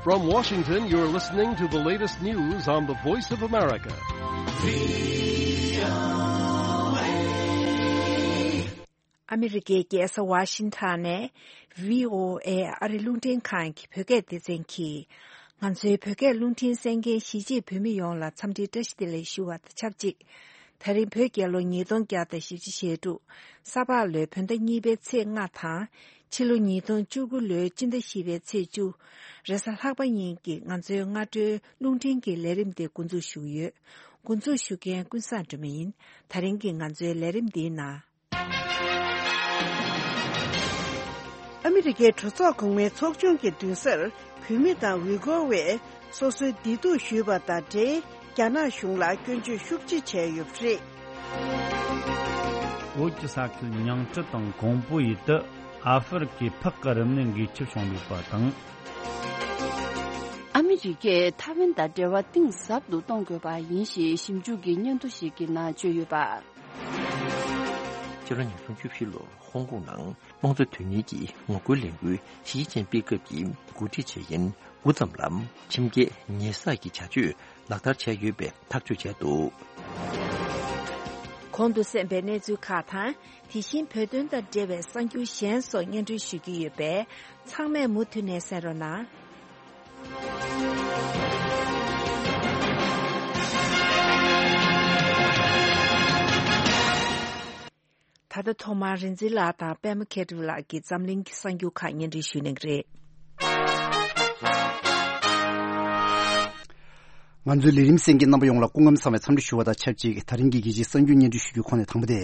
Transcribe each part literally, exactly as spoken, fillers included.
From Washington, you're listening to the latest news on the Voice of America. ཨ་མི་རི་ཀའི་རྒྱལ་ས་ཝ་ཤིང་ཊོན་ནས་བྷི་ཨོ་ཨེ་ཨ་རི་རླུང་འཕྲིན་ཁང་གི་བོད་སྐད་སྡེ་ཚན་གྱིས། ང་ཚོའི་བོད་སྐད་རླུང་འཕྲིན་གསན་མཁན་གཞིས་བྱེས་བོད་མི་ཡོངས་ལ་འཚམས་འདྲིའི་བཀྲ་ཤིས་བདེ་ལེགས་ཞུ་བ་དང་ཆབས་ཅིག་དེ་རིང་བོད་རྒྱལ་ལོ་ཉིས་སྟོང་བརྒྱ་དང་བཞི་བཅུ་ཞེ་དྲུག་ས་ཕག་ལོའི་བོད་ཟླ་གཉིས་པའི་ཚེས་ལྔ་དང་། ཕྱི་ལོ་ཉིས་སྟོང་བཅུ་དགུ་ལོའི་སྤྱི་ཟླ་བཞི་པའི་ཚེས་བཅུ། རེས་གཟའ་ལྷག་པ་ཉིན་གྱི་ང་ཚོའི་སྔ་དྲོའི་རླུང་འཕྲིན་གྱི་ལས་རིམ་དེ་འགོ་འཛུགས་ཞུ་གི་ཡོད། འགོ་འཛུགས་ཞུ་མཁན་ཀུན་བཟང་སྒྲོལ་མ་ཡིན། དེ་རིང་གི་ང་ཚོའི་ལས་རིམ་འདིའི་ནང་། ཨ་མི་རི་ཀའི་གྲོས་ཚོགས་གོང་མའི་ཚོགས་ཆུང་གི་མདུན་སར་བོད་མི་དང་ཝི་གོ་བས་སོ་སོའི་བདེ་སྡུག་ཞུས་པ་དང་འབྲེལ། རྒྱ་ནག་གཞུང་ལ་སྐྱོན་བརྗོད་ཤུགས་ཆེ་བྱས་ཡོད་པ་རེད། བོད་ཀྱི་ས་ཁུལ་ཉང་བྲི་དང་ཀོང་པོ་ཡུལ་དུ་ཨ་ཧྥེ་རི་ཁའི་ཕག་གི་རིམས་ནད་འགོས་ཁྱབ་བྱུང་ཡོད་པ་དང་། ཨ་མི་རི་ཀས་ཐའེ་ཝན་དང་འབྲེལ་བ་གཏིང་ཟབ་ཏུ་གཏོང་དགོས་པ་ཡིན་ཞེས་ཞིབ་འཇུག་གི་སྙན་ཐོ་ཞིག་གི་ནང་བརྗོད་ཡོད་པ། ཕྱི་ལོ་ཉིས་སྟོང་བཅུ་བཞི་ལོར་ཧོང་ཀོང་ནང་དམངས་གཙོ་དོན་གཉེར་གྱི་ངོ་རྒོལ་ལས་འགུལ་ཞི་ཅིན་ཕིང་སྐབས་ཀྱི་འགོ་ཁྲིད་བྱས་ཡུན་འགོ་ཙམ་ལ་ཁྲིམས་འགལ་ཉེས་བསགས་ཀྱི་བྱ་སྤྱོད་ལག་བསྟར་བྱས་ཡོད་པའི་ཐག་གཅོད་བྱས་འདུག། གོང་དུ་གསན་པའི་གནས་ཚུལ་ཁག་དང་། དེ་བཞིན་བོད་དོན་དང་འབྲེལ་བའི་གསར་འགྱུར་གཞན་སོགས་སྙན་སྒྲོན་ཞུ་རྒྱུ་ཡོད་པས། ཚང་མས་མུ་མཐུད་ནས་གསན་རོགས་གནང་། ད་ལྟ་ཐོག་མར་རིག་འཛིན་ལགས་དང་པད་མ་མཁས་གྲུབ་ལགས་ཀྱིས་འཛམ་གླིང་གི་གསར་འགྱུར་ཁག་སྙན་སྒྲོན་ཞུ་གནང་གི་རེད། ང་ཚོའི་ལས་རིམ་གསན་མཁན་རྣམ་པ་ཡོངས་ལ་སྐུ་ཁམས་བཟང་བའི་འཚམས་འདྲི་ཞུ་བ་དང་ཆབས་ཅིག་དེ་རིང་གི་རྒྱལ་སྤྱིའི་གསར་འགྱུར་སྙན་སྒྲོན་ཞུ་རྒྱུའི་ཁོངས་ནས་དང་པོ་དེ།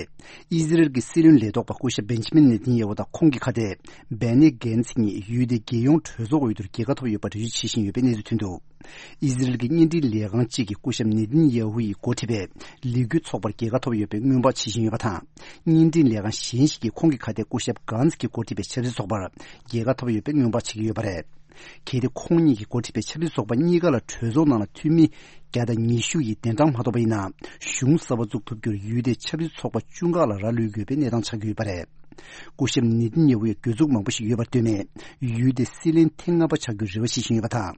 ཨི་ཟི་རེལ་གྱི་སྲིད་བློན་ལས་ཐོག་པ་སྐུ་ཞབས་བེན་ཇི་མིན་ནེ་ཐན་ཡ་ཧུ་དང་ཁོང་གི་ཁ་གཏད་བན་ནི་གྷན་ཚི་གཉིས་ཡུལ་དེའི་རྒྱལ་ཡོངས་གྲོས་ཚོགས་འོས་བསྡུར་རྒྱལ་ཁ་ཐོབ་ཡོད་པ་འགྲེལ་བརྗོད་བྱེད་བཞིན་ཡོད་པའི་གནས་ཚུལ་ཐོན་འདུག། ཨི་ཟི་རེལ་གྱི་བརྙན་འཕྲིན་ལས་ཁང་གཅིག་གིས་སྐུ་ཞབས་ནེ་ཐན་ཡ་ཧུ་ཡིས་འགོ་ཁྲིད་པའི་ལས་འགུལ་ཚོགས་པར་རྒྱལ་ཁ་ཐོབ་ཡོད་པའི་སྔོན་དཔག་བྱེད་བཞིན་ཡོད་པ་དང་། བརྙན་འཕྲིན་ལས་ཁང་གཞན་ཞིག་གིས་ཁོང་གི་ཁ་གཏད་སྐུ་ཞབས་གྷན་ཛི་གིས་འགོ་ཁྲིད་པའི་ཆབ་སྲིད་ཚོགས་པར་རྒྱལ་ཁ་ཐོབ་ཡོད་པའི་སྔོན་དཔག་བྱེད་ཀྱི་ཡོད་པ་རེད། གལ་ཏེ་ཁོང་གཉིས་ཀྱིས་འགོ་ཁྲིད་པའི་ཆབ་སྲིད་ཚོགས་པ་གཉིས་ཀ་ལ་གྲོས་ཚོགས་ནང་ལ་འཐུས་མི་བརྒྱ་དང་ཉི་ཤུ་ཡིས་གདན་དྲངས་མ་ཐོབ་པ་ཡིན་ན། གཞུང་གསར་པ་བཙུགས་ཐུབ་རྒྱུར་ཡུལ་དེའི་ཆབ་སྲིད་ཚོགས་པ་བཅུ་ཁག་ལ་ར་ལུས་དགོས་པའི་གནས་སྟངས་ཆགས་ཀྱི་ཡོད་པ་རེད། སྐུ་ཞབས་ནེ་ཐན་ཡ་ཧུ་ཡི་གྱོད་འཛུགས་མང་པོ་ཞིག་ཡོད་པར་ལྟོས་ནས། ཡུལ་དེའི་སྲིད་བློན་ཐེངས་ལྔ་པ་ཆགས་རྒྱུའི་རེ་བ་བྱེད་བཞིན་ཡོད་པ་དང་།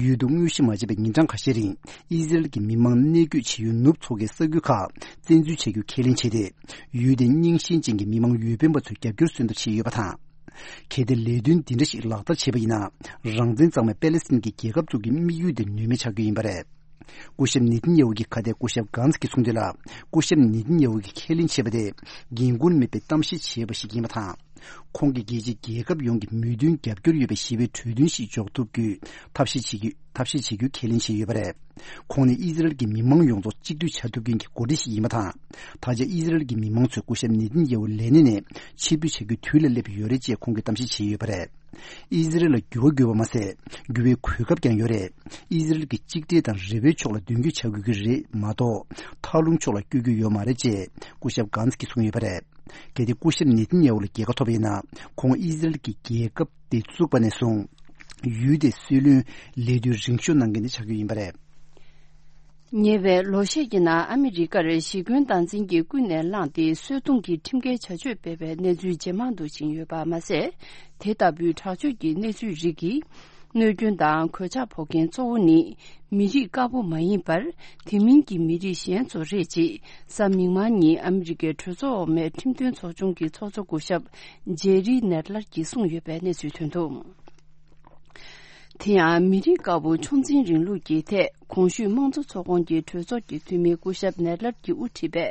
ཡུལ་དུ་དངོས་གཞི་མ་མཇལ་བའི་ཉིན་གྲངས་ཁ་ཤས་རིང་། ཨི་ཟི་རེལ་གྱི་མི་མང་གནས་སྐྱོད་བྱེད་ཡུལ་ནུབ་མཚོ་ཁའི་ས་ཁུལ་ཁག་བཙན་འཛུལ་བྱ་རྒྱུ་ཁས་ལེན་བྱས་ཏེ། ཡུལ་དེའི་རྙིང་ཞེན་ཅན་གྱི་མི་མང་འོས་འཕེན་པ་ཚོའི་རྒྱབ་སྐྱོར་སོན་ཐབས་བྱས་ཡོད་པ་དང་། གལ་ཏེ་ལས་དོན་འདི་འདྲ་ཞིག་ལག་བསྟར་བྱས་པ་ཡིན་ན། རང་བཙན་གཙང་མའི་པེ་ལེ་སི་ཐན་གྱི་རྒྱལ་ཁབ་འཛུགས་རྒྱུའི་དམིགས་ཡུལ་དེ་ནུས་མེད་ཆགས་རྒྱུ་ཡིན་པ་རེད། སྐུ་ཞབས་ནེ་ཐན་ཡ་ཧུ་གི་ཁ་གཏད་སྐུ་ཞབས་གྷན་ཛི་གིས་གསུངས་དོན་ལ། སྐུ་ཞབས་ནེ་ཐན་ཡ་ཧུ་གིས་ཁས་ལེན་བྱས་པ་དེ་འགན་ཁུར་མེད་པའི་གཏམ་བཤད་བྱས་པ་ཞིག་ཡིན་པ་དང་། ཁོང་གིས་རྒྱལ་སྤྱིའི་རྒྱལ་ཁབ་ཡོངས་ཀྱི་མོས་མཐུན་རྒྱབ་སྐྱོར་ཡོད་པའི་ཞི་བའི་གྲོས་མཐུན་ཞིག་འཇོག་ཐུབ་རྒྱུའི་ཐབས་ཤེས་བྱེད་རྒྱུ་ཐབས་ཤེས་བྱེད་རྒྱུའི་ཁས་ལེན་བྱས་ཡོད་པ་རེད། ཁོང་ནི་ཨི་ཟི་རེལ་གྱི་མི་མང་ཡོངས་རྫོགས་གཅིག་སྡུད་བྱ་ཐུབ་མཁན་གྱི་འགོ་ཁྲིད་ཞིག་ཡིན་པ་དང་། ད་ཆ་ཨི་ཟི་རེལ་གྱི་མི་མང་ཚོས་སྐུ་ཞབས་ནེ་ཐན་ཡ་ཧུ་ལས་གནས་ནས་ཕྱིར་འབུད་བྱ་རྒྱུའི་དུས་ལ་སླེབས་ཡོད་རེད་ཅེས་ཁོང་གིས་གཏམ་བཤད་བྱས་ཡོད་པ་རེད། ཨི་ཟི་རེལ་ལ་འགྱུར་བ་དགོས་པ་མ་ཟད། འགྱུར་བའི་གོ་སྐབས་ཀྱང་ཡོད་རེད། ཨི་ཟི་རེལ་གྱི་གཅིག་སྒྲིལ་དང་རེ་བའི་ཕྱོགས་ལ་མདུན་སྐྱོད་བྱ་དགོས་ཀྱི་རེད་མ་གཏོགས། མཐའ་ལྷུང་ཕྱོགས་ལ་བསྐྱོད་རྒྱུ་ཡོད་མ་རེད་ཅེས་སྐུ་ཞབས་གྷན་ཛི་གིས་གསུངས་ཡོད་པ་རེད། གལ་ཏེ་སྐུ་ཞབས་ནེ་ཐན་ཡ་ཧུ་ལ་རྒྱལ་ཁ་ཐོབ་པ་ཡིན་ན། ཁོང་ཨི་ཟི་རེལ་གྱི་རྒྱལ་ཁབ་དེ་བཙུགས་པ་ནས་བཟུང་། ཡུལ་དེའི་སྲིད་བློན་ལས་དུས་རིང་ཤོས་གནང་མཁན་དེ་ཆགས་རྒྱུ་ཡིན་པ་རེད། ཉེ་བའི་ལོ་ཤས་ཀྱི་ནང་ཨ་མི་རི་ཀར་ཞི་རྒོལ་སྟངས་འཛིན་གྱིས་ཀུན་ནས་བསླངས་ཏེ་གསོད་རྡུང་གི་ཁྲིམས་འགལ་བྱ་སྤྱོད་སྤེལ་བའི་གནས་ཚུལ་ཇེ་མང་དུ་ཕྱིན་ཡོད་པ་མ་ཟད། དེ་ལྟ་བུའི་དྲག་སྤྱོད་ཀྱི་གནས་ཚུལ་རིགས་ཀྱིས་གནོད་སྐྱོན་དང་གོད་ཆག་ཕོག་མཁན་གཙོ་བོ་ནི་མི་རིགས་དཀར་པོ་མ་ཡིན་པར་དེ་མིན་གྱི་མི་རིགས་གཞན་ཚོ་རེད་ཅེས་གཟའ་མིག་དམར་ཉིན་ཨ་མི་རི་ཀའི་གྲོས་ཚོགས་འོག་མའི་ཁྲིམས་དོན་ཚོགས་ཆུང་གི་ཚོགས་གཙོ་སྐུ་ཞབས་ཇེ་རི་ནེར་ལར་གྱིས་གསུངས་ཡོད་པའི་གནས་ཚུལ་ཐོན་འདུག། དེ་ཡང་མི་རིགས་དཀར་པོ་ཕྱོགས་འཛིན་རིང་ལུགས་ཀྱི་ཐད་གོང་ཞུས་དམངས་གཙོ་ཚོགས་ཁོངས་ཀྱི་གྲོས་ཚོགས་ཀྱི་འཐུས་མི་སྐུ་ཞབས་ནེར་ལར་གྱིས་དབུ་ཁྲིད་པའི་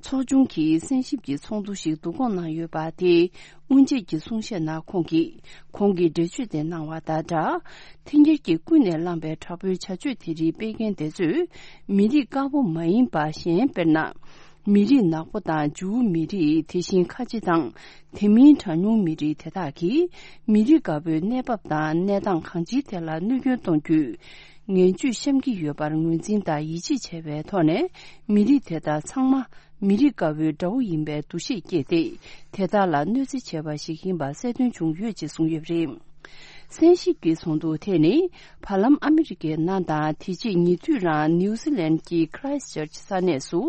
ཚོགས་ཆུང་གིས་གསན་ཞིབ་ཀྱི་ཚོགས་འདུ་ཞིག་བསྡུ་སྐོང་གནང་ཡོད་པ་དེའི་དབུ་འབྱེད་ཀྱི་གསུང་བཤད་ནང་ཁོང་གིས་ཁོང་གི་འགྲེལ་བརྗོད་དེ་གནང་བ་དང་སྦྲགས། འཐེན་འཁྱེར་གྱིས་ཀུན་ནས་བསླངས་པའི་དྲག་པོའི་བྱ་སྤྱོད་དེ་རིགས་སྤེལ་མཁན་དེ་ཚོས་མི་རིགས་དཀར་པོ་མ་ཡིན་པ་གཞན་དཔེར་ན། མི་རིགས་ནག་པོ་དང་ཇུའུ་མི་རིགས། དེ་བཞིན་ཁ་ཆེ་དང་དེ་མིན་གྲངས་ཉུང་མི་རིགས་དེ་དག་གིས་མི་རིགས་དཀར་པོའི་གནས་བབ་དང་གནས་སྟངས་གང་ཅིའི་ཐད་ལ་གནོད་སྐྱོན་གཏོང་རྒྱུའི་ངན་ཇུས་བཤམས་ཀྱི་ཡོད་པར་ངོས་འཛིན་དང་ཡིད་ཆེས་བྱས་པའི་ཐོག་ནས། མི་རིགས་དེ་དག་ཚང་མ་མི་རིགས་དཀར་པོའི་དགྲ་བོ་ཡིན་པའི་འདུ་ཤེས་བསྐྱེད་དེ། དེ་དག་ལ་གནོད་འཚེ་བྱས་པ་ཞིག་ཡིན་པ་གསལ་སྟོན་བྱུང་ཡོད་ཅེས་གསུངས་ཡོད་པ་རེད། གསན་ཞིབ་ཀྱི་ཚོགས་འདུ་དེ་ནི་བར་ལམ་ཨ་མི་རི་ཀའི་ནང་དང་དེ་རྗེས་ཉེ་དུས་རང་ནིའུ་ཛི་ལན་གྱི་ཁི་རའེ་སི་ཅར་ཅི་ས་གནས་སུ་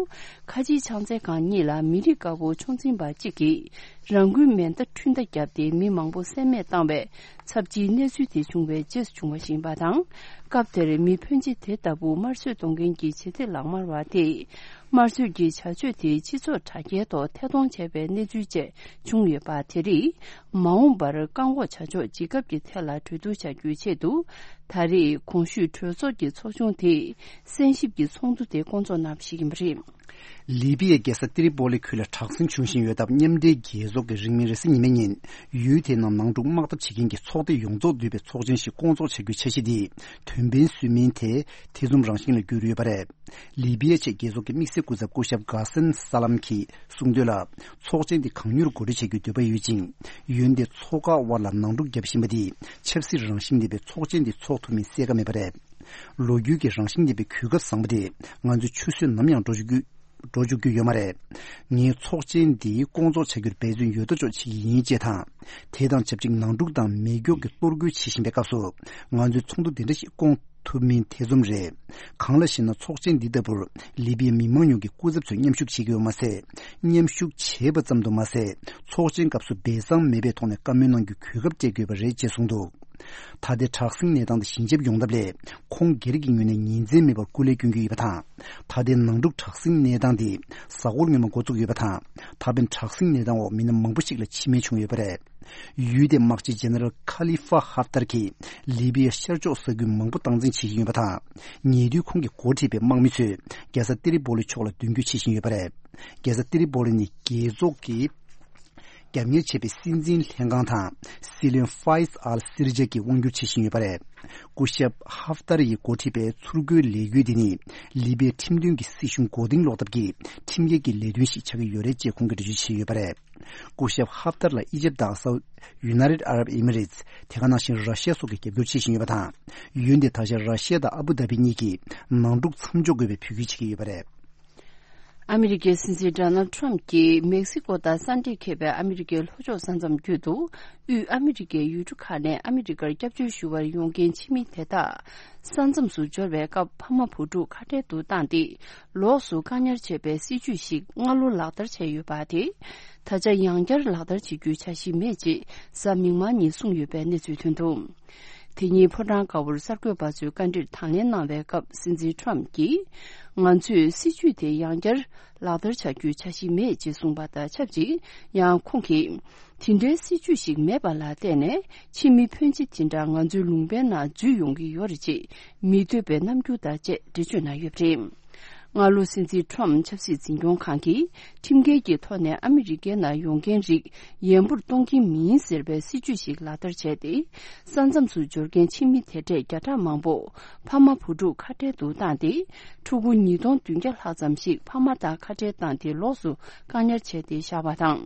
ཁ་ཆེའི་ཕྱག་འཚལ་ཁང་གཉིས་ལ་མི་རིགས་དཀར་པོ་ཆོས་འཛིན་པ་གཅིག་གིས་རང་འགུལ་མེ་མདའ་འཕྲུལ་མདའ་བརྒྱབ་སྟེ་མི་མང་པོ་བསད་རྨས་བཏང་བའི་ཚབས་ཆེའི་གནས་ཚུལ་དེ་བྱུང་བའི་རྗེས་སུ་བྱུང་བ་ཞིག་ཡིན་པ་དང་། སྐབས་དེར་མི་ཕོན་ཆེ་དེ་ལྟ་བུ་དམར་གསོད་གཏོང་མཁན་གྱི་བྱེད་གཏེ་ལག་དམར་བ་དེས། དམར་གསོད་ཀྱི་བྱ་སྤྱོད་དེ་སྤྱི་ཚོགས་དྲ་རྒྱའི་ཐོག་ཐད་གཏོང་བྱས་པའི་གནས་ཚུལ་བཅས་བྱུང་ཡོད་པ་དེ་རིགས། མ་འོངས་པར་བཀག་འགོག་བྱ་ཕྱོགས་ཇི་དགབ་ཀྱི་ཐད་ལ་གྲོས་བསྡུར་བྱ་རྒྱུའི་ཆེད་དུ། ད་རེས་གོང་ཞུས་གྲོས་ཚོགས་ཀྱི་ཚོགས་ཆུང་དེས་གསན་ཞིབ་ཀྱི་ཚོགས་འདུ་དེ་བསྐོང་ཚོགས་གནང་བ་ཞིག་ཡིན་པ་རེད། ལི་བི་ཡའི་རྒྱལ་ས་ཏི་རི་པོ་ལི་ཁུལ་ལ་དྲག་ཟིང་བྱུང་བཞིན་ཡོད་སྟབས། མཉམ་འབྲེལ་རྒྱལ་ཚོགས་ཀྱི་རིང་མིན་རེས་གཟའ་ཉི་མའི་ཉིན། ཡུལ་དེའི་ནང་ནང་འཁྲུག་དམག་འཐབ་བྱེད་མཁན་གྱི་ཚོགས་སྡེ་ཡོངས་རྫོགས་འདུས་པའི་ཚོགས་ཆེན་ཞིག་བསྐོང་ཚོགས་བྱ་རྒྱུའི་འཆར་གཞི་འདི། དོན་ཕན་སུན་མིན་དེ་ཐེ་ཚོམ་རང་བཞིན་ལ་གྱུར་ཡོད་པ་རེད། ལི་བི་ཡའི་ཆེད་རྒྱལ་ཚོགས་ཀྱི་དམིགས་བསལ་སྐུ་ཚབ་སྐུ་ཞབས་གྷ་སན་ས་ལམ་གྱིས་གསུངས་དོན་ལ། ཚོགས་ཆེན་འདི་གང་མྱུར་གོ་སྒྲིག་བྱ་རྒྱུའི་འདོད་པ་ཡོད་ཅིང་། ཡོན་ཏན་ཚོགས་ཁག་དབར་ལ་ནང་འཁྲུག་བརྒྱབ་བཞིན་པ་འདིས་ཆབ་སྲིད་རང་བཞིན་ལྡན་པའི་ཚོགས་ཆེན་འདི་འཚོགས་ཐུབ་མིན་གསལ་ཁ་མེད་པ་རེད། ལོ་རྒྱུས་ཀྱི་རང་བཞིན་ལྡན་པའི་གོ་སྐབས་བཟང་པོ་དེ་ང་ཚོས་ཆུད་ཟོས་ནམ་ཡང་འགྲོ་བཅུག་རྒྱུ་འགྲོ་བཅུག་རྒྱུ་ཡོད་མ་རེད། ངས་ཚོགས་ཆེན་འདི་སྐོང་ཚོགས་བྱ་རྒྱུར་འབད་བརྩོན་ཡོད་དོ་ཅོག་བྱེད་ཀྱི་ཡིན་ཅེས་དང་། དེ་དང་ཆབས་ཅིག་ནང་འཁྲུག་དང་མེ་སྒྱོགས་ཀྱི་གཏོར་རྒོལ་བྱེད་བཞིན་པའི་སྐབས་སུ། ང་ཚོས་ཚོགས་འདུ་འདི་འདྲ་ཞིག་སྐོང་ཐུབ་མིན་ཐེ་ཚོམ་རེད། གང་ལགས་ཤེ་ན། ཚོགས་ཆེན་འདི་ལྟ་བུར་ལི་བི་ཡའི་མི་མང་ཉུང་གི་སྐུ་ཚབ་ཚོས་མཉམ་ཞུགས་བྱེད་ཀྱི་ཡོད་མ་ཟད། མཉམ་ཞུགས་བྱས་པ་ཙམ་དུ་མ་ཟད། ཚོགས་ཆེན་སྐབས་སུ་སྦས་གསང་མེད་པའི་ཐོག་ནས་བཀའ་མོལ་གནང་རྒྱུའི་གོ་སྐབས་སྤྲད་དགོས་པ་རེད་ཅེས་གསུངས་འདུག་ད་ལྟའི་དྲག་ཟིང་གནས་སྟངས་འདི་ཞི་འཇགས་ཡོང་ཐབས་ལ། ཁོང་སྒེར་གྱི་ངོས་ནས་ཉིན་མཚན་མེད་པར་སྐུ་ལས་སྐྱོན་གྱི་ཡོད་པ་དང་། ད་ལྟའི་ནང་འཁྲུག་དྲག་ཟིང་གནས་སྟངས་འདི་གཟའ་འཁོར་སྔོན་མ་འགོ་བཙུགས་ཡོད་པ་དང་། ད་ཕན་དྲག་ཟིང་གནས་སྟངས་འོག་མི་སྣ་མང་པོ་ཞིག་ལ་འཆི་རྨས་བྱུང་ཡོད་པ་རེད། ཡུལ་དེའི་དམག་སྤྱི་ཇེ་ནེ་རལ་ཁ་ལི་ཧྥ་ཧབ་ཏར་གྱིས་ལི་བི་ཡའི་ཤར་ཕྱོགས་ས་ཁུལ་མང་པོ་སྟངས་འཛིན་བྱེད་ཀྱི་ཡོད་པ་དང་། ཉེ་དུས་ཁོང་གིས་འགོ་ཁྲིད་པའི་དམག་མི་ཚོས་རྒྱལ་ས་ཏི་རི་པོ་ལི་ཕྱོགས་ལ་མདུན་སྐྱོད་བྱེད་བཞིན་ཡོད་པ་རེད། རྒྱལ་ས་ཏི་རི་པོ་ལི་ནི་རྒྱལ་ཚོགས་ཀྱི་རྒྱབ་གཉེར་བྱས་པའི་སྲིད་འཛིན་ལྷན་ཁང་དང་། སྲིད་བློན་ཧྥ་ཡིས་ཨལ་སི་རི་ཇ་གིས་དབང་སྒྱུར་བྱེད་བཞིན་ཡོད་པ་རེད། སྐུ་ཞབས་ཧབ་ཏར་ཡིས་འགོ་ཁྲིད་པའི་ཚུར་རྒོལ་ལས་འགུལ་འདི་ནི་ལི་བི་ཡའི་ཁྲིམས་མཐུན་གྱི་སྲིད་གཞུང་མགོ་རྟིང་སློག་ཐབས་ཀྱི་ཁྲིམས་འགལ་གྱི་ལས་དོན་ཞིག་ཆགས་ཀྱི་ཡོད་རེད་ཅེས་ཁོང་གིས་འགྲེལ་བརྗོད་བྱས་ཡོད་པ་རེད། སྐུ་ཞབས་ཧབ་ཏར་ལ་ཨི་ཇིབ་དང་སའུ། ཡུ་ནའི་ཊེཌ་ཨ་རབ་ཨི་མི་རེ་ཊི། དེ་ག་ནང་བཞིན་ར་ཤི་ཡ་སོགས་ཀྱིས་རྒྱབ་སྐྱོར་བྱེད་བཞིན་ཡོད་པ་དང་། ཡུལ་འདིར་ད་ཆ་ར་ཤི་ཡ་དང་ཨ་བུ་དྷ་བི་གཉིས་ཀྱིས་ནང་འཁྲུག་མཚམས་འཇོག་དགོས་པའི་འབོད་སྐུལ་བྱེད་ཀྱི་ཡོད་པ་རེད། ཨ་མི་རི་ཀའི་སྲིད་འཛིན་ཌོ་ནལ་ཌི་ཊརམ་ཕི་གྱིས་མེག་སི་ཀོ་དང་ས་འདྲེས་ཁེབས་པའི་ཨ་མི་རི་ཀའི་ལྷོ་ཕྱོགས་ས་མཚམས་བརྒྱུད་དུ། དབུས་ཨ་མི་རི་ཀའི་ཡུལ་གྲུ་ཁག་ནས་ཨ་མི་རི་ཀར་སྐྱབས་བཅོལ་ཞུ་བར་ཡོང་མཁན་ཕྱི་མི་དེ་དག་ས་མཚམས་སུ་འབྱོར་བའི་སྐབས་ཕ་མ་བུ་ཕྲུག་ཁ་བྲལ་དུ་བཏང་སྟེ། ལོགས་སུ་བཀག་ཉར་བྱས་པའི་སྲིད་ཇུས་ཤིག་སྔ་ལོ་ལག་བསྟར་བྱས་ཡོད་པ་དེ། ད་ཆ་ཡང་བསྐྱར་ལག་བསྟར་བྱེད་རྒྱུའི་འཆར་གཞི་མེད་ཅེས་གཟའ་མིག་དམར་ཉིན་གསུངས་ཡོད་པའི་གནས་ཚུལ་ཐོན་འདུག་དེ་ཉིན་ཕོ་བྲང་དཀར་པོར་གསར་འགོད་པ་ཚོས་བཀའ་འདྲིར་དང་ལེན་གནང་བའི་སྐབས། སྲིད་འཛིན་ཊརམ་ཕི་གྱིས། ང་ཚོས་སྲིད་ཇུས་དེ་ཡང་བསྐྱར་ལག་བསྟར་བྱ་རྒྱུའི་འཆར་གཞི་མེད་ཅེས་གསུངས་པ་དང་ཆབས་ཅིག་ཡང་ཁོང་གིས། དེ་འདྲའི་སྲིད་ཇུས་ཤིག་མེད་པ་ལ་བརྟེན་ནས། ཕྱི་མི་ཕོན་ཆེ་དེ་འདྲ་ང་ཚོའི་ལུང་པའི་ནང་འཛུལ་ཡོང་གི་ཡོད་རེད་ཅེས་མི་འདོད་པའི་རྣམ་འགྱུར་དང་བཅས་འགྲེལ་བརྗོད་གནང་ཡོད་པ་རེད། སྔ་ལོ་སྲིད་འཛིན་ཊརམ་ཕི་ཆབ་སྲིད་འཛིན་སྐྱོང་ཁང་གིས་ཁྲིམས་འགལ་གྱི་ཐོག་ནས་ཨ་མི་རི་ཀའི་ནང་ཡོང་མཁན་རིགས་ཡན་པོར་གཏོང་གི་མིན་ཟེར་བའི་སྲིད་ཇུས་ཤིག་ལག་བསྟར་བྱས་ཏེ། ས་མཚམས་སུ་འབྱོར་མཁན་ཕྱི་མི་དེ་གྲས་བརྒྱ་ཕྲག་མང་པོ་ཕ་མ་བུ་ཕྲུག་ཁ་བྲལ་དུ་བཏང་སྟེ། ཕྲུ་གུ་ཉིས་སྟོང་བདུན་བརྒྱ་ལྷག་ཙམ་ཞིག་ཕ་མ་དང་ཁ་བྲལ་བཏང་སྟེ་ལོགས་སུ་བཀག་ཉར་བྱས་ཏེ་བཞག་པ་དང་།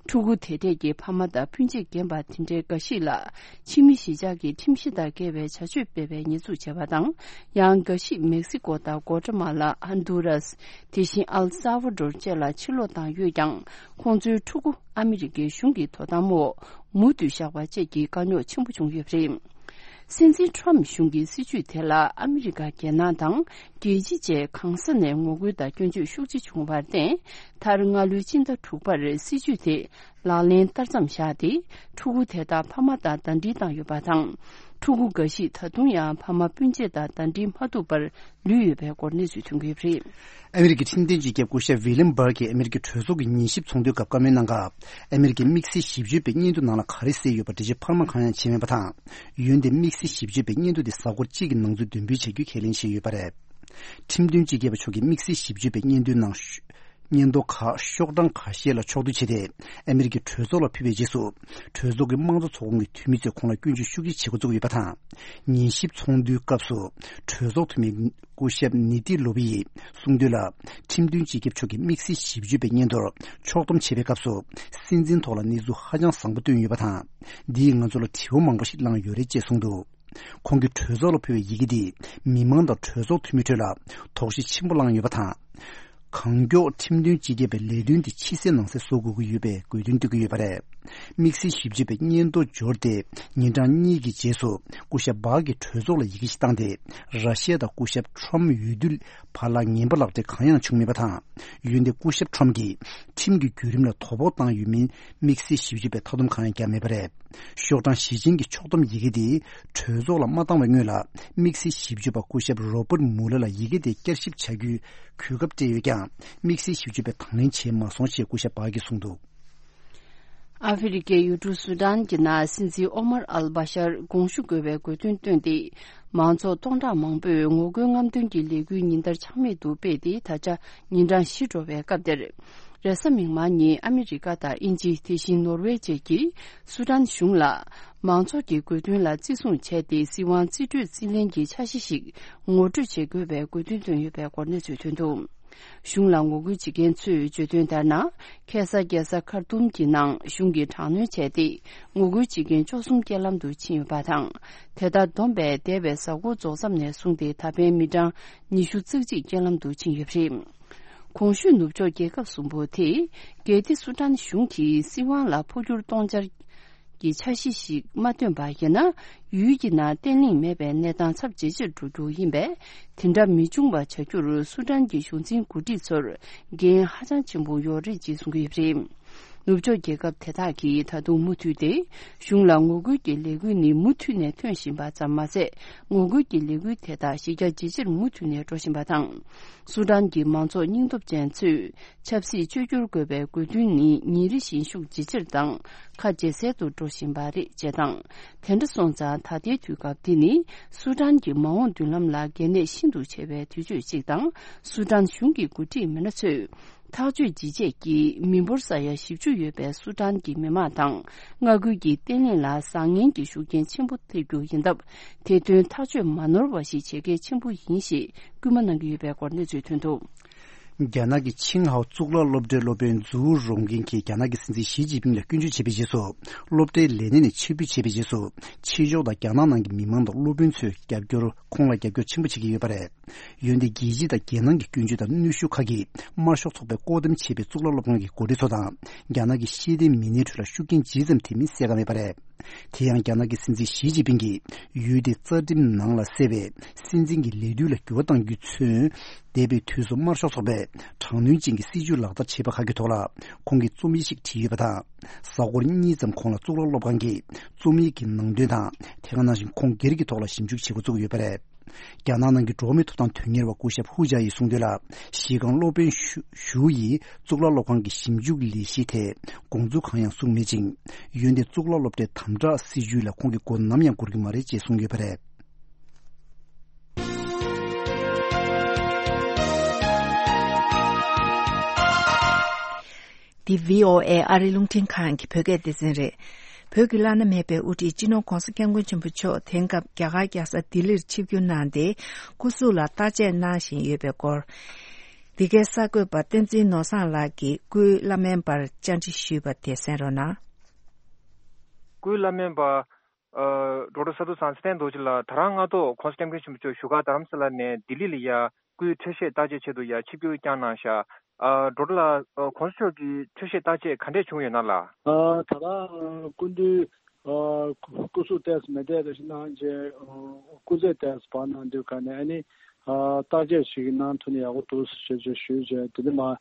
ཕྲུ་གུ་དེ་གྲས་ཀྱི་ཕ་མ་དང་སྤུན་མཆེད་རྒན་པ་དེ་འདྲའི་འགའ་ཞིག་ལ་ཕྱི་མི་གཞིས་ཆགས་ཀྱི་ཁྲིམས་གཞི་དང་འགལ་བའི་བྱ་སྤྱོད་སྤེལ་བའི་ཉེས་འཛུགས་བྱས་པ་དང་། ཡང་འགའ་ཞིག་མེག་སི་ཀོ་དང་གོ་ཏྲ་མ་ལ། ཧོན་དུ་རཱས། དེ་བཞིན་ཨལ་ས་ཝ་ཌོར་བཅས་ལ་ཕྱིར་ལོག་བཏང་ཡོད་ཀྱང་། ཁོང་ཚོའི་ཕྲུ་གུ་ཨ་མི་རི་ཀའི་གཞུང་གི་དོ་དམ་འོག་མུ་མཐུད་བཞག་པ་བཅས་ཀྱི་དཀའ་རྙོག་ཆེན་པོ་བྱུང་ཡོད་པ་རེད། སྲིད་འཛིན་ཊརམ་གཞུང་གི་སྲིད་ཇུས་དེ་ལ་ཨ་མི་རི་ཀ་རྒྱལ་ནང་དང་རྒྱལ་སྤྱི་བཅས་གང་ས་ནས་ངོ་རྒོལ་དང་སྐྱོན་བརྗོད་ཤུགས་ཆེ་བྱུང་བར་བརྟེན། མཐར་སྔ་ལོའི་ཕྱི་ཟླ་དྲུག་པར་སྲིད་ཇུས་དེ་ལག་ལེན་བསྟར་མཚམས་བཞག་སྟེ། ཕྲུ་གུ་དེ་དག་ཕ་མ་དང་ཟླ་སྒྲིལ་བཏང་ཡོད་པ་དང་། ཕྲུ་གུ་འགའ་ཞིག་ད་དུང་ཡང་ཕ་མ་སྤུན་མཆེད་དང་ཟླ་སྒྲིལ་མ་ཐུབ་པར་ལུས་ཡོད་པའི་སྐོར་གནས་ཚུལ་ཐོན་གྱི་ཡོད་པ་རེད། ཨ་མི་རི་ཀའི་ཁྲིམས་དོན་སྤྱི་ཁྱབ་སྐུ་ཞབས་ཝི་ལིམ་བྷར་གྱིས་ཨ་མི་རི་ཀའི་གྲོས་ཚོགས་ཀྱི་ཉི་ཤུ་པ་ཚོགས་འདུའི་སྐབས་བཀའ་མོལ་གནང་སྐབས། ཨ་མི་རི་ཀའི་དམིགས་བསལ་ཞིབ་དཔྱོད་པའི་སྙན་ཐོ་ནང་ལ་ག་རེ་གསལ་ཡོད་པ་འགྲེལ་བརྗོད་འཕར་མ་གང་ཡང་བྱས་མེད་པ་དང་། འོན་ཏེ་དམིགས་བསལ་ཞིབ་དཔྱོད་པའི་སྙན་ཐོ་དེ་གཟའ་འཁོར་གཅིག་གི་ནང་ཚུད་འདོན་འབུལ་བྱ་རྒྱུ་ཁས་ལེན་བྱས་ཡོད་པ་རེད། ཁྲིམས་དོན་སྤྱི་ཁྱབ་པ་མཆོག་གིས་དམིགས་བསལ་ཞིབ་དཔྱོད་པའི་སྙན་ཐོའི་ནང་། སྙན་ཐོ་ཁག་ཤོག་གྲངས་ཁ་ཤས་ལ་ཕྱོགས་བསྡུ་བྱས་ཏེ། ཨ་མི་རི་ཀའི་གྲོས་ཚོགས་ལ་ཕུལ་བའི་རྗེས་སུ། གྲོས་ཚོགས་ཀྱི་དམངས་གཙོ་ཚོགས་ཁོངས་ཀྱི་འཐུས་མི་ཚོས་ཁོང་ལ་སྐྱོན་བརྗོད་ཤུགས་ཆེ་བྱེད་འགོ་བཙུགས་ཡོད་པ་དང་། ཉི་ཤུ་པ་ཚོགས་འདུའི་སྐབས་སུ། གྲོས་ཚོགས་འཐུས་མི་སྐུ་ཞབས་ནི་ཏི་ལོ་བི་ཡིས་གསུངས་དོན་ལ། ཁྲིམས་དོན་སྤྱི་ཁྱབ་མཆོག་གིས་དམིགས་བསལ་ཞིབ་དཔྱོད་པའི་སྙན་ཐོར་ཕྱོགས་བསྡོམས་བྱེད་པའི་སྐབས་སུ། སྲིད་འཛིན་ཐོག་ལ་གནས་ཚུལ་ཧ་ཅང་བཟང་པོ་བཏོན་ཡོད་པ་དང་། འདིས་ང་ཚོ་ལ་དྲི་བ་མང་པོ་ཞིག་བསླངས་ཡོད་རེད་ཅེས་གསུངས་འདུག་ཁོང་གིས་གྲོས་ཚོགས་ལ་ཕུལ་བའི་ཡི་གེ་འདིས་མི་མང་དང་གྲོས་ཚོགས་འཐུས་མི་ཁྲོད་ལ་དོགས་གཞི་ཆེན་པོ་བསླངས་ཡོད་པ་དང་། གང་མགྱོགས་ཁྲིམས་དོན་སྤྱི་ཁྱབ་པའི་ལས་དོན་དེ་ཕྱི་གསལ་ནང་གསལ་བཟོ་དགོས་ཀྱི་ཡོད་པའི་དགོས་འདུན་བཏོན་གྱི་ཡོད་པ་རེད། དམིགས་བསལ་ཞིབ་དཔྱོད་པས་སྙན་ཐོ་འབྱོར་ཏེ་ཉིན་གྲངས་གཉིས་ཀྱི་རྗེས་སུ་སྐུ་ཞབས་སྦག་གིས་གྲོས་ཚོགས་ལ་ཡི་གེ་ཞིག་བཏང་སྟེ། ར་ཤི་ཡ་དང་སྐུ་ཞབས་ཁྲོམ་འོས་བསྡུ་བར་ལ་ངན་པ་ལག་འབྲེལ་གང་ཡང་བྱུང་མེད་པ་དང་། འོན་ཏེ་སྐུ་ཞབས་ཁྲོམ་གྱིས་ཁྲིམས་ཀྱི་བརྒྱུད་རིམ་ལ་དོ་ཕོག་བཏང་ཡོད་མིན་དམིགས་བསལ་ཞིབ་དཔྱོད་པས་མཐའ་སྡོམ་གང་ཡང་བརྒྱབ་མེད་པ་རེད། ཤོག་གྲངས་བཞི་ཅན་གྱི་ཕྱོགས་བསྡོམས་ཡི་གེ་དེ་གྲོས་ཚོགས་ལ་མ་བཏང་བའི་སྔོན་ལ་དམིགས་བསལ་ཞིབ་དཔྱོད་པ་སྐུ་ཞབས་རོ་པར་མུ་ལར་ལ་ཡི་གེ་དེ་བསྐྱར་ཞིབ་བྱ་རྒྱུའི་གོ་སྐབས་སྤྲད་ཡོད་ཀྱང་། དམིགས་བསལ་ཞིབ་དཔྱོད་པས་དང་ལེན་བྱས་མ་སོང་ཞེས་སྐུ་ཞབས་སྦག་གིས་གསུངས་འདུག་ཨ་ཧྥེ་རི་ཁའི་ཡུལ་གྲུ་སུ་ཏན་གྱི་ནང་སྲིད་འཛིན་ཨོ་མར་ཨལ་བྷ་ཤར་དགོངས་ཞུ་དགོས་པའི་དགོས་འདུན་བཏོན་ཏེ། མང་ཚོགས་སྟོང་ཕྲག་མང་པོས་ངོ་རྒོལ་རྔམ་སྟོན་གྱི་ལས་འགུལ་ཉིན་ལྟར་ཆག་མེད་དུ་སྤེལ་ཏེ། ད་ཆ་ཉིན་གྲངས་བཞི་འགྲོ་བའི་སྐབས་དེར། རེས་གཟའ་མིག་དམར་ཉིན་ཨ་མི་རི་ཀ་དང་དབྱིན་ཇི། དེ་བཞིན་ནོར་ཝེ་བཅས་ཀྱིས་སུ་ཏན་གཞུང་ལ་མང་ཚོགས་ཀྱི་དགོས་འདུན་ལ་བརྩི་སྲུང་བྱས་ཏེ། སྲིད་དབང་རྩིས་སྤྲོད་རྩིས་ལེན་གྱི་འཆར་གཞི་ཞིག་ངོ་སྤྲོད་བྱེད་དགོས་པའི་དགོས་འདུན་བཏོན་ཡོད་པའི་སྐོར་གནས་ཚུལ་ཐོན་འདུག་གཞུང་ལ་ངོ་རྒོལ་བྱེད་མཁན་ཚོས་བརྗོད་དོན་ལྟར་ན། ཁ་སང་རྒྱལ་ས་ཁར་ཏུམ་གྱི་ནང་གཞུང་གིས་དྲག་གནོན་བྱས་ཏེ། ངོ་རྒོལ་བྱེད་མཁན་བཅུ་གསུམ་རྐྱེན་ལམ་དུ་ཕྱིན་ཡོད་པ་དང་། དེ་ལྟར་བསྡོམས་པས་འདས་པའི་གཟའ་འཁོར་རྫོགས་མཚམས་ནས་བཟུང་སྟེ་ད་ཕན་མི་གྲངས་ཉི་ཤུ་རྩ་གཅིག་རྐྱེན་ལམ་དུ་ཕྱིན་ཡོད་པ་རེད། གོང་ཞུས་ནུབ་ཕྱོགས་རྒྱལ་ཁབ་གསུམ་པོ་དེས་གལ་ཏེ་སུ་ཏན་གཞུང་གིས་སྲིད་དབང་ལ་འཕོ་འགྱུར་གཏོང་འཆར་གྱི་འཆར་གཞི་ཞིག་མ་བཏོན་པ་ཡིན་ན། ཡུལ་གྱི་ནང་བརྟན་ལྷིང་མེད་པའི་གནས་སྟངས་ཚབས་ཇེ་ཆེར་འགྲོ་རྒྱུ་ཡིན་པས། དེ་འདྲ་མི་འབྱུང་བ་བྱ་རྒྱུར་སུ་ཏན་གྱི་གཞུང་འཛིན་འགོ་ཁྲིད་ཚོར་འགན་ཧ་ཅང་ཆེན་པོ་ཡོད་རེད་ཅེས་གསུང་གི་ཡོད་པ་རེད། ནུབ་ཕྱོགས་རྒྱལ་ཁབ་དེ་དག་གིས་ད་དུང་མུ་མཐུད་དེ་གཞུང་ལ་ངོ་རྒོལ་གྱི་ལས་འགུལ་ནི་མུ་མཐུད་ནས་ཐོན་བཞིན་པ་ཙམ་མ་ཟད། ངོ་རྒོལ་གྱི་ལས་འགུལ་དེ་དག་གཞི་རྒྱ་ཇེ་ཆེར་མུ་མཐུད་ནས་འགྲོ་བཞིན་པ་དང་། སུ་ཏན་གྱི་མང་ཚོགས་སྙིང་སྟོབས་ཅན་ཚོས་ཆབ་སྲིད་བཅོས་བསྒྱུར་དགོས་པའི་དགོས་འདུན་ནི་ཉིན་རེ་བཞིན་ཤུགས་ཇེ་ཆེར་དང་ཁ་ཇེ་གསལ་དུ་འགྲོ་བཞིན་པ་རེད་ཅེས་དང་། དེ་འདྲ་སོང་ཙང་ད་ལྟའི་དུས་སྐབས་འདི་ནི་སུ་ཏན་གྱི་མ་འོངས་མདུན་ལམ་ལ་གལ་གནད་ཤིན་ཏུ་ཆེ་བའི་དུས་ཚོད་ཅིག་དང་། སུ་ཏན་གཞུང་གི་འགོ་ཁྲིད་མི་སྣ་ཚོས་ཐག་གཅོད་ཇི་བྱས་ཀྱིས་མི་འབོར་ས་ཡ་བཞི་བཅུ་ཡོད་པའི་སུ་ཏན་གྱི་མི་མང་དང་མངའ་ཁུལ་གྱི་བརྟན་ལྷིང་ལ་བཟང་ངན་གྱི་ཤུགས་རྐྱེན་ཆེན་པོ་ཐེབས་རྒྱུ་ཡིན་སྟབས། དེ་དོན་ཐག་གཅོད་མ་ནོར་བ་ཞིག་བྱེད་གལ་ཆེན་པོ་ཡིན་ཞེས་སྐུལ་མ་གནང་གི་ཡོད་པའི་སྐོར་གནས་ཚུལ་ཐོན་འདུག་རྒྱ་ནག་གི་ཆིང་ཧའོ་གཙུག་ལག་སློབ་གྲྭའི་སློབ་དཔོན་ཛུའུ་རུང་ཀིན་གྱིས་རྒྱ་ནག་གི་སྲིད་འཛིན་ཞི་ཅིན་ཕིང་ལ་སྐྱོན་བརྗོད་བྱས་པའི་རྗེས་སུ། སློབ་གྲྭའི་ལས་གནས་ནས་ཕྱིར་འབུད་བྱས་པའི་རྗེས་སུ། ཕྱི་ཕྱོགས་དང་རྒྱ་ནག་ནང་གི་མི་མང་དང་སློབ་དཔོན་ཚོས་རྒྱབ་སྐྱོར། ཁོང་ལ་རྒྱབ་སྐྱོར་ཆེན་པོ་བྱེད་ཀྱི་ཡོད་པ་རེད། འོན་ཏེ་རྒྱལ་སྤྱི་དང་རྒྱལ་ནང་གི་སྐྱོན་བརྗོད་དང་གནོན་ཤུགས་ཁག་གིས་དམར་ཤོག་ཚོགས་པས་བཀོད་འདོམས་བྱས་པའི་གཙུག་ལག་སློབ་ཁང་གི་འགོ་ཁྲིད་ཚོ་དང་རྒྱ་ནག་གི་ཤེས་ལྡན་མི་སྣའི་ཁྲོད་ལ་ཤུགས་རྐྱེན་ཇི་ཙམ་ཐེབས་མིན་གསལ་ཁ་མེད་པ་རེད། དེ་ཡང་རྒྱ་ནག་གི་སྲིད་འཛིན་ཞི་ཅིན་ཕིང་གིས་ཡུལ་དེའི་རྩ་ཁྲིམས་ནང་ལ་གསལ་བའི་སྲིད་འཛིན་གྱི་ལས་དུས་ལ་འགྱུར་བ་གཏང་རྒྱུས་མཚོན། འདས་པའི་དུས་སུ་དམར་ཤོག་ཚོགས་པས་དྲག་གནོན་ཅན་གྱི་སྲིད་བྱུས་ལག་བསྟར་བྱས་པ་ཁག་གི་ཐོག་ལ་ཁོང་གིས་རྩོམ་ཡིག་ཅིག་བྲིས་ཡོད་པ་དང་། གཟའ་འཁོར་གཉིས་ཙམ་གོང་ལ་གཙུག་ལག་སློབ་ཁང་གིས་རྩོམ་ཡིག་གི་ནང་དོན་དང་། དེ་ག་ནང་བཞིན་ཁོང་སྒེར་གྱི་ཐོག་ལ་ཞིབ་འཇུག་བྱེད་འགོ་བཙུགས་ཡོད་པ་རེད། རྒྱ་ནག་ནང་གི་འགྲོ་བ་མིའི་ཐོབ་ཐང་དོན་གཉེར་བ་སྐུ་ཞབས་ཧུ་ཇཱ་ཡིས་གསུངས་དོན་ལ། གཞི་རྐང་སློབ་དཔོན་ཞུ་ཞུ་ཡིས་གཙུག་ལག་སློབ་ཁང་གི་ཞིབ་འཇུག་ལས་གཞིའི་ཐད་དགོངས་ཚུལ་གང་ཡང་གསུངས་མེད་ཅིང་། འོན་ཏེ་གཙུག་ལག་སློབ་གྲྭའི་དམ་དྲག་སྲིད་བྱུས་ལ་ཁོང་གིས་མགོ་ནམ་ཡང་སྒུར་གྱི་མ་རེད་ཅེས་གསུངས་ཡོད་པ་རེད། འདི་བྷི་ཨོ་ཨེ་ཨ་རིའི་རླུང་འཕྲིན་ཁང་གི་བོད་སྐད་སྡེ་ཚན་རེད། བོད་ཀྱི་བླ་ན་མེད་པའི་དབུ་ཁྲིད་སྤྱི་ནོར་༧གོང་ས་༧སྐྱབས་མགོན་ཆེན་པོ་མཆོག་དེང་སྐབས་རྒྱ་གར་རྒྱལ་ས་ལྡི་ལིར་ཆིབས་བསྒྱུར་གནང་སྟེ། སྐུ་གཟུགས་ལ་བརྟག་དཔྱད་གནང་བཞིན་ཡོད་པའི་སྐོར། འདི་གའི་གསར་འགོད་པ་བསྟན་འཛིན་ནོར་བཟང་ལགས་ཀྱིས་སྐུའི་བླ་སྨན་པར་བཅར་འདྲི་ཞུས་པ་དེ་གསན་རོགས་གནང་། སྐུའི་བླ་སྨན་པ། ཨ། ཌོག་ཊར་ས་ཐུ་བཟང་ཚེ་བརྟན་རྡོ་རྗེ་ལགས་ད་རང་སྔ་ཐོག་༧གོང་ས་༧སྐྱབས་མགོན་ཆེན་པོ་མཆོག་བཞུགས་སྒར་རྡ་རམ་ས་ལ་ནས་ལྡི་ལི་ལ་ཡ་སྐུའི་འཕྲོད་བཞེས་བརྟག་དཔྱད་ཆེད་དུ་ཡ་ཆིབས་བསྒྱུར་བསྐྱངས་གནང་ཤག་ཨ། ཌོག་ཊར་ལགས། ཨ། ༸གོང་ས་མཆོག་གི་འཕྲོད་བཞེས་བརྟག་དཔྱད་ག་འདྲས་བྱུང་ཡོད་ན་ལགས། ཨ། ད་རང་སྐུ་མདུན། ཨ། སྐུ་གཟུགས་ཏོག་ཙམ་མི་བདེ་རེ་ཞིག་གནང་རྗེས། ཨ། སྐུ་ཚེ་ཏོག་ཙམ་བར་གནང་དུས་ག་ནས་ཨ་ནི། ཨ། བརྟག་དཔྱད་ཞིག་གནང་ཐུབ་ན་ཡག་པོ་འདུག་ཞེས་ཞུས་རྗེས་དེ་ནས་མ།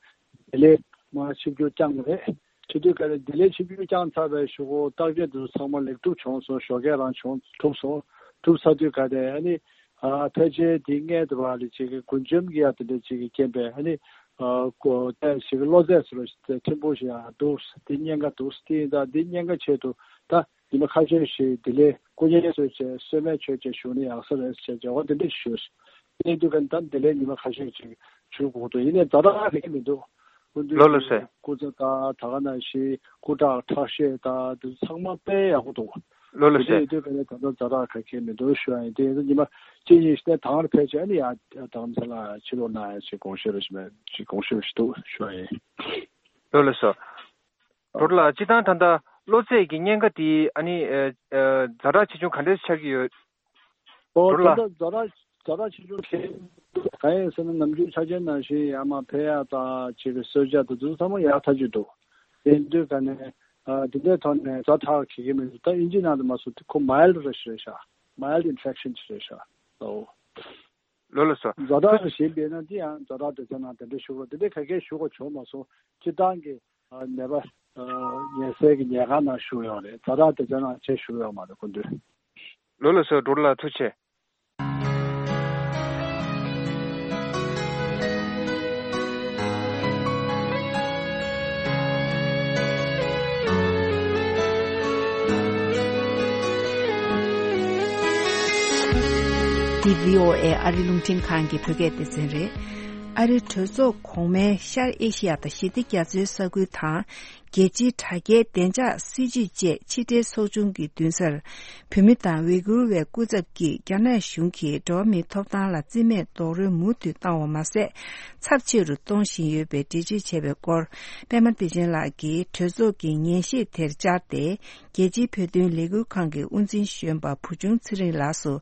ལྡི་ལི་མར་ཆིབས་བསྒྱུར་བསྐྱངས་པ་རེད། བྱེད་དུས་ག་རེ་ལྡི་ལི་ཆིབས་བསྒྱུར་བསྐྱངས་ཚར་བའི་གཞུག་གུ་བརྟག་དཔྱད་དེ་ཚོ་ཚང་མ་ལེགས་གྲུབ་བྱུང་སོང་། ཞོགས་ཀས་རང་བྱུང་གྲུབ་སོང་། གྲུབ་ཚར་དུས་ག་རེ་ཨ་ནི། ཨ། ཕལ་ཆེར་དེ་སྔས་དེ་བ་ལ་ཅིག་གི་མགུལ་ཆམ་གྱི་ཡ་དེ་འདྲ་ཅིག་གི་རྐྱེན་པས་ཨ་ནི། ཨ། ཀོ་ཏའི་ཞིག་གི་གློ་ཚད་ཟེར་བ་ཞིག་ཕྲན་བུ་ཞིག་ཡང་འདུག་དེ་གཉན་ཁ་འདུག་དེ་ཡིན་ཙང་དེ་གཉན་ཁ་ཆེད་དུ་ད་ཉི་མ་ཁ་ཤས་ཤིག་ལྡི་ལི་སྐུ་ངལ་གསོ་བྱས་གསོལ་སྨན་མཆོད་བྱས་བཞུགས་ན་ཡག་ས་རེད་ཟེར་བྱས་འོ་དེ་འདྲ་ཞུས། དེ་དུས་ག་ད་ལྡི་ལི་ཉི་མ་ཁ་ཤས་ཅིག་བཞུགས་དགོས་འདུག་ཡིན་ནའི་ཛ་དྲག་ག་གེ་མི་འདུག་སྐུ་མདུན་ལོ་ལོ་གྱི་སེ། སྐུ་ཚེ་དང་ད་ག་ནང་བཞིན་སྐུ་དྲག་ཁྲག་ཤེད་དང་དེ་ཚང་མ་དཔེ་ཡག་པོ་འདུག་ལོ་ལོ་དེ་སེ། ཡིན་དུས་ག་ནས་ད་ལྟ་ཛ་དྲག་ག་གེ་མི་འདུག་ཞུ་ཡ་ཡིན། དེ་ཡིན་ཉི་མ་གཅིག་གཉིས་ཤིག་ནས་དང་ར་ཕལ་ཆེར་ཨ་ནི་ཡ་དང་ས་ལ་ཕྱི་ལོགས་ན་ཡ་ཅིག་དགོངས་བཞེས་རེ་ཞིག་མེད་ཅིག་དགོངས་བཞེས་རེ་ཞིག་འདུག་ཞུ་ཡ་ཡིན། ལོ་ལོ་སོ། ཨ། ཌོག་ཊར་ལགས་སྤྱིར་བཏང་ད་ལྟ་གློ་ཚད་ཀྱི་གཉན་ཁ་དེ་ཨ་ནི་ཨ་ཨ་ཛ་དྲག་ཆེ་ཆུང་ག་འདྲས་ཆགས་ཀྱི་ཡོད། ཨོ་ཌོག་ཊར་ལགས། ད་ལྟ་ཛ་དྲག་ཛ་དྲག་ཆེ་ཆུང་གང་ཡིན་ཟེར་ན་ནམ་རྒྱུན་ཆ་རྐྱེན་ནང་བཞིན་ཡར་མར་ཕེབས་ཡག་དང་ཅིག་གི་གསོལ་ཇ་དེ་ཚོ་ཚང་མ་ཡག་ཐག་ཆོད་འདུག་དེ་དུས་ག་ནས་ ཨ་དེ་འདྲའི་ཐོག་ནས་ཛ་དྲག་གི་གི་མི་འདུག་ད་དབྱིན་ཇི་ནང་དུ་མ་སོང་དེ་ཁོ་མའིལ་ར་ཞིག་རེད་ཤག་མའིལ་ཨིན་ཕེག་ཤན་ཞིག་རེད་ཤག་ཨོ། ལོ་ལ་སོ། ཛ་དྲག་གི་ཞིག་ཡིན་ན་དེ་ཡང་ཛ་དྲག་དེ་ཚོ་ནང་དེ་འདྲ་ཞུ་དགོས་དེ་འདྲའི་ག་གེ་ཞུ་དགོས་བྱུང་མ་སོང་སྤྱིར་བཏང་གི་ནད་པ་ཉལ་སའི་གི་ཉལ་ཁང་ནང་བཞུགས་ཡོད་རེད། ཛ་དྲག་དེ་ཚོ་ནང་ཆེ་བཞུགས་ཡོད་མ་རེད་ཁོ་ཚོས། ལོ་ལ་སོ་འགྲོ་ལ་ཐུགས་ཆེ། འདི་བྷི་ཨོ་ཨེ་ཨ་རི་རླུང་འཕྲིན་ཁང་གི་བོད་སྐད་སྡེ་ཚན་རེད། ཨ་རིའི་གྲོས་ཚོགས་གོང་མའི་ཤར་ཨེ་ཤི་ཡ་དང་ཞི་བདེ་རྒྱ་མཚོའི་ས་ཁུལ་དང་། རྒྱལ་སྤྱིའི་དྲ་རྒྱའི་བདེ་འཇགས་སྲིད་ཇུས་བཅས་ཕྱི་འབྲེལ་ཚོགས་ཆུང་གི་མདུན་སར། བོད་མི་དང་ཝེ་གུར་བའི་སྐུ་ཚབ་ཀྱིས་རྒྱ་ནག་གཞུང་གིས་འགྲོ་བ་མིའི་ཐོབ་ཐང་ལ་བརྩི་མེད་རྡོག་རོལ་མུ་མཐུད་བཏང་བ་མ་ཟད། ཚབས་ཆེ་རུ་གཏོང་བཞིན་ཡོད་པའི་འགྲེལ་བརྗོད་བྱས་པའི་སྐོར། པད་མ་བདེ་ཆེན་ལགས་ཀྱིས་གྲོས་ཚོགས་ཀྱི་ཉན་ཤེས་དེར་བཅར་ཏེ། རྒྱལ་སྤྱིའི་བོད་དོན་ལས་འགུལ་ཁང་གི་དབུ་འཛིན་གཞོན་པ་བུ་ཆུང་ཚེ་རིང་ལགས་སུ་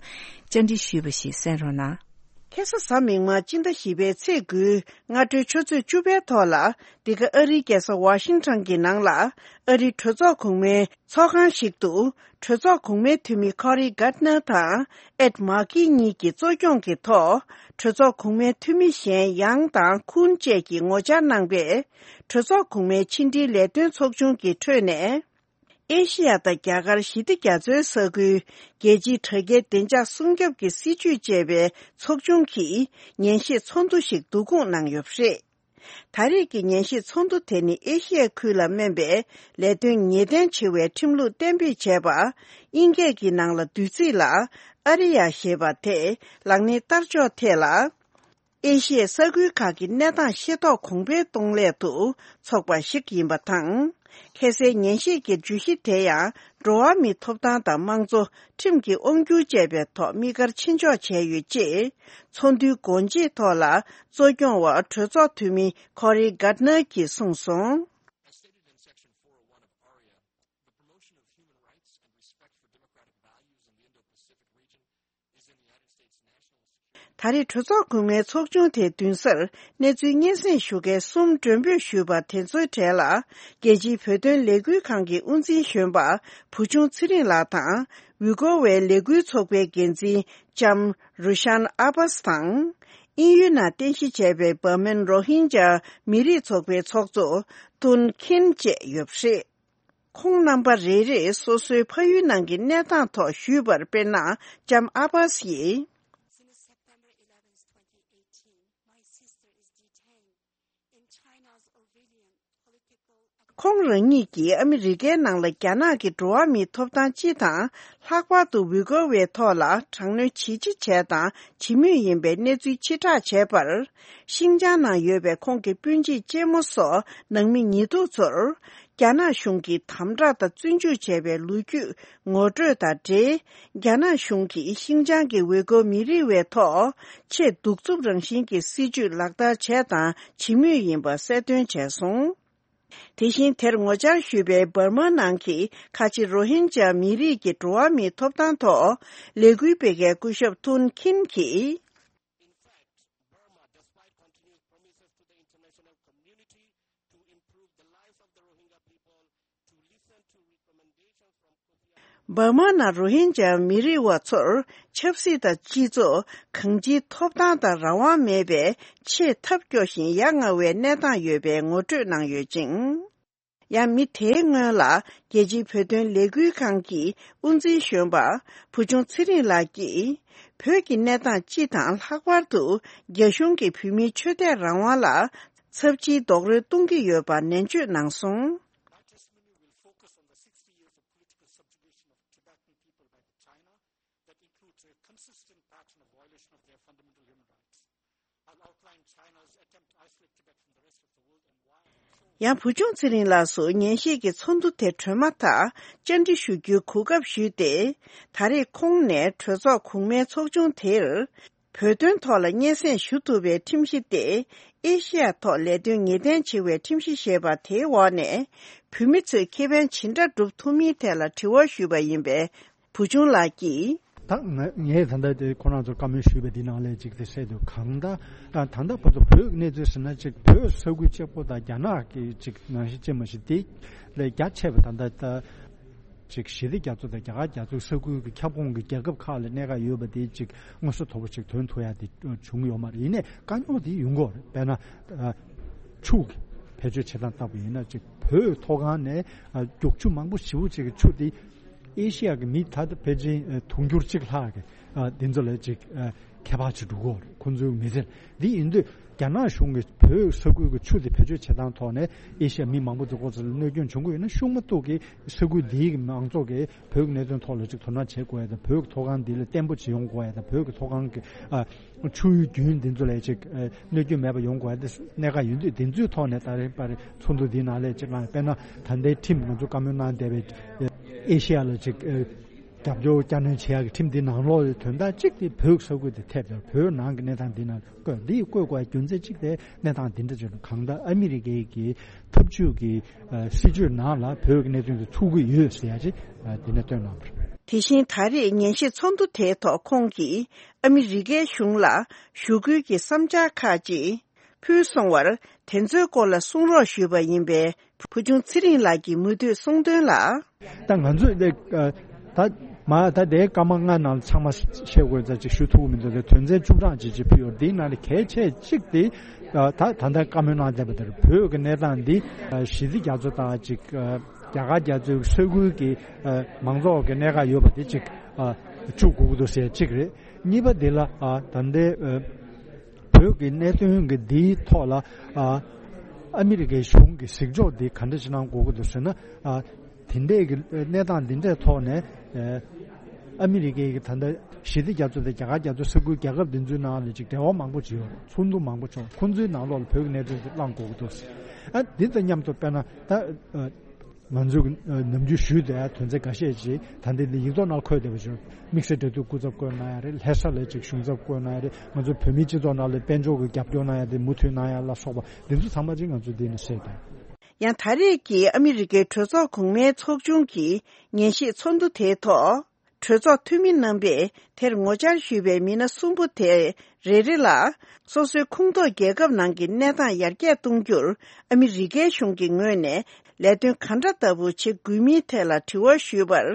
བཅར་འདྲི་ཞུས་པ་ཞིག་གསན་རོགས་གནང་། ཁ་སང་གཟའ་མིག་དམར་སྤྱི་ཟླ་བཞི་པའི་ཚེས་དགུའི་སྔ་དྲོའི་ཆུ་ཚོད་བཅུ་པའི་ཐོག་ལ། འདི་ག་ཨ་རིའི་རྒྱལ་ས་ཝ་ཤིང་ཊོན་གྱི་ནང་ལ། ཨ་རིའི་གྲོས་ཚོགས་གོང་མའི་ཚོགས་ཁང་ཞིག་ཏུ། གྲོས་ཚོགས་གོང་མའི་འཐུས་མི་ཁོ་རི་གྷར་ནར་དང་། ཨེད་མཱ་ཀི་གཉིས་ཀྱི་གཙོ་སྐྱོང་གི་ཐོག་གྲོས་ཚོགས་གོང་མའི་འཐུས་མི་གཞན་ཡང་དང་ཁུན་བཅས་ཀྱིས་ངོ་བཅར་གནང་པས། གྲོས་ཚོགས་གོང་མའི་ཕྱི་འབྲེལ་ལས་དོན་ཚོགས་ཆུང་གི་ཁྲོད་ནས། ཨེ་ཤི་ཡ་དང་རྒྱ་གར་ཞི་བདེ་རྒྱ་མཚོའི་ས་ཁུལ། རྒྱལ་སྤྱིའི་དྲ་རྒྱའི་བདེ་འཇགས་སྲུང་སྐྱོབ་ཀྱི་སྲིད་ཇུས་ཅེས་པའི་ཚོགས་ཆུང་གིས་ཉན་ཞིབ་ཚོགས་འདུ་ཞིག་བསྡུ་སྐོང་གནང་ཡོད་པ་རེད། ད་རེས་ཀྱི་ཉན་ཞིབ་ཚོགས་འདུ་དེ་ནི་ཨེ་ཤི་ཡའི་ཁུལ་ལ་སྨན་པའི་ལས་དོན་ངེས་གཏན་ཆེ་བའི་ཁྲིམས་ལུགས་གཏན་འབེབས་བྱས་པ། དབྱིན་སྐད་ཀྱི་ནང་ལ་བསྡུས་ཚིག་ལ་ཨ་རི་ཡ་ཞེས་པ་དེ་ལག་ལེན་བསྟར་ཕྱོགས་ཐད་ལ། ཨེ་ཤི་ཡའི་ས་ཁུལ་ཁག་གི་གནས་སྟངས་ཤེས་རྟོགས་གོང་འཕེལ་གཏོང་སླད་དུ་ཚོགས་པ་ཞིག་ཡིན་པ་དང་། ཁ་སའི་ཉན་ཞིབ་ཀྱི་བརྗོད་གཞི་དེ་ཡང་འགྲོ་བ་མིའི་ཐོབ་ཐང་དང་དམངས་གཙོ། ཁྲིམས་ཀྱི་དབང་སྒྱུར་བཅས་པའི་ཐོག་དམིགས་བཀར་ཕྱིན་འཇོག་བྱས་ཡོད་ཅེས། ཚོགས་འདུའི་སྒོ་འབྱེད་ཐོག་ལ་གཙོ་སྐྱོང་བ་གྲོས་ཚོགས་འཐུས་མི་ཁོ་རི་གྷར་ནར་གྱིས་གསུངས་སོང་། ད་རེས་གྲོས་ཚོགས་གོང་མའི་ཚོགས་ཆུང་དེའི་མདུན་སར་གནས་ཚུལ་སྙན་སེང་ཞུ་མཁན་གསུམ་མགྲོན་འབོད་ཞུས་པ་དེ་ཚོའི་གྲས་ལ། རྒྱལ་སྤྱིའི་བོད་དོན་ལས་འགུལ་ཁང་གི་དབུ་འཛིན་གཞོན་པ་བུ་ཆུང་ཚེ་རིང་ལགས་དང་། ཝི་གོ་བའི་ལས་འགུལ་ཚོགས་པའི་འགན་འཛིན་ལྕམ་རུ་ཤན་ཨ་བྷ་སི་དང་། དབྱིན་ཡུལ་ནང་རྟེན་གཞི་བྱས་པའི་འབར་མན་རོ་ཧིན་ཇཱ་མི་རིགས་ཚོགས་པའི་ཚོགས་གཙོ་ཐུན་ཁིན་བཅས་ཡོད་པ་རེད། ཁོང་རྣམ་པ་རེ་རེས་སོ་སོའི་ཕ་ཡུལ་ནང་གི་གནས་སྟངས་ཐོག་ཞུས་པར། དཔེར་ན། ལྕམ་ཨ་བྷ་སི་ཡིས། Since September eleventh, twenty eighteen, my sister is detained in China's Ovidian political ཁོང་རང་ཉིད་ཀྱིས་ཨ་མི་རི་ཀའི་ནང་ལ་རྒྱ་ནག་གི་འགྲོ་བ་མིའི་ཐོབ་ཐང་སྤྱི་དང་། ལྷག་པར་དུ་ཝི་གོ་བའི་ཐོག་ལ་དྲག་གནོན་ཇི་ཆེ་བྱས་དང་བྱེད་མུས་ཡིན་པའི་གནས་ཚུལ་ཕྱིར་བསྒྲགས་བྱས་པར། ཤིང་ཅང་ནང་ཡོད་པའི་ཁོང་གི་སྤུན་མཆེད་གཅེན་མོ་སོགས་ནང་མི་ཉེས་འཛུགས་ཚོར། རྒྱ་ནག་གཞུང་གིས་དམ་དྲག་དང་བཙོན་འཇུག་བྱས་པའི་ལོ་རྒྱུས་ངོ་སྤྲོད་དང་འབྲེལ། རྒྱ་ནག་གཞུང་གིས་ཤིང་ཅང་གི་ཝེ་གོ་མི་རིགས་བའི་ཐོག་ཆེས་གདུག་རྩུབ་རང་བཞིན་གྱི་སྲིད་བྱུས་ལག་བསྟར་བྱས་དང་བྱེད་མུས་ཡིན་པ་གསལ་སྟོན་བྱས་སོང་། དེ་བཞིན་དེར་ངོ་བཅར་ཞུས་པའི་འབར་མ་ནང་གི་ཁ་ཆེ་རོ་ཧིན་ཇཱ་མི་རིགས་ཀྱི་འགྲོ་བ་མིའི་ཐོབ་ཐང་ཐོག་ལས་འགུལ་སྤེལ་མཁན་སྐུ་ཞབས་ཐུན་ཁིན་གྱིས། In fact, Burma, despite continuous promises to the international community to improve the lives of the Rohingya people, to listen to recommendations from འབར་མ་ནང་རོ་ཧིན་ཇཱ་མི་རིགས་བ་ཚོར་ཆབ་སྲིད་དང་སྤྱི་ཚོགས་གང་ཅིའི་ཐོབ་ཐང་དང་རང་དབང་མེད་པའི་ཆེས་ཐབས་སྐྱོ་ཞིང་ཡ་ང་བའི་གནས་སྟངས་ཡོད་པའི་ངོ་སྤྲོད་གནང་ཡོད་ཅིང་། ཡང་མི་དེའི་སྔོན་ལ་རྒྱལ་སྤྱིའི་བོད་དོན་ལས་འགུལ་ཁང་གི་དབུ་འཛིན་གཞོན་པ་བུ་ཆུང་ཚེ་རིང་ལགས་ཀྱིས། བོད་ཀྱི་གནས་སྟངས་སྤྱི་དང་ལྷག་པར་དུ་རྒྱ་གཞུང་གིས་བོད་མིའི་ཆོས་དད་རང་དབང་ལ་ཚབས་ཆེའི་རྡོག་རོལ་གཏོང་གི་ཡོད་པ་ནན་བརྗོད་གནང་སོང་། My testimony will focus on the sixty years of political subjugation of Tibetan people by the China, that includes a consistent pattern of violation of their fundamental human rights. I'll outline China's attempt to isolate Tibet from the rest of the world and why. ཡང་བུ་ཆུང་ཚེ་རིང་ལགས་སུ་ཉན་ཞིབ་ཀྱི་ཚོགས་འདུ་དེ་གྲོལ་མ་ཐག་བཅར་འདྲི་ཞུ་རྒྱུའི་གོ་སྐབས་ཞུས་ཏེ། ད་རེས་ཁོང་ནས་གྲོས་ཚོགས་གོང་མའི་ཚོགས་ཆུང་དེར། བོད་དོན་ཐོག་ལ་སྙན་སེང་ཞུ་ཐུབ་པའི་ཁྲིམས་གཞི་དེ་ཨེ་ཤི་ཡ་ཐོག་ལས་དོན་ངེས་གཏན་ཆེ་བའི་ཁྲིམས་གཞི་ཞེས་པ་དེའི་འོག་ནས་བོད་མི་ཚོས་ཁེ་ཕན་ཇི་འདྲ་སྒྲུབ་ཐུབ་མིན་ཐད་ལ་དྲི་བ་ཞུས་པ་ཡིན་པས། བུ་ཆུང་ལགས་ཀྱིས། ད་ང་ངས་ད་ལྟ་དེ་ཁོ་རང་ཚོར་བཀའ་མོལ་ཞུས་པའི་འདི་ནང་ལས་ཅིག་དེ་གསལ་འདུག་གང་ལྟར་ད་ད་ལྟ་བར་དུ་བོད་ཀྱི་གནས་ཚུལ་ཟེར་ན་ཅིག་བོད་ས་ཁུལ་གཅིག་པོ་དང་རྒྱ་ནག་གི་ཅིག་ནང་བཞིན་ཅིག་མ་གཞི་དེ་ལས་རྒྱ་ཆེ་བ་ད་ལྟ་ད་ཅིག་ཞི་བདེ་རྒྱ་མཚོ་དང་རྒྱ་གར་རྒྱ་མཚོའི་ས་ཁུལ་གྱི་ཁྱབ་ཁོངས་ཀྱི་རྒྱལ་ཁབ་ཁག་ལ་གནད་འགག་ཡོད་པ་དེ་ཅིག་མངོན་གསལ་དོད་པོ་ཅིག་ཐོན་ཐུབ་ཡ་དེ་བྱུང་ཡོད་མ་རེད། ཡིན་ནའི་དཀའ་རྙོག་དེ་ཡོང་གི་ཡོད་རེད། དཔེར་ན་ཆུ་གི་བེད་སྤྱོད་བྱེད་སྟངས་ལྟ་བུ་ཡིན་ན་ཅིག་བོད་མཐོ་སྒང་ནས་རྒྱུག་ཆུ་མང་པོ་ཞེ་པོ་ཅིག་གི་ཆུ་དེ་ཨེ་ཤི་ཡ་གི་མི་ད་ལྟ་ཕལ་ཆེར་དུང་ཕྱུར་གཅིག་ལྷག་གི་འདི་ཚོ་ལ་ཅིག་ཁྱད་པར་ཅིག་འགྲོ་གི་ཡོད་རེད། ཁོང་ཚོའི་མི་ཚེ་འདི་ཡིན་དུས་རྒྱ་ནག་གཞུང་གིས་བོད་ས་ཁུལ་གྱི་ཆུ་དེ་བེད་སྤྱོད་བྱེད་སྟངས་ཐོག་ནས་ཨེ་ཤི་ཡ་མི་མང་པོ་ཚོ་ཁོ་ཚོ་ལ་གནོད་སྐྱོན་བྱུང་གི་ཡོད་ན་ཤུགས་མ་གཏོགས་ཀྱི་ས་ཁུལ་འདིའི་མང་ཚོགས་ཀྱིས་བོད་ཀྱི་གནད་དོན་ཐོག་ལ་ཅིག་དོ་སྣང་བྱེད་དགོས་ཡ་དང་། བོད་ཀྱི་མཐོ་སྒང་འདི་ལ་བརྟན་པོ་ཅིག་ཡོང་དགོས་ཡ་དང་། བོད་ཀྱི་མཐོ་སྒང་གི་ཨ་ཆུ་ཡུལ་རྒྱུན་འདི་ཚོ་ལ་ཅིག་ཨ་གནོད་སྐྱོན་མེད་པ་ཡོང་དགོས་ཡ་དེ་གནད་འགག་ཡིན་དུས། འདི་ཚོའི་ཐོག་ནས་ད་རེས་པར་ཚོགས་འདུ་འདིའི་ནང་ལ་ཅིག་གནང་། དཔེར་ན་ད་ལྟའི་ཁྲིམས་ང་ཚོ་བཀའ་མོལ་གནང་བསྡད་པའི་ཨེ་ཤེ་ཡ་ལ་ཅིག་ཨ་རྒྱབ་སྐྱོར་བསྐྱར་སྣོན་བྱེད་ཡག་གི་ཁྲིམས་འདི་ནང་ལོགས་ལ་དོན་དག་གཅིག་དེ་བོད་ས་ཁུལ་དེ་ཐེབས་ཡོད། བོད་ནང་གི་གནས་སྟངས་འདི་ནང་བཀོད། འདི་བཀོད་དགོས་རྒྱུ་མཚན་གཅིག་དེ་གནས་སྟངས་འདི་འདྲ་ཅིག་ལ། གང་ལྟར་ཨ་མི་རི་ཀའི་གི་འཐབ་ཇུས་ཀྱི་ཨ་སྲིད་ཇུས་ནང་ལ་བོད་ཀྱི་གནད་དོན་དེ་ཚུད་ཀྱི་ཡོད་ཟེར་ཡ་ཅིག་ཨ་འདི་ནས་བཏོན་གནང་བ་རེད། དེ་བཞིན་ད་རེས་ཉན་ཞིབ་ཚོགས་འདུ་དེའི་ཐོག་ཁོང་གིས་ཨ་མི་རི་ཀའི་གཞུང་ལ་ཞུ་སྐུལ་གྱི་བསམ་འཆར་ཁག་ཅིག་ཕུལ་སོང་བར། དེ་ཚོའི་སྐོར་ལ་གསུང་རོགས་ཞུས་པ་ཡིན་པས། བུ་ཆུང་ཚེ་རིང་ལགས་ཀྱིས་མུ་མཐུད་གསུང་དོན་ལ། ད་ང་ཚོས་ད་ད་མ་ད་དེའི་སྐར་མ་ལྔ་ནང་ལ་ཚང་མ་བཤད་དགོས་ཙང་ཅིག་ཞུ་ཐུབ་ཀྱི་མི་འདུག་དེ་དོན་ཚན་བཅུ་གྲངས་ཅིག་ཅིག་ཕུལ་ཡོད། དེའི་ནང་ནས་གལ་ཆེ་གཅིག་དེ་ད་ད་ལྟ་བཀའ་མོལ་གནང་བསྡད་པ་དེར་བོད་ཀྱི་གནས་སྟངས་འདི་ཞི་བདེ་རྒྱ་མཚོ་དང་ཅིག་རྒྱ་གར་རྒྱ་མཚོའི་ས་ཁུལ་གྱི་མང་ཚོགས་ཀྱི་གནད་འགག་ཡོད་པ་དེ་ཅིག་བཅུག་དགོས་ཀྱི་འདུག་ཟེར་གཅིག་རེད། གཉིས་པ་དེ་ལ་ད་ལྟའི་བོད་ཀྱི་གནད་དོན་གྱི་འདིའི་ཐོག་ལ་ཨ་ཨ་མི་རི་ཀའི་གཞུང་གི་གཟིགས་ཕྱོགས་འདི་ག་འདྲ་ཞིག་གནང་དགོས་ཀྱི་འདུག་ཟེར་ན། ཨ་དེ་འདྲའི་གི་གནས་སྟངས་འདི་འདྲའི་ཐོག་ནས་ཨ་ཨ་མི་རི་ཀའི་གི་ད་ལྟ་ཞི་བདེ་རྒྱ་མཚོ་དང་རྒྱ་གར་རྒྱ་མཚོ་ས་ཁུལ་རྒྱལ་ཁབ་འདི་ཚོའི་ནང་ལ་ཅིག་འབྲེལ་བ་མང་པོ་ཅིག་ཡོད་རེད། ཚོགས་འདུ་མང་པོ་བྱུང་། ཁོང་ཚོའི་ནང་ལོགས་ལ་བོད་ཀྱི་གནད་དོན་དེ་གླེང་དགོས་ཀྱི་འདུག་ཨ་འདི་དང་མཉམ་དུ་དཔེར་ན་ད་ཨ་ང་ཚོས་ནམ་རྒྱུན་ཞུས་བསྡད་དོན་ཚན་འགའ་ཤས་ཅིག་ད་ལྟ་འདི་ཡིག་ཐོག་ནང་འཁོད་བསྡད་པ་བཞིན་དམིགས་བསལ་འབྲེལ་མཐུད་སྐུ་ཚབ་བསྐོས་གནང་ཡ་རེད། ལྷ་ས་ལ་ཅིག་གཞུང་ཚབ་བསྐོས་གནང་ཡ་རེད། ང་ཚོ་བོད་མིའི་སྤྱི་ཚོགས་ནང་ལ་དཔལ་འབྱོར་གྱི་རྒྱབ་སྐྱོར་གནང་ཡ་དེ་མུ་མཐུད་གནང་ཡ་ལ་སོགས་པ་འདི་ཚོ་ཚང་མ་ཅིག་ང་ཚོས་འདི་ནས་གསལ་བསྡད། ཡང་ད་རེས་ཀྱི་ཨ་མི་རི་ཀའི་གྲོས་ཚོགས་གོང་མའི་ཚོགས་ཆུང་གི་ཉན་ཞིབ་ཚོགས་འདུ་དེའི་ཐོག་གྲོས་ཚོགས་འཐུས་མི་རྣམ་པས་དེར་ངོ་བཅར་ཞུས་པའི་མི་སྣ་གསུམ་པོ་དེ་རེ་རེ་ལ། སོ་སོའི་ཁོངས་གཏོགས་རྒྱལ་ཁབ་ནང་གི་གནས་སྟངས་ཡར་རྒྱས་གཏོང་རྒྱུར་ཨ་མི་རི་ཀའི་གཞུང་གི་ངོས་ནས་ལས་དོན་ག་འདྲ་ལྟ་བུ་བྱེད་དགོས་མིན་ཐད་ལ་དྲི་བ་ཞུས་པར།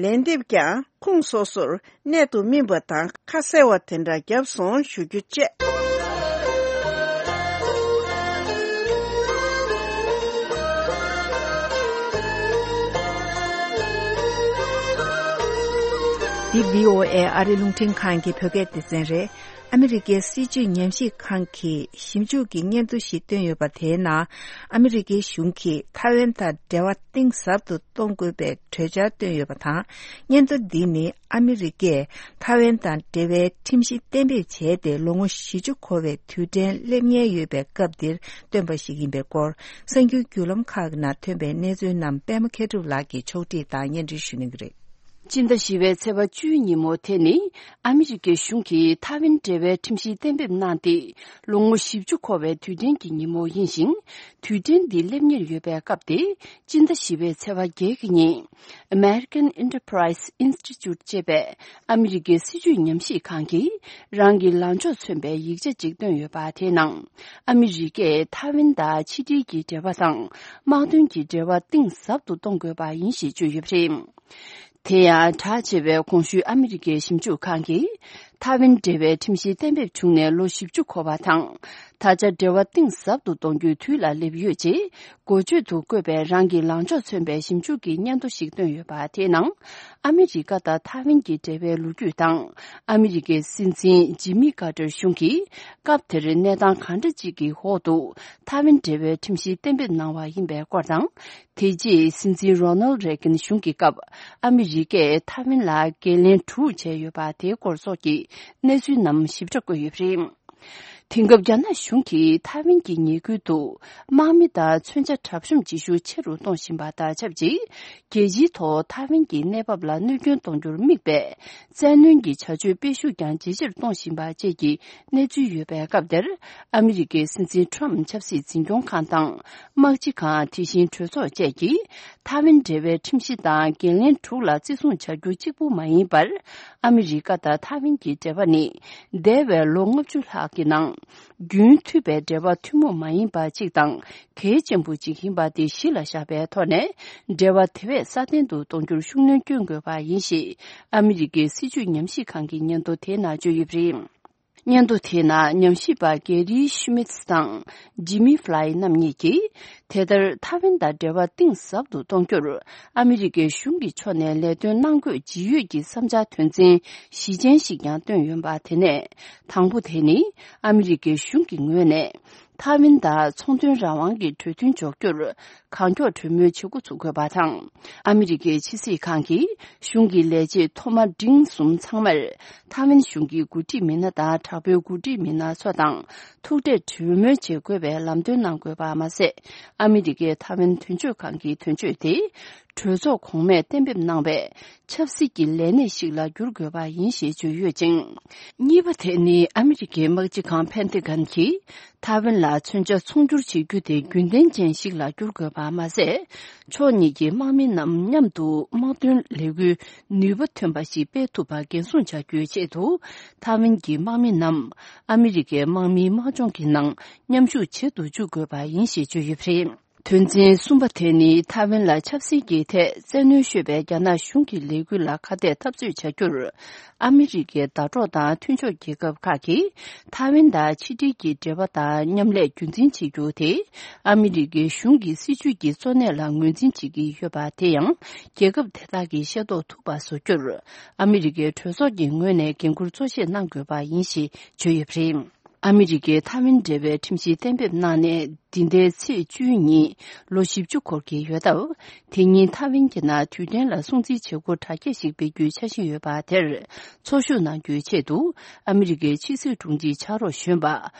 ལན་འདེབས་ཀྱང་ཁོངས་སོ་སོར་གནད་དུ་སྨིན་པ་དང་ཁ་གསལ་བ་དེ་འདྲ་བརྒྱབ་སོང་ཞུ་རྒྱུ་བཅས། འདི་བྷི་ཨོ་ཨེ་ཨ་རི་རླུང་འཕྲིན་ཁང་གི་བོད་སྐད་སྡེ་ཚན་རེད། ཨ་མི་རི་ཀའི་སྲིད་བྱུས་ཉམས་ཞིབ་ཁང་གིས་ཞིབ་འཇུག་གི་སྙན་ཐོ་ཞིག་བཏོན་ཡོད་པ་དེའི་ནང་། ཨ་མི་རི་ཀའི་གཞུང་གིས་ཐའེ་ཝན་དང་འབྲེལ་བ་གཏིང་ཟབ་ཏུ་གཏོང་དགོས་པའི་གྲོས་འཆར་བཏོན་ཡོད་པ་དང་། སྙན་ཐོ་འདི་ནི་ཨ་མི་རི་ཀས་ཐའེ་ཝན་དང་འབྲེལ་བའི་ཁྲིམས་གཞི་གཏན་འབེབས་བྱས་ཏེ་ལོ་ངོ་བཞི་བཅུ་འཁོར་བའི་དུས་དྲན་སླེབས་ཉེན་ཡོད་པའི་སྐབས་འདིར་བཏོན་པ་ཞིག་ཡིན་པའི་སྐོར། གསར་འགྱུར་བརྒྱུད་ལམ་ཁག་གི་ནང་ཐོན་པའི་གནས་ཚུལ་རྣམས་པད་མ་མཁས་གྲུབ་ལགས་ཀྱིས་ཕྱོགས་སྒྲིག་དང་སྙན་སྒྲོན་ཞུ་གནང་གི་རེད། སྤྱི་ཟླ་བཞི་པའི་ཚེས་པ་བཅུའི་ཉིན་མོ་དེ་ནི་ཨ་མི་རི་ཀའི་གཞུང་གིས་ཐའེ་ཝན་འབྲེལ་བའི་ཁྲིམས་གཞི་གཏན་འབེབས་གནང་སྟེ་ལོ་ངོ་བཞི་བཅུ་འཁོར་བའི་དུས་དྲན་གྱི་ཉིན་མོ་ཡིན་ཞིང་། དུས་དྲན་འདི་སླེབས་ཉེར་ཡོད་པའི་སྐབས་དེ། སྤྱི་ཟླ་བཞི་པའི་ཚེས་པ་བརྒྱད་ཀྱི་ཉིན། American Enterprise Institute ཅེས་པའི་ཨ་མི་རི་ཀའི་སྲིད་བྱུས་ཉམས་ཞིབ་ཁང་གིས་རང་གི་ལངས་ཕྱོགས་མཚོན་པའི་ཡིག་ཆ་ཅིག་བཏོན་ཡོད་པ་དེའི་ནང་། ཨ་མི་རི་ཀས་ཐའེ་ཝན་དང་ཕྱི་འབྲེལ་གྱི་འབྲེལ་བ་དང་། དམག་དོན་གྱི་འབྲེལ་བ་གཏིང་ཟབ་ཏུ་གཏོང་དགོས་པ་ཡིན་ཞེས་བརྗོད་ཡོད་པ་རེད། དེ་ཡང་གྲགས་ཆེ་བའི་གོང་ཞུས་ཨ་མི་རི་ཀའི་ཞིབ་འཇུག་ཁང་གིས། ཐའེ་ཝན་འབྲེལ་བའི་ཁྲིམས་གཞི་གཏན་འབེབས་བྱུང་ནས་ལོ་བཞི་བཅུ་འཁོར་བ་དང་། ད་ཆ་འབྲེལ་བ་གཏིང་ཟབ་ཏུ་གཏོང་རྒྱུའི་དུས་ལ་སླེབས་ཡོད་ཅེས། འགོ་བརྗོད་དུ་བཀོད་པའི་རང་གི་ལངས་ཕྱོགས་མཚོན་པའི་ཞིབ་འཇུག་གི་སྙན་ཐོ་ཞིག་བཏོན་ཡོད་པ་དེའི་ནང་། ཨ་མི་རི་ཀ་དང་ཐའེ་ཝན་གྱི་འབྲེལ་བའི་ལོ་རྒྱུས་དང་། ཨ་མི་རི་ཀའི་སྲིད་འཛིན་ཇི་མི་ཀར་ཏར་གཞུང་གིས་སྐབས་དེར་གནས་སྟངས་གང་འདྲ་ཅིག་གི་འོག་ཏུ་ཐའེ་ཝན་འབྲེལ་བའི་ཁྲིམས་གཞི་གཏན་འབེབས་གནང་བ་ཡིན་པའི་སྐོར་དང་། དེ་རྗེས་སྲིད་འཛིན་རོ་ནལ་རེ་གན་གཞུང་གི་སྐབས་ཨ་མི་རི་ཀས་ཐའེ་ཝན་ལ་འགན་ལེན་དྲུག་བྱས་ཡོད་པ་དེའི་སྐོར་སོགས་ཀྱི་གནས་ཚུལ་རྣམས་ཞིབ་ཕྲ་བཀོད་ཡོད་པ་རེད། དེང་སྐབས་རྒྱ་ནག་གཞུང་གིས་ཐའེ་ཝན་གྱི་ཉེ་ཁུལ་དུ་དམག་མི་དང་མཚོན་ཆ་གྲབས་གཤོམ་བྱེད་ཤུགས་ཆེ་རུ་གཏོང་བཞིན་པ་དང་ཆབས་ཅིག་རྒྱལ་སྤྱིའི་ཐོག་ཐའེ་ཝན་གྱི་གནས་བབ་ལ་གནོད་སྐྱོན་གཏོང་རྒྱུར་དམིགས་པའི་བཙན་གནོན་གྱི་བྱ་སྤྱོད་སྤེལ་ཤུགས་ཀྱང་ཇེ་ཆེར་གཏོང་བཞིན་པ་བཅས་ཀྱི་གནས་ཚུལ་ཡོད་པའི་སྐབས་དེར། ཨ་མི་རི་ཀའི་སྲིད་འཛིན་ཁྲོམ་ཆབ་སྲིད་འཛིན་སྐྱོང་ཁང་དང་། དམག་སྤྱི་ཁང་། དེ་བཞིན་གྲོས་ཚོགས་བཅས་ཀྱིས་ཐའེ་ཝན་འབྲེལ་བའི་ཁྲིམས་གཞི་དང་འགན་ལེན་དྲུག་ལ་བརྩི་སྲུང་བྱ་རྒྱུ་གཅིག་པུ་མ་ཡིན་པར། ཨ་མི་རི་ཀ་དང་ཐའེ་ཝན་གྱི་འབྲེལ་བ་ནི། འདས་པའི་ལོ་ལྔ་བཅུ་ལྷག་གི་ནང་། རྒྱུན་མཐུད་པའི་འབྲེལ་བ་ཐུན་མོང་མ་ཡིན་པ་གཅིག་དང་གལ་ཆེན་པོ་གཅིག་ཡིན་པ་དེ་གཞི་ལ་བཞག་པའི་ཐོག་ནས། འབྲེལ་བ་དེ་བས་སྲ་བརྟན་དུ་གཏོང་རྒྱུར་ཤུགས་སྣོན་བསྐྱོན་དགོས་པ་ཡིན་ཞེས། ཨ་མི་རི་ཀའི་སྲིད་བྱུས་ཉམས་ཞིབ་ཁང་གི་སྙན་ཐོ་དེའི་ནང་བརྗོད་ཡོད་པ་རེད། སྙན་ཐོ་དེའི་ནང་ཉམས་ཞིབ་པ་གེ་རི་ཤུ་མིད་དང་ཇི་མི་ཧྥ་ལའི་རྣམ་གཉིས་ཀྱིས། དེ་ལྟར་ཐའེ་ཝན་དང་འབྲེལ་བ་གཏིང་ཟབ་ཏུ་གཏོང་རྒྱུར། ཨ་མི་རི་ཀའི་གཞུང་གི་ཕྱོགས་ནས་ལས་དོན་གནང་དགོས་ཇི་ཡོད་ཀྱི་བསམ་འཆར་དོན་ཚན་བཞི་ཅན་ཞིག་ཀྱང་བཏོན་ཡོད་པ། དེ་ནས་དང་པོ་དེ་ནི། ཨ་མི་རི་ཀའི་གཞུང་གི་ངོས་ནས། ཐའེ་ཝན་དང་ཚོང་དོན་རང་དབང་གི་གྲོས་མཐུན་འཇོག་རྒྱུར། གང་མགྱོགས་གྲོས་མོལ་བྱེད་འགོ་ཚུགས་དགོས་པ་དང་། ཨ་མི་རི་ཀའི་ཕྱི་སྲིད་ཁང་གིས་གཞུང་གི་ལས་བྱེད་མཐོ་དམའ་འབྲིང་གསུམ་ཚང་མར། ཐའེ་ཝན་གཞུང་གི་འགོ་ཁྲིད་མི་སྣ་དང་དྲག་པོའི་འགོ་ཁྲིད་མི་སྣ་ཚོ་དང་ཐུག་འཕྲད་གྲོས་མོལ་བྱེད་དགོས་པའི་ལམ་སྟོན་གནང་དགོས་པ་མ་ཟད། ཨ་མི་རི་ཀས་ཐའེ་ཝན་དོན་གཅོད་ཁང་གི་དོན་གཅོད་དེ། གྲོས་ཚོགས་གོང་མས་གཏན་འབེབས་གནང་བའི་ཆབ་སྲིད་ཀྱི་ལས་གནས་ཤིག་ལ་བསྒྱུར་དགོས་པ་ཡིན་ཞེས་བརྗོད་ཡོད་ཅིང་། གཉིས་པ་དེ་ནི་ཨ་མི་རི་ཀའི་དམག་སྤྱི་ཁང་ཕན་ཐེ་གན་གྱིས། ཐའེ་ཝན་ལ་མཚོན་ཆ་ཚོང་སྒྱུར་བྱེད་རྒྱུ་དེ་རྒྱུན་ལྡན་ཅན་ཞིག་ལ་བསྒྱུར་དགོས་པ་མ་ཟད། ཕྱོགས་གཉིས་ཀྱི་དམག་མི་རྣམས་མཉམ་དུ་དམག་དོན་ལས་འགུལ་ནུས་པ་ཐོན་པ་ཞིག་སྤེལ་ཐུབ་པ་འགན་སྲུང་བྱ་རྒྱུའི་ཆེད་དུ། ཐའེ་ཝན་གྱི་དམག་མི་རྣམས་ཨ་མི་རི་ཀའི་དམག་མིའི་དམག་སྦྱོང་གི་ནང་མཉམ་ཞུགས་བྱེད་དུ་འཇུག་དགོས་པ་ཡིན་ཞེས་བརྗོད་ཡོད་པ་རེད། དོན་ཚན་གསུམ་པ་དེ་ནི་ཐའེ་ཝན་ལ་ཆབ་སྲིད་ཀྱི་ཐད་བཙན་གནོན་ཤོད་པའི་རྒྱ་ནག་གཞུང་གི་ལས་འགུལ་ལ་ཁ་གཏད་འཐབ་རྩོད་བྱ་རྒྱུར། ཨ་མི་རི་ཀའི་ཟླ་གྲོགས་དང་མཐུན་ཕྱོགས་རྒྱལ་ཁབ་ཁག་གིས་ཐའེ་ཝན་དང་ཕྱི་འབྲེལ་གྱི་འབྲེལ་བ་དང་མཉམ་ལས་རྒྱུན་འཛིན་བྱེད་རྒྱུ་དེ། ཨ་མི་རི་ཀའི་གཞུང་གི་སྲིད་བྱུས་ཀྱི་གཙོ་གནད་ལ་ངོས་འཛིན་བྱེད་ཀྱི་ཡོད་པ་དེ་ཡང་རྒྱལ་ཁབ་དེ་དག་གིས་ཤེས་རྟོགས་ཐུབ་པ་བཟོ་རྒྱུར། ཨ་མི་རི་ཀའི་གྲོས་ཚོགས་ཀྱི་ངོས་ནས་འགན་འཁུར་གཙོ་ཆེ་གནང་དགོས་པ་ཡིན་ཞེས་བརྗོད་ཡོད་པ་རེད། ཨ་མི་རི་ཀའི་ཐའེ་ཝན་འབྲེལ་བའི་ཁྲིམས་གཞི་གཏན་འབེབས་གནང་ནས། འདི་ཟླའི་ཚེས་བཅུ་ཉིན་ལོ་བཞི་བཅུ་འཁོར་གྱི་ཡོད་སྟབས། དེ་ཉིན་ཐའེ་ཝན་གྱི་ནང་དུས་དྲན་ལ་སྲུང་བརྩིའི་བྱེད་སྒོ་གྲ་རྒྱས་ཤིག་སྤེལ་རྒྱུའི་འཆར་གཞི་ཡོད་པ་དེར་འཚོ་བཞུགས་གནང་རྒྱུའི་ཆེད་དུ། ཨ་མི་རི་ཀའི་ཕྱི་སྲིད་དྲུང་ཆེ་ཕྱག་རོགས་གཞོན་པ་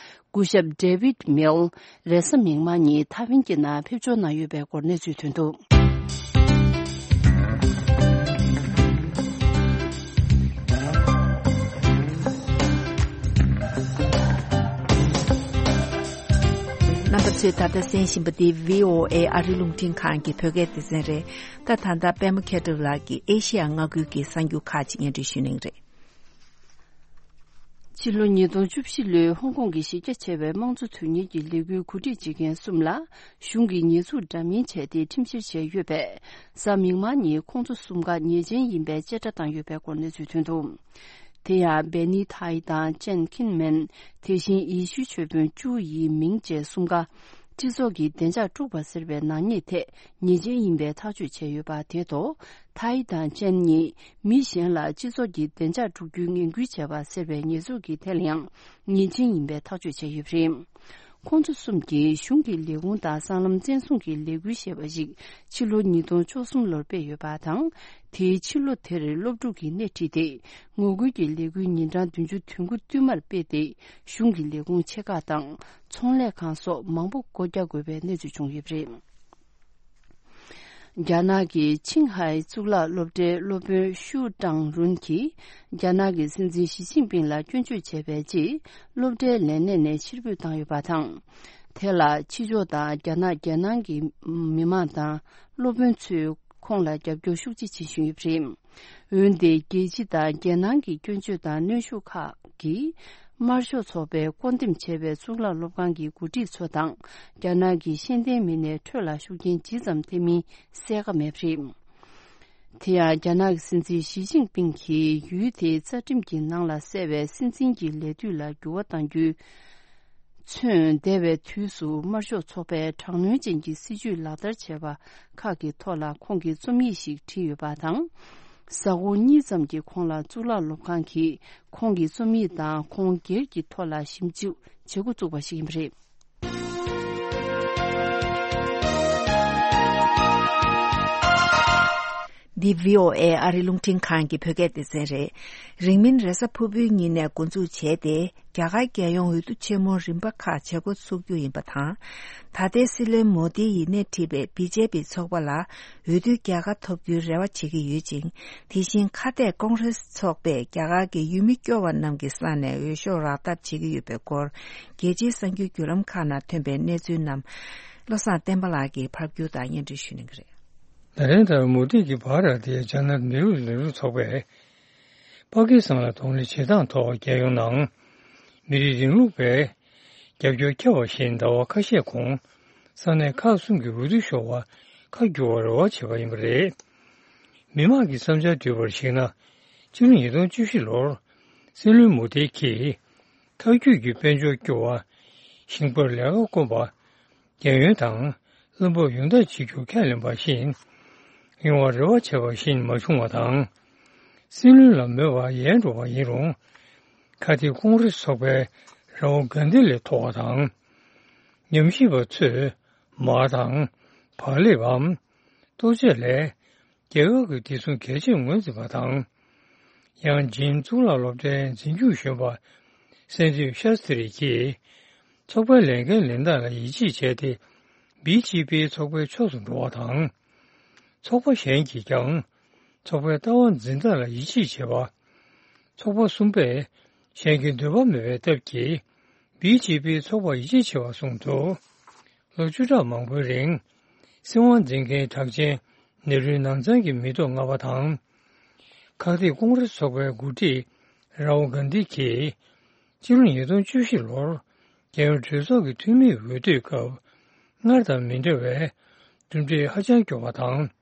སྐུ་ཞབས་David Mills་རེས་གཟའ་མིག་དམར་ཉིན་ཐའེ་ཝན་གྱི་ནང་ཕེབས་འབྱོར་གནང་ཡོད་པའི་སྐོར་གནས་ཚུལ་ཐོན་འདུག་རྣམ་པ་ཚོས་ད་ལྟ་གསན་བཞིན་པ་འདི་བྷི་ཨོ་ཨེ་ཨ་རི་རླུང་འཕྲིན་ཁང་གི་བོད་སྐད་སྡེ་ཚན་རེད། ད་ད་ལྟ་པད་མ་མཁས་གྲུབ་ལགས་ཀྱིས་ཨེ་ཤེ་ཡ་མངའ་ཁུལ་གྱི་གསར་འགྱུར་ཁག་ཅིག་སྙན་སྒྲོན་ཞུ་གནང་གི་རེད། ཕྱི་ལོ་ཉིས་སྟོང་བཅུ་བཞི་ལོའི་ཧོང་ཀོང་གི་གཞི་རྒྱ་ཆེ་བའི་དམངས་གཙོ་དོན་གཉེར་གྱི་ལས་འགུལ་གོ་སྒྲིག་བྱེད་མཁན་གསུམ་ལ་གཞུང་གིས་ཉེས་འཛུགས་འདྲ་མིན་བྱས་ཏེ་ཁྲིམས་བཤེར་བྱས་ཡོད་པས། གཟའ་མིག་དམར་ཉིན་ཁོང་ཚོ་གསུམ་ཀ་ཉེས་ཅན་ཡིན་པའི་བཅད་ཁྲ་བཏང་ཡོད་པའི་སྐོར་གནས་ཚུལ་ཐོན་འདུག་དེ་ཡང་སྦེ་ནི་ཐའི་དང་ཅན་ཁིན་མེན། དེ་བཞིན་ཡེ་ཤུའི་ཆོས་དཔོན་ཅུའུ་ཡི་མིང་བཅས་གསུམ་ཀ་སྤྱི་ཚོགས་ཀྱི་བདེ་འཇགས་དཀྲུགས་པ་ཟེར་བའི་ནག་ཉེས་ཐད་ཉེས་ཅན་ཡིན་པའི་ཐག་གཅོད་བྱས་ཡོད་པ་དེ་ཐོག་ཐའི་དང་ཅན་གཉིས་མི་གཞན་ལ་སྤྱི་ཚོགས་ཀྱི་བདེ་འཇགས་དཀྲུག་རྒྱུའི་ངན་སྐུལ་བྱས་པ་ཟེར་བའི་ཉེས་འཛུགས་ཀྱི་ཐད་ལ་ཡང་ཉེས་ཅན་ཡིན་པའི་ཐག་གཅོད་བྱས་ཡོད་པ་རེད། ཁོང་ཚོ་གསུམ་གྱིས་གཞུང་གི་ལས་ཁུངས་དང་སྲང་ལམ་བཙན་བཟུང་གི་ལས་འགུལ་ཞེས་པ་ཞིག་ཕྱི་ལོ་ཉིས་སྟོང་བཅུ་གསུམ་ལོར་སྤེལ་ཡོད་པ་དང་། དེའི་ཕྱི་ལོ་དེར་སློབ་ཕྲུག་གིས་སྣེ་ཁྲིད་དེ། ངོ་རྒོལ་གྱི་ལས་འགུལ་ཉིན་གྲངས་བདུན་ཅུ་དོན་དགུ་བསྟུད་མར་སྤེལ་ཏེ། གཞུང་གི་ལས་ཁུངས་ཆེ་ཁག་དང་ཚོང་ལས་ཁང་སོགས་མང་པོ་སྒོ་རྒྱག་དགོས་པའི་གནས་ཚུལ་བྱུང་ཡོད་པ་རེད། རྒྱ་ནག་གི་ཆིང་ཧའེ་གཙུག་ལག་སློབ་གྲྭའི་སློབ་དཔོན་ཤུའུ་ཀྲང་རུན་གྱིས་རྒྱ་ནག་གི་སྲིད་འཛིན་ཞི་ཅིན་ཕིང་ལ་སྐྱོན་བརྗོད་བྱས་པའི་རྗེས། སློབ་གྲྭའི་ལས་གནས་ནས་ཕྱིར་འབུད་བཏང་ཡོད་པ་དང་། དེ་ལ་ཕྱི་ཕྱོགས་དང་རྒྱ་ནག་རྒྱལ་ནང་གི་མི་མང་དང་སློབ་དཔོན་ཚོས་ཁོང་ལ་རྒྱབ་སྐྱོར་ཤུགས་ཆེ་བྱེད་བཞིན་ཡོད་པ་རེད། འོན་ཏེ། རྒྱལ་སྤྱི་དང་རྒྱལ་ནང་གི་སྐྱོན་བརྗོད་དང་གནོན་ཤུགས་ཁག་གིས། དམར་ཤོག་ཚོགས་པས་བསྐོ་འདེམས་བྱས་པའི་གཙུག་ལག་སློབ་ཁང་གི་འགོ་ཁྲིད་ཚོ་དང་། རྒྱ་ནག་གི་ཤེས་ལྡན་མི་སྣའི་ཁྲོད་ལ་ཤུགས་རྐྱེན་ཇི་ཙམ་ཐེབས་མིན་གསལ་ཁ་མེད་པ་རེད། དེ་ཡང་རྒྱ་ནག་གི་སྲིད་འཛིན་ཞི་ཅིན་ཕིང་གིས་ཡུལ་དེའི་རྩ་ཁྲིམས་ཀྱི་ནང་ལ་གསལ་བའི་སྲིད་འཛིན་གྱི་ལས་དུས་ལ་འགྱུར་བ་གཏང་རྒྱུའི་ཚུན། འདས་པའི་དུས་སུ་དམར་ཤོག་ཚོགས་པས་དྲག་གནོན་ཅན་གྱི་སྲིད་བྱུས་ལག་བསྟར་བྱས་པ་ཁག་གི་ཐོག་ལ་ཁོང་གིས་རྩོམ་ཡིག་ཞིག་བྲིས་ཡོད་པ་དང་། གཟའ་འཁོར་གཉིས་ཙམ་གྱི་གོང་ལ་གཙུག་ལག་སློབ་ཁང་གིས་ཁོང་གི་རྩོམ་ཡིག་དང་ཁོང་སྒེར་གྱི་ཐོག་ལ་ཞིབ་འཇུག་བྱེད་འགོ་བཙུགས་པ་ཞིག་ཡིན་པ་རེད། འདི་བྷི་ཨོ་ཨེ་ཨ་རིའི་རླུང་འཕྲིན་ཁང་གི་བོད་སྐད་སྡེ་ཚན་རེད། རིང་མིན་རེས་གཟའ་ཕུར་བུའི་ཉིན་ནས་འགོ་འཛུགས་བྱས་ཏེ། རྒྱ་གར་རྒྱལ་ཡོངས་འོས་བསྡུ་ཆེན་མོ་རིམ་པ་ཁག་བྱེད་འགོ་ཚུགས་རྒྱུ་ཡིན་པ་དང་། ད་ལྟའི་སྲིད་བློན་མོ་དི་ཡིས་སྣེ་ཁྲིད་པའི་བི་ཇེ་པི་ཚོགས་པ་ལ་འོས་བསྡུའི་རྒྱལ་ཁ་ཐོབ་རྒྱུའི་རེ་བ་བྱེད་ཀྱི་ཡོད་ཅིང་། དེ་བཞིན་ཁ་གཏད་ཀོང་རེ་སི་ཚོགས་པས་རྒྱ་གར་གྱི་ཡུལ་མི་སྐྱོ་བ་རྣམས་ཀྱི་ས་ནས་འོས་ཤོག་རག་ཐབས་བྱེད་ཀྱི་ཡོད་པའི་སྐོར། རྒྱལ་སྤྱིའི་གསར་འགྱུར་བརྒྱུད་ལམ་ཁག་ནང་ཐོན་པའི་གནས་ཚུལ་རྣམས་བློ་བཟང་བསྟན་པ་ལགས་ཀྱིས་ཕབ་སྒྱུར་དང་སྙན་སྒྲོན་ཞུ་གནང་གི་རེད། ན་རེན་དྲ་མོ་དི་གི་བྷ་ར་ཏི་ཡ་ཇ་ན་ཏ་བི་རོ་ལས་རིགས་ཚོགས་པས། པ་ཀི་སི་ཐན་ལ་གདོང་ལེན་བྱེད་སྟངས་ཐོག་རྒྱལ་ཡོངས་ནང་མི་རིགས་རིང་ལུགས་པའི་རྒྱབ་སྐྱོར་ཁྱབ་པ་བཞིན་ཟླ་བ་ཁ་ཤས་གོང་ས་གནས་ཁག་གསུམ་གྱི་འོས་བསྡུ་ཤོག་ཁག་བསྒྱུར་བར་རེ་བ་བྱས་པ་ཡིན་པ་རེད། མི་མང་གི་བསམ་འཆར་བསྡུས་པར་གཞིགས་ན། ཕྱི་ལོ་ཉིས་སྟོང་བཅུ་བཞི་ལོར་སྲིད་བློན་མོ་དྷི་གིས་མཐའ་རྒྱུད་ཀྱི་དཔལ་འབྱོར་སྐྱོ་བ། ཞིང་པར་ལས་ཀ་དཀོན་པ། རྒྱལ་ཡོངས་དང་བློན་པོ་ཡོངས་བསྡད་བྱེད་རྒྱུ་ཁས་ལེན་པ་བཞིན་ཡོང་བར་རེ་བ་བྱས་པ་བཞིན་མ་བྱུང་བ་དང་། སྲིད་བློན་ལ་མོས་པ་ཡལ་འགྲོ་བ་ཡིན་རུང་། ཁ་ཐིག་ཀོང་རེ་སི་ཚོགས་པའི་ར་ཧུལ་གྷན་དྷི་ལས་མཐོ་བ་དང་། ཉམས་ཞིབ་པ་ཚོས་མར་དང་བག་ལེབ་བམ། ལྟོ་ཆས་ལས་རྒྱལ་ཁབ་ཀྱི་བདེ་སྲུང་གལ་ཆེར་ངོས་འཛིན་པ་དང་། ཡང་ཇིན་གཙུག་ལག་སློབ་གྲྭའི་འཛིན་སྐྱོང་གཞོན་པ་སན་དིབ་ཤཱ་སྟི་རི་གྱིས་ཚོགས་པའི་ལས་འགན་ལེན་སྟངས་ལ་ཡིད་ཆེས་བྱས་ཏེ། བི་ཇེ་པི་ཚོགས་པའི་ཕྱོགས་སུ་འགྲོ་བ་དང་། ཚོགས་པ་གཞན་གྱིས་ཀྱང་ཚོགས་པའི་ལྟ་བ་འཛིན་སྟངས་ལ་ཡིད་ཆེས་བྱེད་པ། ཚོགས་པ་གསུམ་པས་གཞན་གྱི་འདོད་པ་མེད་པའི་སྟབས་ཀྱིས་བི་ཇེ་པི་ཚོགས་པར་ཡིད་ཆེས་བྱེད་པ་གསུངས་འདུག། ལོ་བཅུ་ཕྲག་མང་པོའི་རིང་སྲིད་དབང་འཛིན་མཁན་གྲགས་ཅན་ནེ་རུའི་ནང་ཚང་གི་མི་ཐོག་ལྔ་པ་དང་། ཁག་ཐེག་ཀོང་རེ་སི་ཚོགས་པའི་འགོ་ཁྲིད་ར་ཧུལ་གྷན་དྷི་གིས་ཕྱི་ལོ་ཉིས་སྟོང་བཅུ་བཞི་ལོར་རྒྱལ་ཡོངས་གྲོས་ཚོགས་ཀྱི་འཐུས་མིའི་འོས་བསྡུའི་སྐབས་སྔར་དང་མི་འདྲ་བའི་གྲུབ་འབྲས་ཧ་ཅང་སྐྱོ་བ་དང་།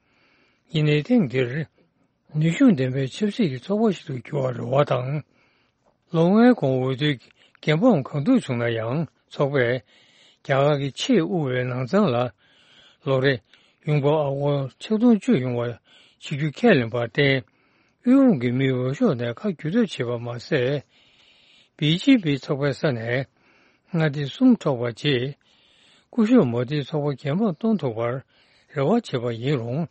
ཡིན་ནའི་ཐེངས་འདིར་ནུས་ཤུགས་ལྡན་པའི་ཆབ་སྲིད་ཀྱི་ཚོགས་པ་ཞིག་ཏུ་འགྱུར་བར་རེ་བ་དང་། ལོ་ལྔའི་གོང་འོས་བསྡུའི་འགན་སྤངས་གང་ཐུབ་བྱུང་ན་ཡང་ཚོགས་པས་རྒྱ་གར་གྱི་ཆེས་དབུལ་བའི་ནང་ཚང་ལ་ལོ་རེ་ཡོང་འབབ་ཨ་སྒོར་ཆིག་སྟོང་བཅུ་ཡོང་བ་བྱེད་རྒྱུ་ཁས་ལེན་པར་བརྟེན། དབུལ་ཕོངས་ཀྱི་མིའི་འོས་ཤོག་ནས་ཁ་བསྒྱུར་ཐབས་བྱས་པ་མ་ཟད། བི་ཇེ་པི་ཚོགས་པའི་ས་ནས་མངའ་སྡེ་གསུམ་འཕྲོག་པ་རྗེས། སྐུ་ཞབས་མོ་དིའི་ཚོགས་པ་འགན་སྤངས་གཏོང་ཐུབ་པར་རེ་བ་བྱས་པ་ཡིན་རུང་།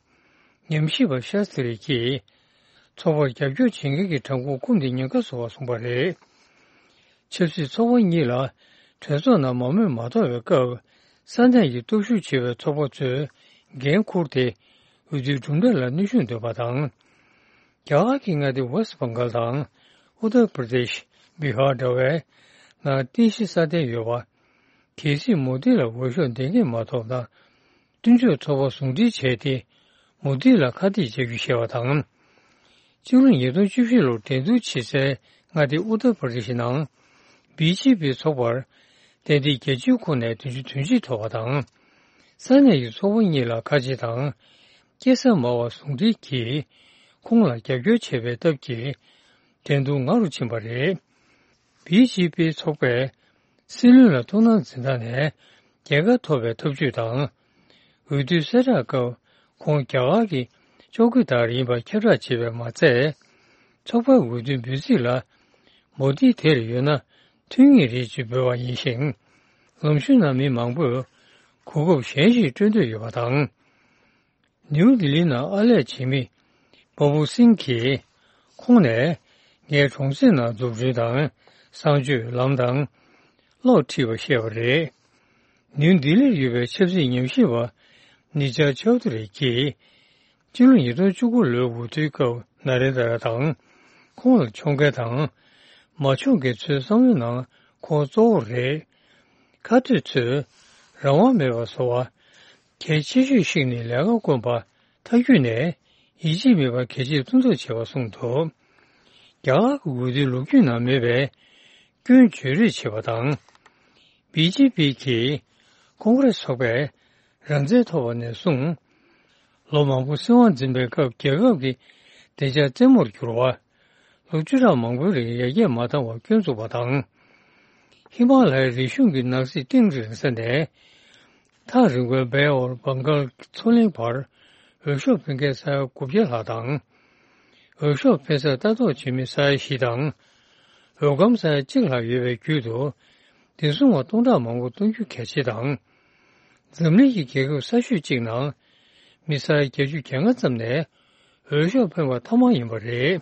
ཉམས་ཞིབ་པ་ཤཱ་སྟི་རི་གྱིས་ཚོགས་པར་རྒྱབ་སྐྱོར་བྱེད་མཁན་གྱི་གྲངས་འབོར་སྐུམ་སྟེ་ཉེན་ཁ་བཟོ་བར་གསུངས་པ་རེད། ཆབ་སྲིད་ཚོགས་པ་གཉིས་ལ་གྲོས་ཚོགས་ནང་མང་མོས་མ་ཐོབ་པའི་སྐབས། ས་གནས་ཀྱི་སྟོབས་ཤུགས་ཆེ་བའི་ཚོགས་པ་ཚོས་འགན་འཁུར་ཏེ། འོས་བསྡུའི་གྲུབ་འབྲས་ལ་གནོན་ཤུགས་འདོན་པ་དང་། རྒྱ་གར་གྱི་མངའ་སྡེ་ཝེ་སི་བྷང་གྷལ་དང་ཨུ་ཏར་པར་དེཤ། བི་ཧར་འདྲ་བའི་ནང་རྟེན་གཞི་སྲ་བརྟན་ཡོད་པ། གལ་སྲིད་མོ་དི་ལ་འོས་ཤོག་འདེང་མཁན་མ་ཐོབ་ན། མཐུན་ཕྱོགས་ཚོགས་པ་ཟུང་འབྲེལ་བྱས་ཏེ། མོ་དི་ལ་ཁ་གཏད་བཅག་རྒྱུ་བཤད་པ་དང་། སྤྱི་ལོ་ཉིས་སྟོང་བཅུ་བཞི་ལོར་འགྲན་བསྡུར་བྱེད་སའི་མངའ་སྡེ་ཨུ་ཏར་པར་དེཤ་ནང་། བི་ཇེ་པི་ཚོགས་པར་ཏན་ཏིག་རྒྱལ་སྤྱིའི་ཁོངས་ནས་བདུན་ཅུ་དོན་གཅིག་ཐོབ་པ་དང་། ས་གནས་ཀྱི་ཚོགས་པ་གཉིས་ལ་ཁ་ཆེ་དང་། སྐྱེ་ས་དམའ་བ་ཟུང་འབྲེལ་གྱིས་ཁོང་ལ་རྒྱབ་སྐྱོར་བྱས་པའི་སྟབས་ཀྱིས། འགྲན་བསྡུར་ང་རུ་ཕྱིན་པ་རེད། བི་ཇེ་པི་ཚོགས་པས་སྲིད་བློན་ལ་ཐུགས་སྣང་འཛིན་སྟངས་ནས་རྒྱལ་ཁ་ཐོབ་པའི་ཐབས་ཇུས་དང་། འོས་བསྡུའི་གསལ་བསྒྲགས་སྐབས་ཁོང་རྒྱ་གར་གྱི་ཅོ་ཀི་དར་ཡིན་པ་ཁྱབ་བསྒྲགས་བྱས་པས་མ་ཚད། ཚོགས་པའི་འོས་བསྡུའི་འབོད་ཚིག་ལ་མོ་དི་དེར་ཡོད་ན་མཐུན་ངེས་རེད་ཅེས་འབོད་པ་ཡིན་ཞིང་། ལམ་གཞུང་ནང་མི་མང་པོས་གོ་སྐབས་གཞན་ཞིག་སྤྲོད་འདོད་ཡོད་པ་དང་། ནིའུ་ལྡི་ལིའི་ནང་ཨར་ལས་བྱེད་མི་བྷ་བུ་སིང་གིས་ཁོང་ནས་ངའི་གྲོང་གསེབ་ནང་འཛུགས་སྐྲུན་དང་གསང་སྤྱོད་ལམ་དང་གློག་ཁྲིད་པ་བཤད་པ་རེད། ནིའུ་ལྡི་ལིར་ཡོད་པའི་ཆབ་སྲིད་ཉམས་ཞིབ་པ་ནི་ཇཱ་ཆའོ་དྷུ་རི་གིས་སྤྱི་ལོ་ཉིས་སྟོང་བཅུ་དགུ་ལོའི་འོས་བསྡུའི་སྐབས་ན་རེན་དྲ་དང་ཁོང་ལ་མཆོང་མཁན་དང་མ་མཆོང་མཁན་ཚོའི་བསམ་བློའི་ནང་ཁོང་གཙོ་བོ་རེད། ཁ་གཏད་ཚོས་རང་དབང་མེད་པར་བཟོ་བ། གལ་ཆེ་ཤོས་ཤིག་ནི་ལས་ཀ་དཀོན་པ། མཐའ་རྒྱུད་ནས་ཡིད་ཆེས་མེད་པར་གལ་ཆེར་མཐོང་ཐབས་བྱེད་པ་གསུངས་འདུག། རྒྱ་གར་གྱི་འོས་བསྡུའི་ལོ་རྒྱུས་ནང་མེད་པའི་སྐྱོན་བརྗོད་རེས་བྱེད་པ་དང་། བི་ཇེ་པི་གིས་ཀོང་རེས་ཚོགས་པས་རང་བཙན་ཐོབ་པ་ནས་བཟུང་། ལོ་མང་པོ་སྲིད་དབང་འཛིན་པའི་སྐབས་རྒྱལ་ཁབ་ཀྱི་བདེ་འཇགས་རྩེད་མོར་གྱུར་བ། ལོ་བཅུ་ཕྲག་མང་པོའི་རིང་ཡར་རྒྱས་མ་བཏང་བར་སྐྱོན་འཛུགས་པ་དང་། ཧི་མ་ལ་ཡའི་རི་གཞུང་གི་ནགས་གསེབ་གཏིང་རིང་ས་ནས། ཐག་རིང་བའི་བེ་ཨོར་བང་གལ་མཚོ་གླིང་བར་འོས་ཤོག་འཕེན་མཁན་ས་ཡ་དགུ་བརྒྱ་ལྷག་དང་། འོས་ཤོག་འཕེན་སར་ལྟ་རྟོག་བྱེད་མི་ས་ཡ་བཞི་དང་། འོས་སྒམ་ས་ཡ་གཅིག་ལྷག་ཡོད་པའི་བརྒྱུད་དུ། བདེ་སྲུང་བ་སྟོང་ཕྲག་མང་པོ་གཏོང་རྒྱུ་གལ་ཆེ་དང་། འཛམ་གླིང་གི་རྒྱལ་ཁབ་ས་ཤོད་གཅིག་ནང་མི་ས་ཡ་བརྒྱད་ཅུ་གྱ་ལྔ་ཙམ་ནས་ འོས་ཤོག་འཕེན་པ་ཐོག་མ་ཡིན་པ་རེད།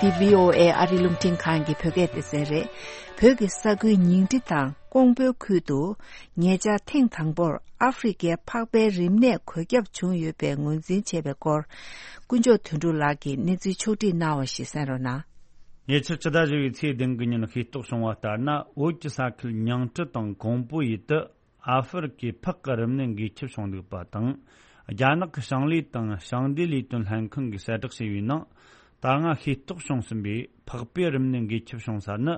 འདི་བྷི་ཨོ་ཨེ་ཨ་རི་རླུང་འཕྲིན་ཁང་གི་བོད་སྐད་སྡེ་ཚན་རེད། བོད་ཀྱི་ས་ཁུལ་ཉིང་ཁྲི་དང་ཀོང་པོའི་ཁུལ་དུ་ཉེ་ཆར་ཐེངས་དང་པོར་ཨ་ཧྥེ་རི་ཁའི་ཕག་པའི་རིམས་ནད་འགོས་ཁྱབ་བྱུང་ཡོད་པའི་ངོས་འཛིན་བྱས་པའི་སྐོར། དཀོན་མཆོག་དོན་གྲུབ་ལགས་ཀྱིས་གནས་ཚུལ་ཕྱོགས་སྒྲིག་གནང་བ་ཞིག་གསན་རོགས་གནང་། ཉེ་ཆར་ཕྱི་ཟླ་བཞི་པའི་ཚེས་བདུན་གྱི་ཉིན་ཤེས་རྟོགས་བྱུང་བ་ལྟར་ན། བོད་ཀྱི་ས་ཁུལ་ཉིང་ཁྲི་དང་ཀོང་པོ་ཡུལ་དུ་ཨ་ཧྥེ་རི་ཁའི་ཕག་གི་རིམས་ནད་འགོས་ཁྱབ་བྱུང་འདུག་པ་དང་། རྒྱ་ནག་གི་ཞིང་ལས་དང་ཞིང་སྡེ་ལས་དོན་ལྷན་ཁང་གིས་གསལ་བསྒྲགས་བྱས་པའི་ནང་། ད་སྔ་ཤེས་རྟོགས་བྱུང་ཟིན་པའི་ཕག་པའི་རིམས་ནད་འགོས་ཁྱབ་བྱུང་ས་ནི།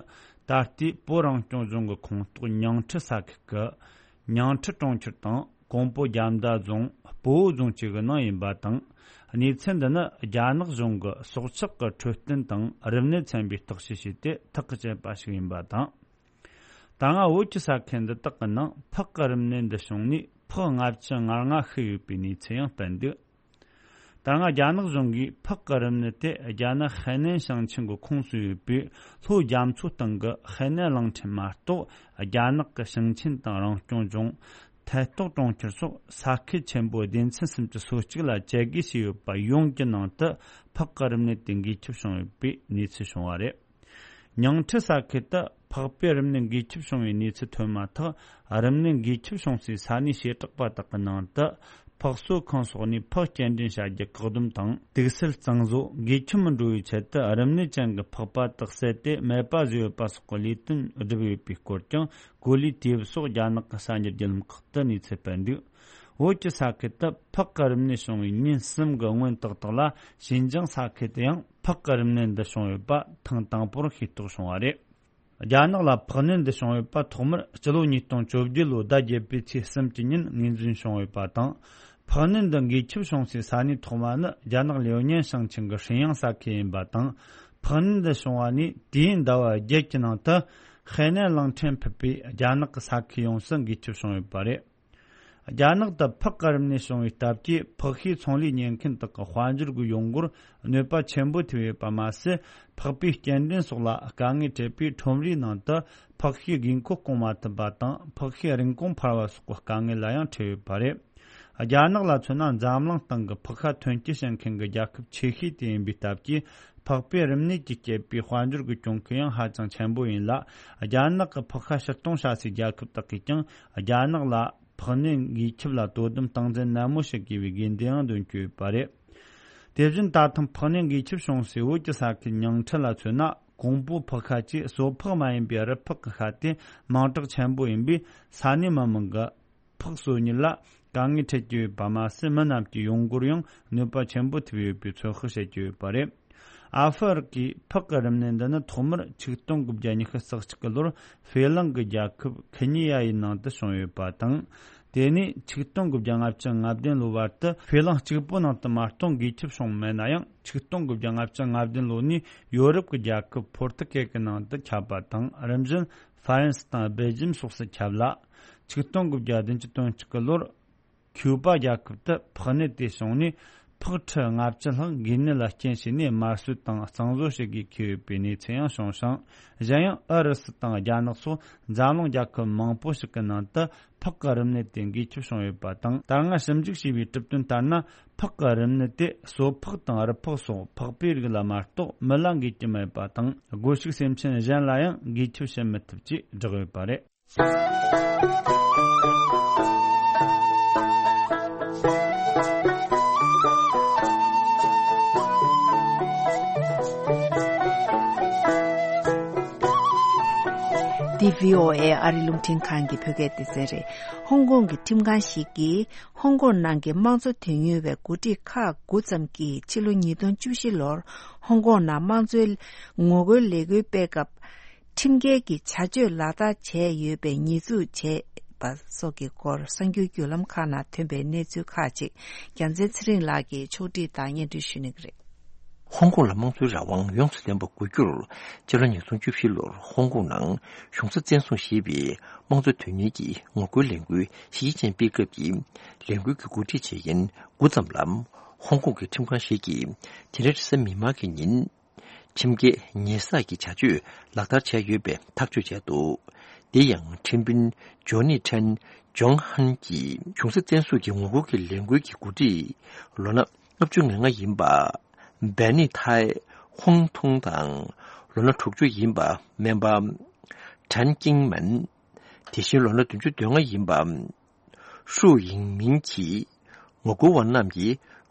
ད་ལྟའི་བོད་རང་སྐྱོང་ལྗོངས་ཀྱི་ཁོངས་གཏོགས་ཉིང་ཁྲི་ས་ཁུལ་གྱི་ཉིང་ཁྲི་གྲོང་ཁྱེར་དང་། ཀོང་པོ་རྒྱ་མདའ་རྫོང་། སྤོ་བོ་རྫོང་བཅས་ཀྱི་ནང་ཡིན་པ་དང་། གནས་ཚུལ་འདི་ནི་རྒྱ་ནག་གཞུང་གི་སྲོག་ཆགས་ཀྱི་འཕྲོད་བསྟེན་དང་རིམས་ནད་ཚན་པས་བརྟག་དཔྱད་བྱས་ཏེ་ཐག་གིས་བཅད་པ་ཞིག་ཡིན་པ་དང་། ད་སྔ་བོད་ཀྱི་ས་ཁུལ་འདི་དག་གི་ནང་ཕག་གི་རིམས་ནད་འདི་བྱུང་ནས་ཕག་ལྔ་བཅུ་ང་ལྔ་ཤི་ཡོད་པའི་གནས་ཚུལ་ཡང་སྤེལ་འདུག། ད་སྔ་རྒྱ་ནག་གཞུང་གིས་ཕག་གི་རིམས་ནད་དེ་རྒྱ་ནག་ཧའེ་ནན་ཞིང་ཆེན་གྱི་ཁོངས་སུ་ཡོད་པའི་ལྷོ་རྒྱ་མཚོ་སྟེང་གི་ཧའེ་ནན་གླིང་ཕྲན་མ་གཏོགས། རྒྱ་ནག་གི་ཞིང་ཆེན་དང་རང་སྐྱོང་ལྗོངས། ཐད་གཏོགས་གྲོང་ཁྱེར་སོགས་ས་ཁུལ་ཆེན་པོ་སྡེ་ཚན་སུམ་ཅུ་སོ་གཅིག་ལ་དཔྱད་བརྒལ་བྱས་ཡོད་པ་ཡོངས་ཀྱི་ནང་དུ་ཕག་གི་རིམས་ནད་དེ་འགོས་ཁྱབ་བྱུང་ཡོད་པའི་གནས་ཚུལ་བྱུང་བ་རེད། ཉིང་ཁྲི་ས་ཁུལ་དུ་ཕག་པའི་རིམས་ནད་འགོས་ཁྱབ་བྱུང་བའི་གནས་ཚུལ་ཐོན་མ་ཐག། རིམས་ནད་འགོས་ཁྱབ་བྱུང་སའི་ས་གནས་བྱེ་བྲག་པ་དག་གི་ནང་དུ། ཕག་གསོ་ཁང་སོགས་ནས་ཕག་སྐྱེལ་འདྲེན་བྱ་རྒྱུ་བཀག་སྡོམ་དང་། དུག་སེལ་གཙང་བཟོ། འགོས་ཁྱབ་མི་འགྲོ་བའི་ཆེད་དུ་རིམས་ནད་ཅན་གྱི་ཕག་པ་དག་བསད་དེ་མེད་པ་བཟོས་ཡོད་པ་སོགས་ཀྱི་ལས་དོན་བསྒྲུབས་ཡོད་པའི་སྐོར་ཀྱང་། གོ་ལའི་དུས་བབ་སོགས་རྒྱ་ནག་གི་གསར་འགྱུར་བརྒྱུད་ལམ་ཁག་ཏུ་གནས་ཚུལ་སྤེལ་འདུག། བོད་ཀྱི་ས་ཁུལ་དུ་ཕག་གི་རིམས་ནད་བྱུང་བའི་ཉིན་གསུམ་གྱི་སྔོན་ཏག་ཏག་ལ། ཞིན་ཅང་ས་ཁུལ་དུ་ཡང་ཕག་གི་རིམས་ནད་འདི་བྱུང་ཡོད་པ་ཐེངས་དང་པོར་ཤེས་རྟོགས་བྱུང་བ་རེད། རྒྱ་ནག་ལ་ཕག་ནད་འདི་བྱུང་ཡོད་པ་ཐོག་མར་སྤྱི་ལོ་ཉིས་སྟོང་བཅོ་བརྒྱད་ལོའི་ཟླ་བརྒྱད་པའི་ཚེས་གསུམ་གྱི་ཉིན་ངོས་འཛིན་བྱུང་ཡོད་པ་དང་། ཕག་ནད་འདི་འགོས་ཁྱབ་བྱུང་སའི་ས་གནས་ཐོག་མ་ནི་རྒྱ་ནག་ལིའུ་ཉན་ཞིང་ཆེན་གྱི་ཧྲིན་ཡང་ས་ཁུལ་ཡིན་པ་དང་། ཕག་ནད་འདི་བྱུང་བ་ནས་དུས་ཡུན་ཟླ་བ་བརྒྱད་ཀྱི་ནང་དུ་ཧའེ་ནན་གླིང་ཕྲན་ཕུད་པའི་རྒྱ་ནག་གི་ས་ཁུལ་ཡོངས་སུ་འགོས་ཁྱབ་བྱུང་ཡོད་པ་རེད། རྒྱ་ནག་ཏུ་ཕག་གི་རིམས་ནད་བྱུང་བའི་སྟབས་ཀྱིས་ཕག་ཤུའི་ཚོང་ལས་གཉེར་མཁན་དག་གི་དཔལ་འབྱོར་གྱི་ཡོང་སྒོར་གནོད་པ་ཆེན་པོ་ཐེབས་ཡོད་པ་མ་ཟད། ཕག་པའི་སྐྱེལ་འདྲེན་སོགས་ལ་དཀའ་ངལ་འཕྲད་པས། ཁྲོམ་རའི་ནང་དུ་ཕག་ཤུའི་དགོས་མཁོ་སྐོང་མ་ཐུབ་པ་དང་། ཕག་ཤུའི་རིན་གོང་འཕར་བ་སོགས་ཀྱི་དཀའ་ངལ་ལ་ཡང་འཕྲད་ཡོད་པ་རེད། རྒྱ་ནག་ལ་མཚོན་ན། འཛམ་གླིང་སྟེང་གི་ཕག་ཤ་ཐོན་སྐྱེད་བྱེད་མཁན་གྱི་རྒྱལ་ཁབ་ཆེ་ཤོས་དེ་ཡིན་པའི་སྟབས་ཀྱིས། ཕག་པའི་རིམས་ནད་ཀྱིས་བསྐྱེད་པའི་དཔལ་འབྱོར་གྱི་གྱོང་གུན་ཡང་ཧ་ཅང་ཆེན་པོ་ཡིན་ལ། རྒྱ་ནག་གི་ཕག་ཤ་ཕྱིར་གཏོང་བྱ་སའི་རྒྱལ་ཁབ་དག་གིས་ཀྱང་རྒྱ་ནག་ལ་ཕག་ནད་འགོས་ཁྱབ་ལ་དོ་དམ་སྟངས་འཛིན་ནན་མོ་བྱེད་དགོས་པའི་དགོས་འདུན་ཡང་འདོན་གྱི་ཡོད་པ་རེད། དེ་བཞིན་ད་ཐེངས་ཕག་ནད་འགོས་ཁྱབ་བྱུང་སའི་བོད་ཀྱི་ས་ཁུལ་ཉིང་ཁྲི་ལ་མཚོན་ན། ཀོང་པོ་ཕག་ཤ་བཅས་གསོ་ཕག་མ་ཡིན་པའི་རུ་ཕག་གི་ཤ་དེ་མིང་གྲགས་ཆེན་པོ་ཡིན་པས། ས་གནས་མི་མང་གི་ཕག་གསོ་གཉེར་ལ་དཀའ་ངལ་འཕྲད་ཀྱི་ཡོད་པ་མ་ཟད། མི་རྣམས་ཀྱི་ཡོང་སྒོར་ཡང་གནོད་པ་ཆེན་པོ་ཐེབས་ཡོད་པའི་ཚོད་དཔག་བྱེད་ཀྱི་ཡོད་པ་རེད། ཨ་ཧྥེ་རི་ཁའི་ཕག་གི་རིམས་ནད་འདི་ནི་ཐོག་མར་ཆིག་སྟོང་དགུ་བརྒྱ་ཉི་ཤུ་རྩ་གཅིག་གི་ལོར་ཧྥེ་གླིང་གི་རྒྱལ་ཁབ་ཁི་ཉི་ཡ་ཡི་ནང་དུ་བྱུང་ཡོད་པ་དང་། དེ་ནས་ཆིག་སྟོང་དགུ་བརྒྱ་ལྔ་བཅུ་ང་བདུན་ལོ་བར་དུ་ཧྥེ་གླིང་གཅིག་པུ་ནང་དུ་མ་གཏོགས་འགོས་ཁྱབ་བྱུང་མེད་ན་ཡང་། ཆིག་སྟོང་དགུ་བརྒྱ་ལྔ་བཅུ་ང་བདུན་ལོ་ནས་ཡོ་རོབ་ཀྱི་རྒྱལ་ཁབ་ཕོར་ཏུ་གལ་གྱི་ནང་དུ་ཁྱབ་པ་དང་། རིམ་བཞིན་ཧྥ་རན་སི་དང་སྦེལ་ཇམ་སོགས་སུ་ཁྱབ་ལ། ཆིག་སྟོང་དགུ་བརྒྱ་བདུན་ཅུ་དོན་གཅིག་གི་ལོར། ཁྱུ་པ་རྒྱལ་ཁབ་ཏུ་ཕག་ནད་དེ་བྱུང་ནས། ཕག་ཁྲི་ལྔ་བཅུ་ལྷག་འགོས་ནད་ལ་རྐྱེན་བྱས་ནས་དམར་གསོད་དང་གཙང་བཟོ་བྱེད་དགོས་ཁེལ་ཡོད་པའི་གནས་ཚུལ་ཡང་བྱུང་ཞིང་། གཞན་ཡང་ཨུ་རུ་སུ་དང་རྒྱ་ནག་སོགས་འཛམ་གླིང་རྒྱལ་ཁབ་མང་པོ་ཞིག་གི་ནང་དུ་ཕག་གི་རིམས་ནད་དེ་འགོས་ཁྱབ་བྱུང་ཡོད་པ་དང་། ད་སྔ་ཞིབ་འཇུག་བྱས་པའི་གྲུབ་དོན་ལྟར་ན། ཕག་གི་རིམས་ནད་དེ་གསོ་ཕག་དང་རུ་ཕག་སོགས་ཕག་པའི་རིགས་ལ་མ་གཏོགས་མི་ལ་འགོས་ཀྱི་མེད་པ་དང་། སྒོ་ཕྱུགས་སེམས་ཅན་གཞན་ལ་ཡང་འགོས་ཁྱབ་བྱེད་མི་ཐུབ་ཅེས་བསྒྲགས་ཡོད་པ་རེད། འདི་བྷི་ཨོ་ཨེ་ཨ་རི་རླུང་འཕྲིན་ཁང་གི་བོད་སྐད་སྡེ་ཚན་རེད། ཧོང་ཀོང་གི་ཁྲིམས་ཁང་ཞིག་གིས་ཧོང་ཀོང་ནང་གི་དམངས་གཙོ་དོན་གཉེར་བའི་འགོ་ཁྲིད་ཁག་དགུ་ཙམ་གྱིས་ཕྱི་ལོ་ཉིས་སྟོང་བཅུ་བཞི་ལོར་ཧོང་ཀོང་ནང་དམངས་གཙོའི་ངོ་རྒོལ་ལས་འགུལ་སྤེལ་སྐབས། ཁྲིམས་འགལ་གྱི་བྱ་སྤྱོད་ལག་བསྟར་བྱས་ཡོད་པའི་ཉེས་འཛུགས་བྱས་པ་སོགས་ཀྱི་སྐོར་གསར་འགྱུར་བརྒྱུད་ལམ་ཁག་ནང་ཐོན་པའི་གནས་ཚུལ་ཁག་ཅིག་རྒྱལ་མཚན་ཚེ་རིང་ལགས་ཀྱིས་ཕྱོགས་སྒྲིག་དང་སྙན་སྒྲོན་ཞུ་གནང་གི་རེད། ཧོང་ཀོང་ལ་དམངས་གཙོའི་རང་དབང་ཡོངས་སུ་ལྡན་པ་དགོས་རྒྱུར། སྤྱི་ལོ་ཉིས་སྟོང་བཅུ་བཞི་ལོར་ཧོང་ཀོང་ནང་གཞུང་ས་བཙན་བཟུང་བྱས་པའི་དམངས་གཙོ་དོན་གཉེར་གྱི་ངོ་རྒོལ་ལས་འགུལ་གཞི་རྒྱ་ཅན་སྤེལ་སྐབས་ཀྱི་ལས་འགུལ་གྱི་འགོ་ཁྲིད་བྱེད་མཁན་དགུ་ཙམ་ལ། ཧོང་ཀོང་གི་ཁྲིམས་ཁང་ཞིག་གིས་དེ་རིང་རེས་གཟའ་མིག་དམར་གྱི་ཉིན། ཁྲིམས་འགལ་ཉེས་བསགས་ཀྱི་བྱ་སྤྱོད་ལག་བསྟར་བྱས་ཡོད་པའི་ཐག་གཅོད་བྱས་འདུག། དེ་ཡང་ཁྲིམས་དཔོན་ཇོ་ནི་ཁྲན་ཇོང་ཧན་གྱིས་གཞུང་ས་བཙན་བཟུང་གི་ངོ་རྒོལ་གྱི་ལས་འགུལ་གྱི་འགོ་ཁྲིད་ལོ་ན་ལྔ་བཅུ་ང་ལྔ་ཡིན་པ་བེ་ནི་ཐའི་ཧོང་ཐུང་དང་ལོ་ན་དྲུག་ཅུ་ཡིན་པ་སྨན་པ་ཁྲན་ཀིང་མན། དེ་བཞིན་ལོ་ན་བདུན་ཅུ་དོན་ལྔ་ཡིན་པ་ཧྲུའུ་ཡིང་མིང་གིས་ངོ་རྒོལ་བ་རྣམས་ཀྱི་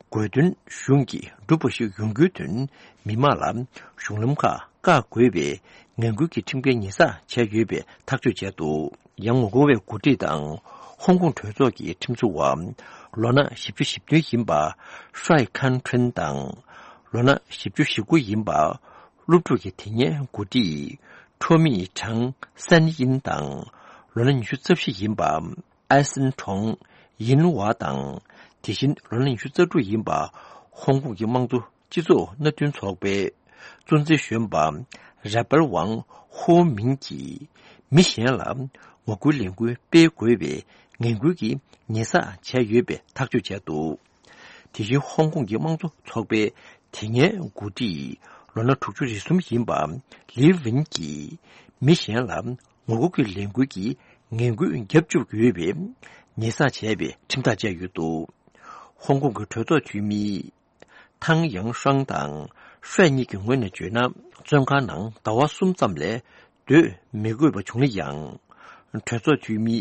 དགོས་འདུན་གཞུང་གིས་འགྲུབ་པ་ཞིག་ཡོང་རྒྱུའི་དོན་མི་མང་ལ་གཞུང་ལམ་ཁག་བཀག་དགོས་པའི་ངན་སྐུལ་གྱི་ཁྲིམས་འགལ་ཉེས་བསགས་བྱས་ཡོད་པའི་ཐག་གཅོད་བྱས་འདུག། ཡང་ངོ་རྒོལ་བའི་འགོ་ཁྲིད་དང་ཧོང་ཀོང་གྲོས་ཚོགས་ཀྱི་ཁྲིམས་བཟོ་བ་ལོ་ན་བཞི་བཅུ་ཞེ་བདུན་ཡིན་པ་ཧྲའེ་ཁན་ཁྲིན་དང་ལོ་ན་བཞི་བཅུ་ཞེ་དགུ་ཡིན་པ་སློབ་ཕྲུག་གི་དེ་སྔའི་འགོ་ཁྲིད་ཁྲོ་མི་ཁྲང་སན་ཡིན་དང་ལོ་ན་ཉི་ཤུ་རྩ་བཞི་ཡིན་པ་ཨའི་སན་ཁྲོང་ཡིན་ཝ་དང་། དེ་བཞིན་ལོ་ན་ཉི་ཤུ་རྩ་དྲུག་ཡིན་པ་ཧོང་ཀོང་གི་དམངས་གཙོ་སྤྱི་ཚོགས་མནའ་མཐུན་ཚོགས་པའི་གཙོ་འཛིན་གཞོན་པ་ར་པལ་ཝང་ཧོ་མིང་གིས་མི་གཞན་ལ་ངོ་རྒོལ་ལས་འགུལ་སྤེལ་དགོས་པའི་ངན་སྐུལ་གྱི་ཉེས་བསགས་བྱས་ཡོད་པའི་ཐག་གཅོད་བྱས་འདུག། དེ་བཞིན་ཧོང་ཀོང་གི་དམངས་གཙོ་ཚོགས་པའི་དེ་སྔའི་འགོ་ཁྲིད་ལོ་ན་དྲུག་ཅུ་རེ་གསུམ་ཡིན་པ་ལི་ཝིན་གྱིས་མི་གཞན་ལ་ངོ་རྒོལ་གྱི་ལས་འགུལ་གྱི་ངན་སྐུལ་བརྒྱབ་བཅུག་ཡོད་པའི་ཉེས་བསགས་བྱས་པའི་ཁྲིམས་ཐག་བཅད་ཡོད་འདུག། ཧོང་ཀོང་གི་གྲོས་ཚོགས་འཐུས་མི་ཐང་ཡང་ཧྲང་དང་ཧྲེ་གཉིས་ཀྱི་ངོས་ནས་བརྗོད་ན། བཙོན་ཁང་ནང་ཟླ་བ་གསུམ་ཙམ་ལས་སྡོད་མི་དགོས་པ་བྱུང་ན་ཡང་། གྲོས་ཚོགས་འཐུས་མིའི་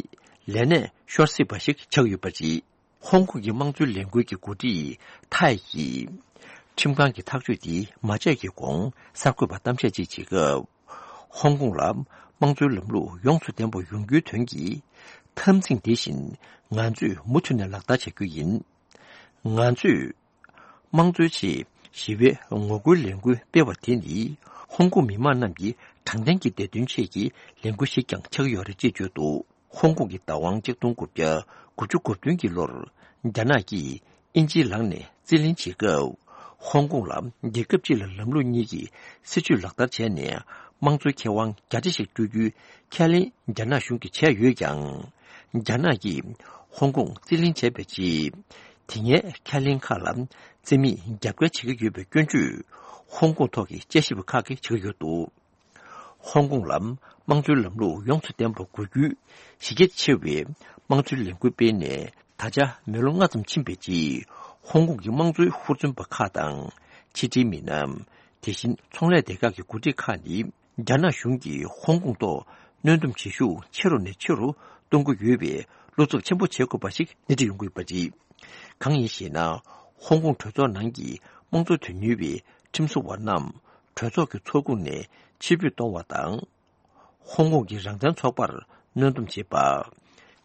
ལས་གནས་ཤོར་སྲིད་པ་ཞིག་ཆགས་ཡོད་པ་རེད། ཧོང་ཀོང་གི་དམངས་གཙོའི་ལས་འགུལ་གྱི་འགོ་ཁྲིད་ཐའེ་ཡིས་ཁྲིམས་ཁང་གི་ཐག་གཅོད་འདི་མ་བྱས་ཀྱི་གོང་གསར་འགོད་པར་གཏམ་བཤད་ཅིག་བྱེད་སྐབས། ཧོང་ཀོང་ལ་དམངས་གཙོའི་ལམ་ལུགས་ཡོངས་སུ་ལྡན་པ་ཡོང་རྒྱུའི་དོན་གྱི་འཐབ་འཛིང་འདི་བཞིན་ང་ཚོས་མུ་མཐུད་ནས་ལག་བསྟར་བྱ་རྒྱུ་ཡིན། ང་ཚོས་དམངས་གཙོའི་ཆེད་ཞི་བའི་ངོ་རྒོལ་ལས་འགུལ་སྤེལ་བ་དེ་ནི་ཧོང་ཀོང་མི་མང་རྣམས་ཀྱི་དྲང་བདེན་གྱི་བདེ་དོན་ཆེད་ཀྱི་ལས་འགུལ་ཞིག་ཀྱང་ཆགས་ཡོད་རེད་ཅེས་བརྗོད་འདུག། ཧོང་ཀོང་གི་བདག་དབང་ཆིག་སྟོང་དགུ་བརྒྱ་དགུ་བཅུ་གོ་བདུན་གྱི་ལོར་རྒྱ་ནག་གིས་དབྱིན་ཇིའི་ལག་ནས་རྩིས་ལེན་བྱེད་སྐབས། ཧོང་ཀོང་ལ་རྒྱལ་ཁབ་གཅིག་ལ་ལམ་ལུགས་གཉིས་ཀྱི་སྲིད་བྱུས་ལག་བསྟར་བྱས་ནས་དམངས་གཙོའི་ཁེ་དབང་བརྒྱ་ཆ་ཞིག་སྤྲོད་རྒྱུའི་ཁས་ལེན་རྒྱ་ནག་གཞུང་གིས་བྱས་ཡོད་ཀྱང་། རྒྱ་ནག་གིས་ཧོང་ཀོང་རྩིས་ལེན་བྱས་པའི་རྗེས། དེ་སྔའི་ཁས་ལེན་ཁག་ལ་རྩིས་མེད་རྒྱབ་འགལ་བྱེད་ཀྱི་ཡོད་པའི་སྐྱོན་བརྗོད། ཧོང་ཀོང་ཐོག་གི་དཔྱད་ཞིབ་པ་ཁག་གིས་བྱེད་ཀྱི་ཡོད་འདུག། ཧོང་ཀོང་ལ་དམངས་གཙོའི་ལམ་ལུགས་ཡོངས་སུ་ལྡན་པ་དགོས་རྒྱུའི་གཞི་རྒྱ་ཆེ་བའི་དམངས་གཙོའི་ལས་འགུལ་སྤེལ་ནས་ད་ཆ་མི་ལོ་ལྔ་ཙམ་ཕྱིན་པའི་རྗེས། ཧོང་ཀོང་གི་དམངས་གཙོའི་ཧུར་བརྩོན་པ་ཁག་དང་ཕྱི་འབྲེལ་མི་སྣ། དེ་བཞིན་ཚོང་ལས་སྡེ་ཁག་གི་འགོ་ཁྲིད་ཁག་ནི་རྒྱ་ནག་གཞུང་གིས་ཧོང་ཀོང་ཐོག་གནོན་སྡོམ་བྱེད་ཤུགས་ཆེ་རུ་ནས་ཆེ་རུ་གཏོང་གི་ཡོད་པའི་བློ་འཚབ་ཆེན་པོ་བྱེད་དགོས་པ་ཞིག་སྣེ་ཁྲིད་ཡོང་གི་ཡོད་པ་རེད། གང་ཡིན་ཞེ་ན། ཧོང་ཀོང་གྲོས་ཚོགས་ནང་གི་དམངས་གཙོ་དོན་གཉེར་བའི་ཁྲིམས་བཟོ་བ་རྣམས་གྲོས་ཚོགས་ཀྱི་ཚོགས་ཁོངས་ནས་ཕྱིར་འབུད་གཏོང་བ་དང་། ཧོང་ཀོང་གི་རང་བཙན་ཚོགས་པར་གནོན་སྡོམ་བྱེད་པ།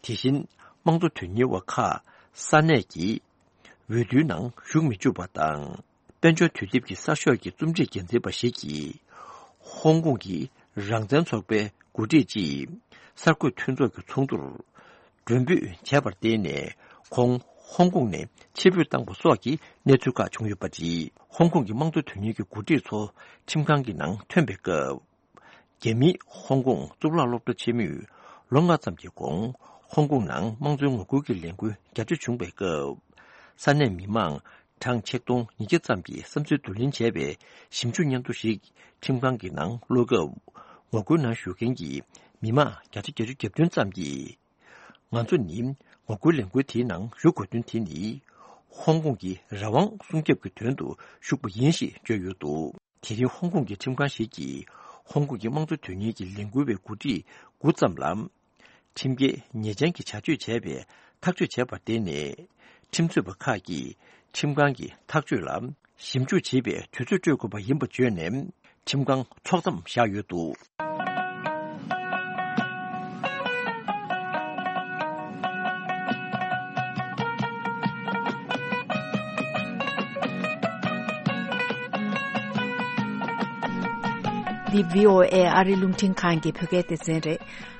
དེ་བཞིན་དམངས་གཙོ་དོན་གཉེར་བ་ཁག་ས་གནས་ཀྱི་འོས་བསྡུའི་ནང་ཞུགས་མི་བཅུག་པ་དང་། དཔལ་འབྱོར་དུས་དེབ་ཀྱི་གསར་ཤོག་གི་རྩོམ་སྒྲིག་འགན་འཛིན་པ་ཞིག་གིས། ཧོང་ཀོང་གི་རང་བཙན་ཚོགས་པའི་འགོ་ཁྲིད་ཅིག་གསར་འགོད་མཐུན་ཚོགས་ཀྱི་ཚོགས་འདུར་མགྲོན་འབོད་བྱས་པར་བརྟེན་ནས། ཁོང་ཧོང་ཀོང་ནས་ཕྱིར་འབུད་བཏང་པ་སོགས་ཀྱི་གནས་ཚུལ་ཁག་བྱུང་ཡོད་པ་རེད། ཧོང་ཀོང་གི་དམངས་གཙོ་དོན་གཉེར་གྱི་འགོ་ཁྲིད་ཚོ་ཁྲིམས་ཁང་གི་ནང་ཐོན་པའི་སྐབས། རྒྱ་མིའི་ཧོང་ཀོང་གཙུག་ལག་སློབ་གྲྭ་ཆེན་མོས་ལོ་ལྔ་ཙམ་གྱི་གོང་ཧོང་ཀོང་ནང་དམངས་གཙོའི་ངོ་རྒོལ་གྱི་ལས་འགུལ་རྒྱ་ཆེ་བྱུང་བའི་སྐབས། ས་གནས་མི་མང་གྲངས་ཆིག་སྟོང་ཉིས་བརྒྱ་ཙམ་གྱིས་བསམ་ཚུལ་བསྡུ་ལེན་བྱས་པའི་ཞིབ་འཇུག་སྙན་ཐོ་ཞིག་ཁྲིམས་ཁང་གི་ནང་ཀློག་སྐབས། ངོ་རྒོལ་ནང་ཞུགས་མཁན་གྱི་མི་མང་བརྒྱ་ཆ་བརྒྱད་ཅུ་གྱ་བདུན་ཙམ་གྱིས། ང་ཚོ་ནི་ངོ་རྒོལ་ལས་འགུལ་དེའི་ནང་ཞུགས་དགོས་དོན་དེ་ནི། ཧོང་ཀོང་གི་རང་དབང་སྲུང་སྐྱོབ་ཀྱི་དོན་དུ་ཞུགས་པ་ཡིན་ཞེས་བརྗོད་ཡོད་འདུག། དེ་རིང་ཧོང་ཀོང་གི་ཁྲིམས་ཁང་ཞིག་གིས་ཧོང་ཀོང་གི་དམངས་གཙོ་དོན་གཉེར་གྱི་ལས་འགུལ་བའི་འགོ་ཁྲིད་དགུ་ཙམ་ལ། ཁྲིམས་འགལ་ཉེས་ཅན་གྱི་བྱ་སྤྱོད་བྱས་པའི་ཐག་གཅོད་བྱས་པར་བརྟེན་ནས། ཁྲིམས་རྩོད་པ་ཁག་གིས་ཁྲིམས་ཁང་གི་ཐག་གཅོད་ལ་ཞིབ་འཇུག་བྱེད་པའི་དུས་ཚོད་སྤྲོད་དགོས་པ་ཡིན་པ་བརྗོད་ནས། ཁྲིམས་ཁང་ཚོགས་མཚམས་བཞག་ཡོད་འདུག། འདི་བྷི་ཨོ་ཨེ་ཨ་རིའི་རླུང་འཕྲིན་ཁང་གི་བོད་སྐད་སྡེ་ཚན་རེད།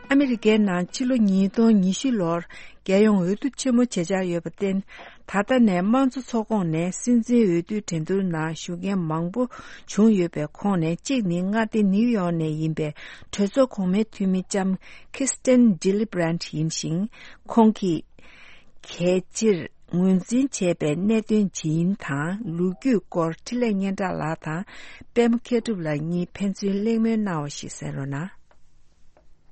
ཨ་མི་རི་ཀའི་ནང་ཕྱི་ལོ་ཉིས་སྟོང་ཉི་ཤུ་ལོར་རྒྱལ་ཡོངས་འོས་བསྡུ་ཆེན་མོ་བྱེད་འཆར་ཡོད་པར་བརྟེན། ད་ལྟ་ནས་དམངས་གཙོ་ཚོགས་ཁོངས་ནས་སྲིད་འཛིན་འོས་བསྡུའི་འགྲན་བསྡུར་ནང་ཞུགས་མཁན་མང་པོ་བྱུང་ཡོད་པའི་ཁོངས་ནས་གཅིག་ནི་མངའ་སྡེ་ནིའུ་ཡོག་ནས་ཡིན་པའི་གྲོས་ཚོགས་གོང་མའི་འཐུས་མི་ལྕམ་ཁིར་སྟན་ཌི་ལི་བྷི་རན་ཡིན་ཞིང་། ཁོང་གིས་གལ་སྤྱིར་ ངོས་འཛིན་བྱས་པའི་གནད་དོན་ཇི་ཡིན་དང་ལོ་རྒྱུས་སྐོར་འཕྲིན་ལས་སྙན་གྲགས་ལགས་དང་པད་མ་མཁས་གྲུབ་ལགས་གཉིས་ཕན་ཚུན་གླེང་མོལ་གནང་བ་ཞིག་གསན་རོགས་གནང་།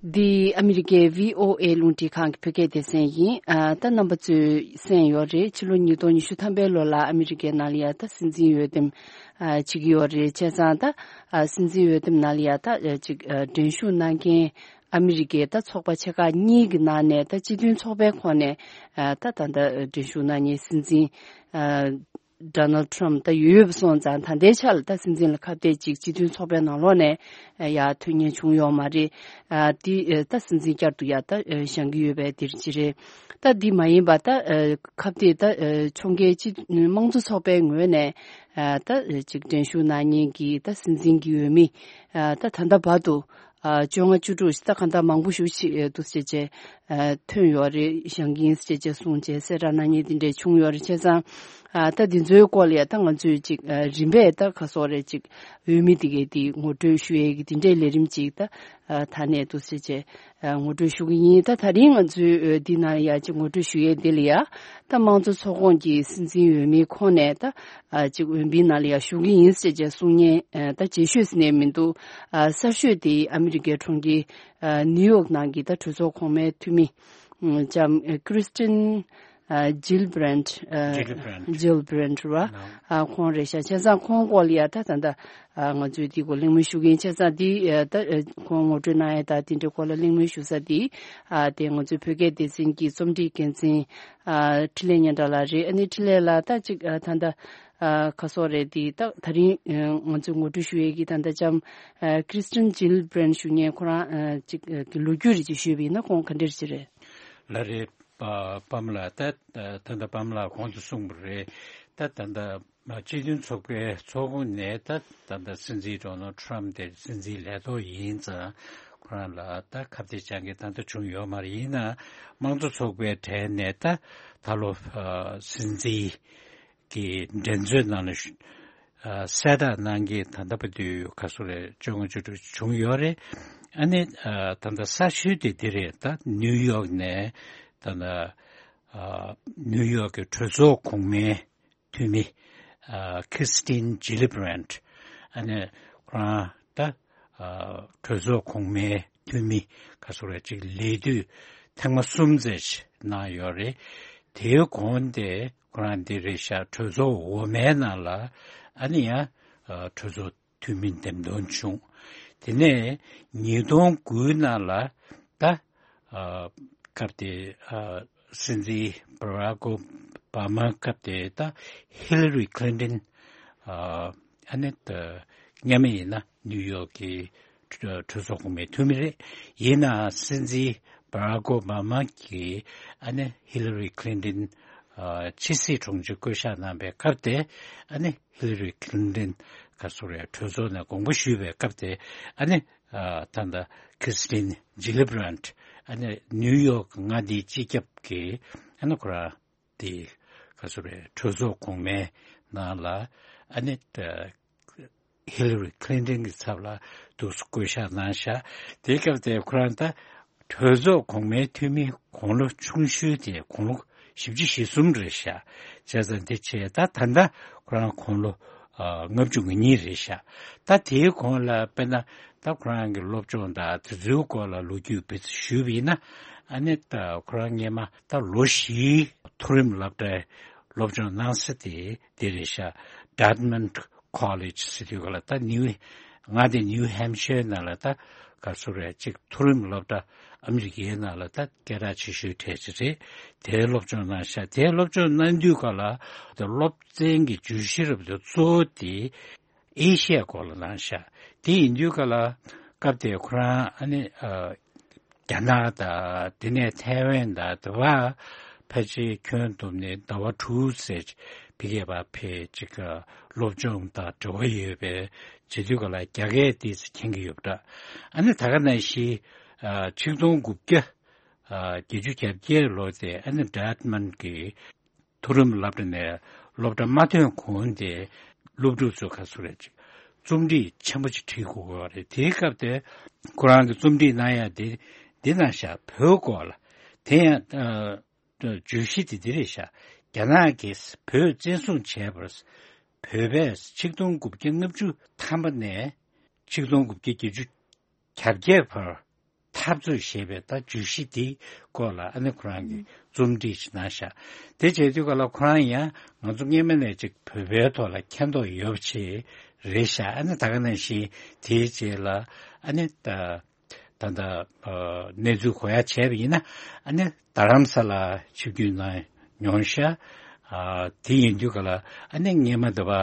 འདི་ཨ་མི་རི་ཀའི་བྷི་ཨོ་ཨེ་རླུང་འཕྲིན་ཁང་གི་བོད་སྐད་སྡེ་ཚན་ཡིན། ཨ་ད་རྣམ་པ་ཚོས་གསན་ཡོད་རེད། ཕྱི་ལོ་ཉིས་སྟོང་ཉི་ཤུ་ཐམ་པའི་ལོ་ལ་ཨ་མི་རི་ཀའི་ནང་ལ་ཡ་ད་སྲིད་འཛིན་འོས་འདེམས་ཨ་བྱེད་ཀྱི་ཡོད་རེད། བྱས་ཙང་ད་ཨ་སྲིད་འཛིན་འོས་འདེམས་ནང་ལ་ཡ་ད་ཨ་ཅིག་ཨ་འགྲན་ཞུགས་གནང་མཁན་ཨ་མི་རི་ཀའི་ད་ཚོགས་པ་ཆེ་ཁག་གཉིས་ཀྱི་ནང་ནས་ད་སྤྱི་མཐུན་ཚོགས་པའི་ཁོངས་ནས་ཨ་ད་ད་ད་འགྲན་ཞུགས་གནང་མཁན་སྲིད་འཛིན་ཨ་ཌོ་ནལ་ཌི་ཊརམ་ཕ་ད་ཡོད་པ་སོང་ཙང་ད་ལྟའི་ཆ་ལ་ད་སྲིད་འཛིན་ལ་ཁ་གཏད་ཅིག་སྤྱི་མཐུན་ཚོགས་པའི་ནང་ལོགས་ནས་ཨ་ཡ་ཐོན་མཁན་བྱུང་ཡོད་མ་རེད། ཨ་དེ་ཨ་ད་སྲིད་འཛིན་བསྐྱར་དུ་ཡ་ད་ཨ་བཞེངས་ཀྱི་ཡོད་པའི་དེ་རིགས་ཅིག་རེད། ད་འདི་མ་ཡིན་པ་ད་ཨ་ཁ་གཏད་ད་ཨ་ཕྱོགས་འགལ་སྤྱི་དམངས་གཙོ་ཚོགས་པའི་ངོས་ནས་ཨ་ད་ཅིག་འགྲན་ཞུགས་གནང་མཁན་གྱི་ད་སྲིད་འཛིན་གྱི་འོས་མི་ཨ་ད་ད་ལྟ་བར་དུ་ཨ་བཅོ་ལྔ་བཅུ་དྲུག་ད་གང་ལྟར་མང་པོ་ཞིག་ཅིག་ཨ་འདུག་སེ་བྱས་ཨ་ཐོན་ཡོད་རེད། བཞེངས་ཀྱི་ཡིན་ཟེར་བྱས་གསུངས་བྱས་གསལ་བསྒྲགས་གནང་མཁན་དེ་འདྲས་བྱུང་ཡོད་རེད། བྱས་ཙང་ཨ་ད་འདི་ཚོའི་སྐོར་ལ་ཡ་ད་ང་ཚོས་ཅིག་ཨ་རིམ་པས་ད་ག་སོག་རེད་ཅིག་འོས་མི་དེ་གའི་དེ་ངོ་སྤྲོད་ཞུ་ཡས་ཀྱི་དེ་འདྲས་ལས་རིམ་ཅིག་ད་ཨ་ད་ནས་འདུག་སེ་བྱས་ཨ་ངོ་སྤྲོད་ཞུ་གི་ཡིན། ད་ད་རིང་ང་ཚོའི་འོས་འདི་ནང་ལ་ཡ་ཅིག་ངོ་སྤྲོད་ཞུ་ཡས་འདི་ལ་ཡ་ད་དམངས་གཙོ་ཚོགས་ཁོངས་ཀྱི་སྲིད་འཛིན་འོས་མིའི་ཁོངས་ནས་ད་ཨ་ཅིག་འོས་མིའི་ནང་ལ་ཡ་ཞུགས་ཀྱི་ཡིན་ཟེར་བྱས་གསུང་མཁན་ཨ་ད་རྗེས་ཤོས་ཟེར་ནས་མི་འདུག་ཨ་གསར་ཤོས་དེ་ཨ་མི་རི་ཀའི་གྲོང་ཁྱེར་ཨ་ནིའུ་ཡོག་ནང་གི་ད་གྲོས་ཚོགས་གོང་མའི་འཐུས་མི་ཨ་ལྕམ་ཨ་ཀྲིས་ཏིན་ཨ་ཇིལ་བྷི་རན་ཨ་Gillibrand. ཇིལ་བྷི་རན་ར་ཨ་ཁོང་རེད་ཤག་བྱས་ཙང་ཁོང་སྐོར་ལ་ཡ་ད་ད་ད་ཨ་ང་ཚོས་དེ་སྐོར་གླེང་མོལ་ཞུ་གི་ཡིན། བྱས་ཙང་དེ་ཨ་ད་ཨ་ཁོང་ངོ་སྤྲོད་གནང་ཡ་ད་དེ་འདྲའི་སྐོར་ལ་གླེང་མོལ་ཞུ་ས་དེ་ཨ་དེ་ང་ཚོའི་བོད་སྐད་སྡེ་ཚན་གྱི་རྩོམ་སྒྲིག་འགན་འཛིན་ཨ་འཕྲིན་ལས་སྙན་གྲགས་ལགས་རེད། ཨ་ནི་འཕྲིན་ལས་ལགས་ད་ཅིག་ཨ་ད་ད་ཨ་ཁ་སོག་རེད། དེ་ད་ད་རིང་ཨ་ང་ཚོས་ངོ་སྤྲོད་ཞུ་ཡས་ཀྱི་ད་ད་ལྕམ་ཨ་ཀྲིས་ཏིན་ཇིལ་བྷི་རན་ཞུ་མཁན་ཁོ་རང་ཨ་ཅིག་ཨ་གི་ལོ་རྒྱུས་རེ་ཅིག་ཞུས་པ་ཡིན་ན་ཁོང་ག་འདྲ་ཅིག་རེད། ལགས་རེད། པ་པམ་ལགས་ད་ད་ད་པམ་ལགས་གོང་དུ་གསུངས་པ་རེད། ད་ད་ད་སྤྱི་མཐུན་ཚོགས་པའི་ཚོགས་ཁོངས་ནས་ད་ད་ད་སྲིད་འཛིན་ཌོ་ནལ་ཌི་ཊརམ་ཕ་དེ་སྲིད་འཛིན་ལས་ཐོག་ཡིན་ཙང་ཁོ་རང་ལ་ད་ཁ་གཏད་བཅག་མཁན་ད་ལྟ་བྱུང་ཡོད་མ་རེད། ཡིན་ན་དམངས་གཙོ་ཚོགས་པའི་གྲས་ནས་ད་ད་ལོ་ཨ་སྲིད་འཛིན་གྱི་འགྲན་རྩོད་ནང་ལ་ཞུ་ཨ་གསལ་བསྒྲགས་གནང་མཁན་ད་ལྟ་བར་དུ་ག་ཚོད་རེད། བཅོ་ལྔ་བཅུ་དྲུག་བྱུང་ཡོད་རེད། ཨ་ནི་ཨ་ད་ལྟ་གསར་ཤོས་དེ་འདི་རེད། ད་ནིའུ་ཡོག་ནས་ད་ལྟ་ཨ་ནིའུ་ཡོག་གི་གྲོས་ཚོགས་གོང་མའི་འཐུས་མི་ཨ་ཁིར་སི་ཏིན་ཇི་ལི་བྷི་རན་ཨ་ནི་ཁོ་རང་ད་ཨ་གྲོས་ཚོགས་གོང་མའི་འཐུས་མི་ག་ཚོད་རེད་ཅིག་ལས་དུས་ཐེངས་མ་གསུམ་ཙམ་ཞིག་གནང་ཡོད་རེད། དེའི་གོང་དེ་ཁོ་རང་འདི་རེད་ཤག་གྲོས་ཚོགས་འོག་མའི་ནང་ལ་ཨ་ནི་ཡང་ཨ་གྲོས་ཚོགས་འཐུས་མི་འདེམས་ཐོན་བྱུང་། དེ་ནས་ཉིས་སྟོང་དགུའི་ནང་ལ་ད་ཨ་སྐབས་དེ་ཨ་སྲིད་འཛིན་བྷ་རག་ཨོ་བྷ་མ་སྐབས་དེ་ད་ཧི་ལ་རི་ཁི་ལིན་ཏིན་ཨ་ཨ་ནི་ད་སྔ་མ་ཡིན་ན་ནིའུ་ཡོག་གི་གྲོས་ཚོགས་གོང་མའི་འཐུས་མི་རེད། ཡིན་ནའང་སྲིད་འཛིན་བྷ་རག་ཨོ་བྷ་མ་གིས་ཨ་ནི་ཧི་ལ་རི་ཁི་ལིན་ཏིན་ཨ་ཕྱི་སྲིད་དྲུང་ཆེ་བསྐོ་གཞག་གནང་པའི་སྐབས་དེ་ཨ་ནི་ཧི་ལ་རི་ཁི་ལིན་ཏིན་ག་ཚོད་རེད་གྲོས་ཚོགས་ནས་དགོངས་པ་ཞུས་པའི་སྐབས་དེ་ཨ་ནི་ཨ་ད་ལྟ་ཁིར་སི་ཏིན་ཇི་ལི་བྷི་རན་ཨ་ནི་ནིའུ་ཡོག་མངའ་སྡེའི་སྤྱི་ཁྱབ་ཀྱི་ཨ་ནི་ཁོ་རང་དེ་ག་ཚོད་རེད་གྲོས་ཚོགས་གོང་མའི་ནང་ལ་ཨ་ནི་ད་ཧི་ལ་རི་ཁི་ལིན་ཏིན་གྱི་ཚབ་ལ་འདུག་སེ་བསྐོ་གཞག་གནང་ཤག་དེའི་སྐབས་དེ་ཁོ་རང་ད་གྲོས་ཚོགས་གོང་མའི་འཐུས་མི་དགུང་ལོ་ཆུང་ཤོས་དེ་དགུང་ལོ་བཞི་བཅུ་ཞེ་གསུམ་རེད་ཤག་བྱས་ཙང་དེ་བྱས་ད་ད་ལྟ་ཁོ་རང་དགུང་ལོ་ཨ་ལྔ་བཅུ་ང་གཉིས་རེད་ཤག་ད་དེའི་གོང་ལ་དཔེར་ན་ད་ཁོ་རང་གི་སློབ་སྦྱོང་དང་དེ་ཚོའི་སྐོར་ལ་ལོ་རྒྱུས་བེད་སྤྱོད་ཞུས་པ་ཡིན་ན་ཨ་ནི་ད་ཁོ་རང་སྔས་མ་ད་ལོ་བཞིའི་མཐོ་རིམ་སློབ་གྲྭའི་སློབ་སྦྱོང་གནང་ས་དེ་དེ་རེད་ཤག Dartmouth College ཟེར་དུས་ག་ལ་ད་ནིའུ་ང་དེ་ནིའུ་ཧེམ་ཤར་ནང་ལ་ད་ག་ཚོད་རེད་ཅིག་མཐོ་རིམ་སློབ་གྲྭ་ཨ་མི་རི་ཀའི་ནང་ལ་ད་སྐད་གྲགས་ཆེ་ཤོས་གྲས་ཅིག་རེད། དེའི་སློབ་སྦྱོང་གནང་ཤག་དེའི་སློབ་སྦྱོང་གནང་དུས་ག་ལ་ད་སློབ་ཚན་གྱི་བརྗོད་གཞི་རབ་ཏུ་གཙོ་བོ་དེ་ཨེ་ཤི་ཡའི་སྐོར་ལ་གནང་ཤག་དེ་ཡིན་དུས་ག་ལ་སྐབས་དེ་ཁོ་རང་ཨ་ནི་ཨ། རྒྱ་ནག་དང་དེ་ནས་ཐའེ་ཝན་དང་དེ་བ་ཕལ་ཆེར་ཁྱོན་བསྡོམས་ནས་ཟླ་བ་དྲུག་ཙམ་ཕ་གིར་ཕར་ཅིག་སློབ་སྦྱོང་དང་འབྲེལ་བ་ཡོད་པའི་བྱེད་དུས་ག་ལ་རྒྱ་སྐད་ཏོག་ཙམ་མཁྱེན་གྱི་ཡོད་པ་འདྲ། ཨ་ནི་ད་ག་ནང་བཞིན་ཆིག་སྟོང་དགུ་བརྒྱ་བརྒྱད་ཅུ་གྱ་བརྒྱད་ལོ་དེ་ཨ་ནི་ཌར་ཊ་མཱུནཊ་གི་མཐོ་རིམ་སློབ་གྲྭ་ནས་སློབ་གྲྭ་མ་ཐོན་གོང་དེ་སློབ་ཕྲུག་ཚོ་ག་ཚོད་རེད་ཅིག་རྩོམ་སྒྲིག་ཆེན་པོ་ཅིག་བྲིས་དགོས་ཀྱི་ཡོད་རེད། དེའི་སྐབས་དེ་ཁོ་རང་གི་རྩོམ་སྒྲིག་གནང་ཡ་དེ་འདི་གནང་ཤག་བོད་སྐོར་ལ། དེ་ཡང་ཨ་བརྗོད་གཞི་དེ་འདི་རེད་ཤག་རྒྱ་ནག་གིས་བོད་བཙན་བཟུང་བྱས་པར་བོད་པས་ཆིག་སྟོང་དགུ་བརྒྱ་ལྔ་བཅུ་ཐམ་པ་ནས་ཆིག་སྟོང་དགུ་བརྒྱ་བརྒྱད་ཅུ་གྱ་བརྒྱད་བར་འཐབ་རྩོད་བྱས་པའི་ད་བརྗོད་གཞི་དེའི་སྐོར་ལ་ཨ་ནི་ཁོ་རང་གིས་རྩོམ་སྒྲིག་ཅིག་གནང་ཤག་དེ་བྱས་དུས་ག་ལ་ཁོ་རང་ཡང་ང་ཚོ་སྔས་མ་ནས་ཅིག་བོད་པའི་ཐོག་ལ་མཁྱེན་རྟོགས་ཡོད་པ་ཅིག་རེད་ཤག་ཨ་ནི་ད་ག་ནང་བཞིན་དེའི་རྗེས་ལ་ཨ་ནི་ད་ད་ལྟ་ཨ་གནས་ཚུལ་གོ་ཡ་བྱས་པ་ཡིན་ན་ཨ་ནི་རྡ་རམ་ས་ལ་ཆིབས་བསྒྱུར་གནང་མྱོང་ཤག་ཨ་དེ་ཡིན་དུས་ག་ལ་ཨ་ནི་སྔས་མ་དེ་བ་ཨ་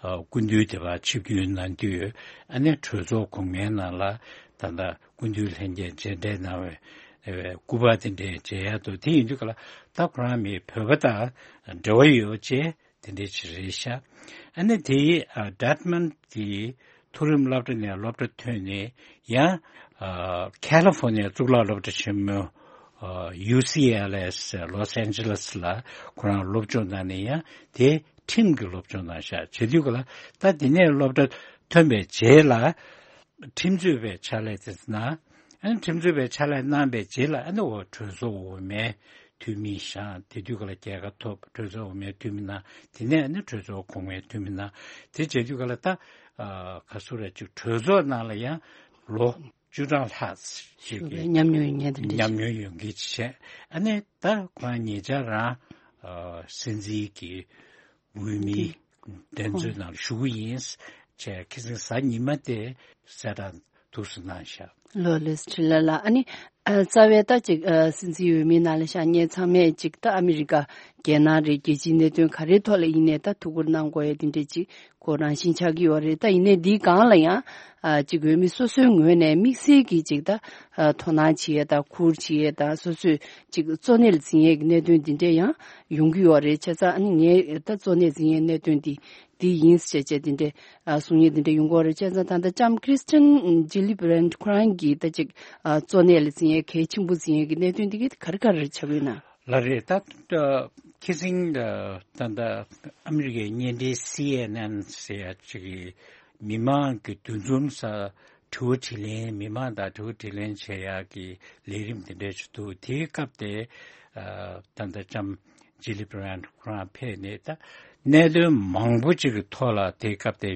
སྐུ་མདུན་དེ་བ་ཆིབས་བསྒྱུར་གནང་དུས་ཨ་ནི་གྲོས་ཚོགས་གོང་མའི་ནང་ལ་ད་ལྟ་སྐུ་མདུན་ལྷན་རྒྱས་མཇལ་འཕྲད་གནང་བའི་ཨེ་སྐུ་པར་དེ་འདྲའི་མཇལ་ཡ་འདུག་དེ་ཡིན་དུས་ག་ལ་ད་ཁོ་རང་མི་བོད་པ་དང་འབྲེལ་བ་ཡོད་ཅེས་དེ་འདྲའི་ཅིག་རེད་ཤག་ཨ་ནི་དེ་ཨ་ཌར་ཐི་མོན་གྱི་མཐོ་རིམ་སློབ་གྲྭ་ནས་སློབ་གྲྭ་ཐོན་ནས་ཡང་ཨ་ཁ་ལི་ཕོར་ནི་ཡ་གཙུག་ལག་སློབ་གྲྭ་ཆེན་མོ་ཨ་ཡུ་སི་ཨེལ་ཨེས་ལོས་ཨན་ཇེ་ལེས་ལ་ཁོ་རང་སློབ་སྦྱོང་གནང་ནས་ཡང་དེ་ཁྲིམས་ཀྱི་སློབ་སྦྱོང་གནང་ཤག་བྱེད་དུས་ག་ལ་ད་དེ་ནས་སློབ་གྲྭ་ཐོན་པའི་རྗེས་ལ། ཁྲིམས་རྩོད་པའི་ཕྱག་ལས་དེ་ན། ཨ་ནི་ཁྲིམས་རྩོད་པའི་ཕྱག་ལས་གནང་པའི་རྗེས་ལ་ཨ་ནི་འོ་གྲོས་ཚོགས་འོག་མའི་འཐུས་མི་བཞེངས་དེ་དུས་ག་ལ་རྒྱལ་ཁ་ཐོབ་གྲོས་ཚོགས་འོག་མའི་འཐུས་མི་གནང་དེ་ནས་ཨ་ནི་གྲོས་ཚོགས་གོང་མའི་འཐུས་མི་གནང་དེ་བྱེད་དུས་ག་ལ་ད་ཨ་ག་སུ་རེད་ཅིག་གྲོས་ཚོགས་ནང་ལ་ཡང་ལོ་བཅུ་གྲངས་ལྷག་ཞིག་གི་ཉམས་མྱོང་ཡོད་མཁན་དེ་འདྲ་ཉམས་མྱོང་ཡོད་མཁན་ཅིག་བྱས་ཨ་ནི་ད་ཁོ་རང་ཉེ་ཆར་རང་ཨ་སྲིད་འཛིན་གྱི་འོས་མི་འདི་འདེམས་ཚོད་ནང་ཞུགས་ཡིན། བྱས་ཁ་སང་གཟའ་ཉི་མ་དེ་གསལ་བསྒྲགས་ཐུགས་སུ་གནང་བཞག་ལོ་ལེས་ཁྲི་ལ་ལ་ཨ་ནི་ཨ་རྩ་བའི་ད་ཅིག་ཨ་སྲིད་འཛིན་འོས་མི་ནང་ལ་བཞག་མཁན་ཚང་མས་ཅིག་ད་ཨ་མི་རི་ཀ་རྒྱལ་ནང་རེད་རྒྱལ་སྤྱིའི་གནད་དོན་ག་རེའི་ཐོག་ལ་ཡིན་ནའི་ད་ཐུགས་ཁུར་གནང་དགོས་ཡ་དེ་འདྲས་ཅིག་ཁོ་རང་བཞིན་ཆགས་ཀྱི་ཡོད་རེད། ད་ཡིན་ནའི་འདིའི་སྒང་ལ་ཡང་ཨ་ཅིག་འོས་མི་སོ་སོའི་ངོས་ནས་དམིགས་བསལ་གྱི་ཅིག་ད་ཨ་དོ་སྣང་བྱེད་ཡ་ད་ཁུར་བྱེད་ཡ་ད་སོ་སོས་ཅིག་གཙོ་གནད་ལ་འཛིན་ཡས་ཀྱི་གནད་དོན་འདི་འདྲས་ཡང་ཡོང་གི་ཡོད་རེད། བྱས་ཙང་ཨ་ནི་ངས་ད་གཙོ་གནད་འཛིན་ཡས་གནད་དོན་འདི་འདི་ཡིན་ཟེར་བྱས་འདི་འདྲས་ཨ་གསུང་ཡས་འདི་འདྲས་ཡོང་གི་ཡོད་རེད། བྱས་ཙང་ད་ལྟ་ལྕམ་ཁྲི་སི་ཊན་ཇི་ལི་བྷི་རན་ཁོ་རང་གིས་ད་ཅིག་ཨ་གཙོ་གནད་ལ་འཛིན་ཡས་གལ་ཆེན་པོ་འཛིན་ཡས་ཀྱི་གནད་དོན་འདི་གི་ག་རེ་ག་རེ་ཆགས་ཡོད་ན། ལགས་རེད། ད་ཁ་སང་ད་ལྟ་ཨ་མི་རི་ཀའི་བརྙན་འཕྲིན་སི་ཨེན་ཨེན་ཟེར་ཡ་ཅིག་གིས་མི་མང་གི་འདུ་འཛོམས་ས་དྲི་བ་དྲིས་ལན་མི་མང་དང་དྲི་བ་དྲིས་ལན་བྱེད་ཡག་གི་ལས་རིམ་དེ་འདྲ་ཞིག་འདུག་དེའི་སྐབས་དེ་ཨ་ད་ལྟ་ལྕམ་ཇི་ལི་བྷི་རན་ཁོ་རང་ཕེབས་ནས་ད་གནད་དོན་མང་པོ་ཅིག་གི་ཐོག་ལ་དེའི་སྐབས་དེ་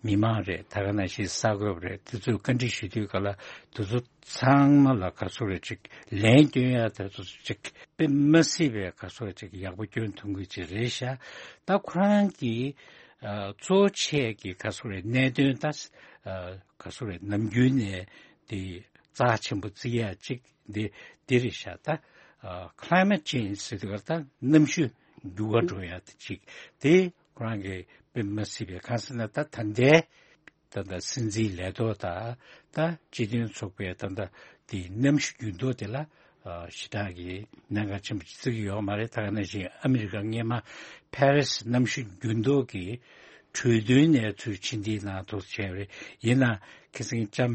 མི་མང་རེད། ད་ག་ནང་བཞིན་གསར་འགོད་པ་རེད། དེ་ཚོས་བཀའ་འདྲི་ཞུ་དུས་ག་ལ་དེ་ཚོ་ཚང་མ་ལ་ག་ཚོད་རེ་ཅིག་ལན་སྐྱོན་ཡ་དེ་ཚོ་ཅིག་དཔེ་མ་སྲིད་པའི་ག་ཚོད་རེ་ཅིག་ཡག་པོ་སྐྱོན་ཐུབ་ཀྱི་ཅིག་རེད་ཤག་ད་ཁོ་རང་གིས་ཨ་གཙོ་ཆེ་གི་ག་ཚོད་རེ་གནད་དོན་ད་ཨ་ག་ཚོད་རེ་ནམ་རྒྱུན་ནས་དེ་རྩ་ཆེན་པོ་བརྩི་ཡ་ཅིག་འདི་འདི་རེད་ཤག་ད་ཨ་climate change་ཟེར་དུས་ཀ་ད་གནམ་གཤིས་འགྱུར་བ་འགྲོ་ཡ་དེ་ཅིག་དེ་ཁོ་རང་གིས་དཔེ་མ་སྲིད་པའི་གང་ཟེར་ན་ད་ད་ལྟའི་ད་ལྟ་སྲིད་འཛིན་ལས་ཐོག་དང་ད་སྤྱི་མཐུན་ཚོགས་པའི་ད་ལྟ་དེ་གནམ་གཤིས་འགྱུར་ལྡོག་དེ་ལ་ཨ་ཞེ་དྲག་གི་གནད་འགག་ཆེན་པོ་ཅིག་བརྩི་གི་ཡོད་མ་རེད། ད་ག་ནང་བཞིན་ཨ་མི་རི་ཀ་སྔས་མ་ཕ་རི་སི་གནམ་གཤིས་འགྱུར་ལྡོག་གི་གྲོས་མཐུན་ནས་ཚུར་ཕྱིར་འཐེན་གནང་ཐུབ་བྱས་པ་རེད། ཡིན་ན་ཁ་སང་ལྕམ་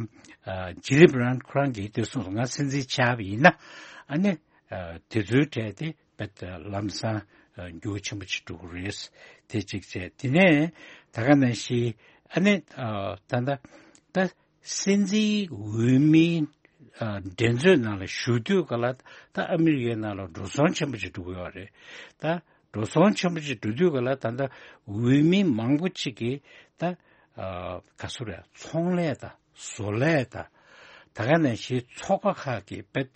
ཨ་ཇི་ལི་བྷི་རན་ཁོ་རང་གིས་དེ་གསུངས་སོང་། ང་སྲིད་འཛིན་ཆགས་པ་ཡིན་ན་ཨ་ནི་ཨ་དེ་ཚོའི་གྲས་དེ་བེད་ལམ་སང་འགྱུར་བ་ཆེན་པོ་ཅིག་འགྲོ་གི་རེད། དེ་གཅིག་བྱས། དེ་ནས་ད་ག་ནང་བཞིན་ཨ་ནི་ད་ལྟ་ད་སྲིད་འཛིན་འོས་མིའི་འགྲན་རྩོད་ནང་ལ་ཞུགས་དུས་ག་ལ་ད་ཨ་མི་རི་ཀའི་ནང་ལ་འགྲོ་སོང་ཆེན་པོ་ཅིག་འགྲོ་གི་ཡོད་རེད། ད་འགྲོ་སོང་ཆེན་པོ་ཅིག་འགྲོ་དུས་ག་ལ་ད་ལྟ་འོས་མི་མང་པོ་ཅིག་གིས་ད་ག་སུ་རེད་ཚོང་ལས་དང་བཟོ་ལས་དང་ད་ག་ནང་བཞིན་ཚོགས་པ་ཁག་གིས་བེད་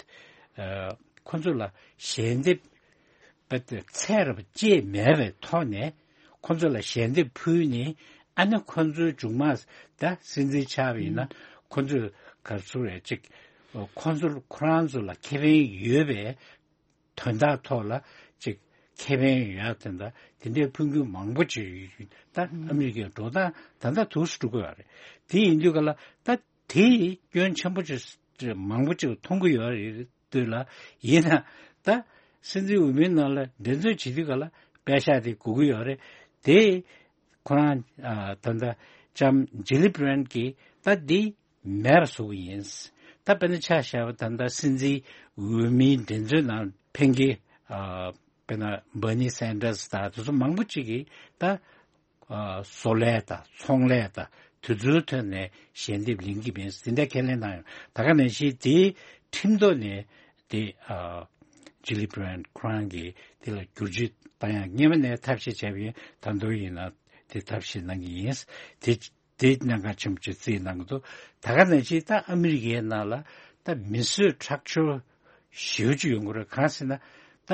ཁོ་ཚོ་ལ་ཞལ་འདེབས་པ་དེ་ཚད་རབ་བཅད་མེད་པའི་ཐོག་ནས་ཁོ་ཚོ་ལ་ཞལ་འདེབས་ཕུལ་ནས་ཨ་ནི་ཁོ་ཚོའི་མཇུག་མ་ད་སྲིད་འཛིན་ཆགས་པ་ཡིན་ན་ཁོ་ཚོས་ག་རེ་ཟེར་རེད་ཅིག་ཁོ་ཚོར་ཁོ་རང་ཚོ་ལ་ཁེ་ཕན་ཡོད་པའི་དོན་དག་ཐོག་ལ་ཅིག་ཁེ་ཕན་ཡོད་ཡ་དེ་འདྲ་དེ་འདྲའི་ཕུལ་མཁན་མང་པོ་ཅིག་ད་ཨ་མི་རི་ཀའི་འགྲོ་སྟངས་ད་ལྟ་དུས་སུ་འགྲོ་གི་ཡོད་རེད། དེ་ཡིན་དུས་ག་ལ་ད་དེ་སྐྱོན་ཆེན་པོ་ཅིག་མང་པོ་ཅིག་མཐོང་གི་ཡོད་རེད། དུས་ལ་ཡིན་ན་ད་སྲིད་འཛིན་འོས་མིའི་ནང་ལ་འགྲན་རྩོད་བྱེད་དུས་ག་ལ་པད་ཤག་དེ་དགོས་ཀྱི་ཡོད་རེད། དེ་ཁོ་རང་ཨ་ད་ལྟ་ལྕམ་ཇི་ལི་བྷི་རན་གྱིས་ད་འདི་མེད་པ་བཟོ་གི་ཡིན། ད་དཔེར་ན་ཆ་བཞག་པ་ད་ལྟ་སྲིད་འཛིན་འོས་མིའི་འགྲན་རྩོད་ནང་ཕེབས་མཁན་ཨ་དཔེར་ན་བྷར་ནི་སན་ཌར་སི་དང་དེ་ཚོ་མང་པོ་ཅིག་གིས་ད་ཨ་བཟོ་ལས་དང་ཚོང་ལས་དང་དེ་ཚོའི་ཐོག་ནས་ཞལ་འདེབས་ལེན་གྱི་མེད་ཟེར་འདྲ་ཁས་ལེན་གནང་ཡོད། ད་ག་ནང་བཞིན་དེའི་ཁྲིམས་ཐོག་ནས་དེ་ཨ་ Gillibrand ཁོ་རང་གིས་དེ་ལ་བསྒྱུར་བཅོས་བཏང་ཡག་སྔོན་མ་ནས་ཐབས་ཤེས་བྱས་པ་ཡིན། ད་དུང་ཡིན་ན་དེ་ཐབས་ཤེས་གནང་གི་ཡིན། དེ་དེ་གནད་འགག་ཆེན་པོ་ཅིག་བརྩིས་གནང་གི་འདུག་ད་ག་ནང་བཞིན་ད་ཨ་མི་རི་ཀའི་ནང་ལ་ད་མི་གསོད་ཁྲག་སྦྱོར་ཞེ་པོ་ཅིག་ཡོང་གི་རེད། གང་ཟེར་ན་ད་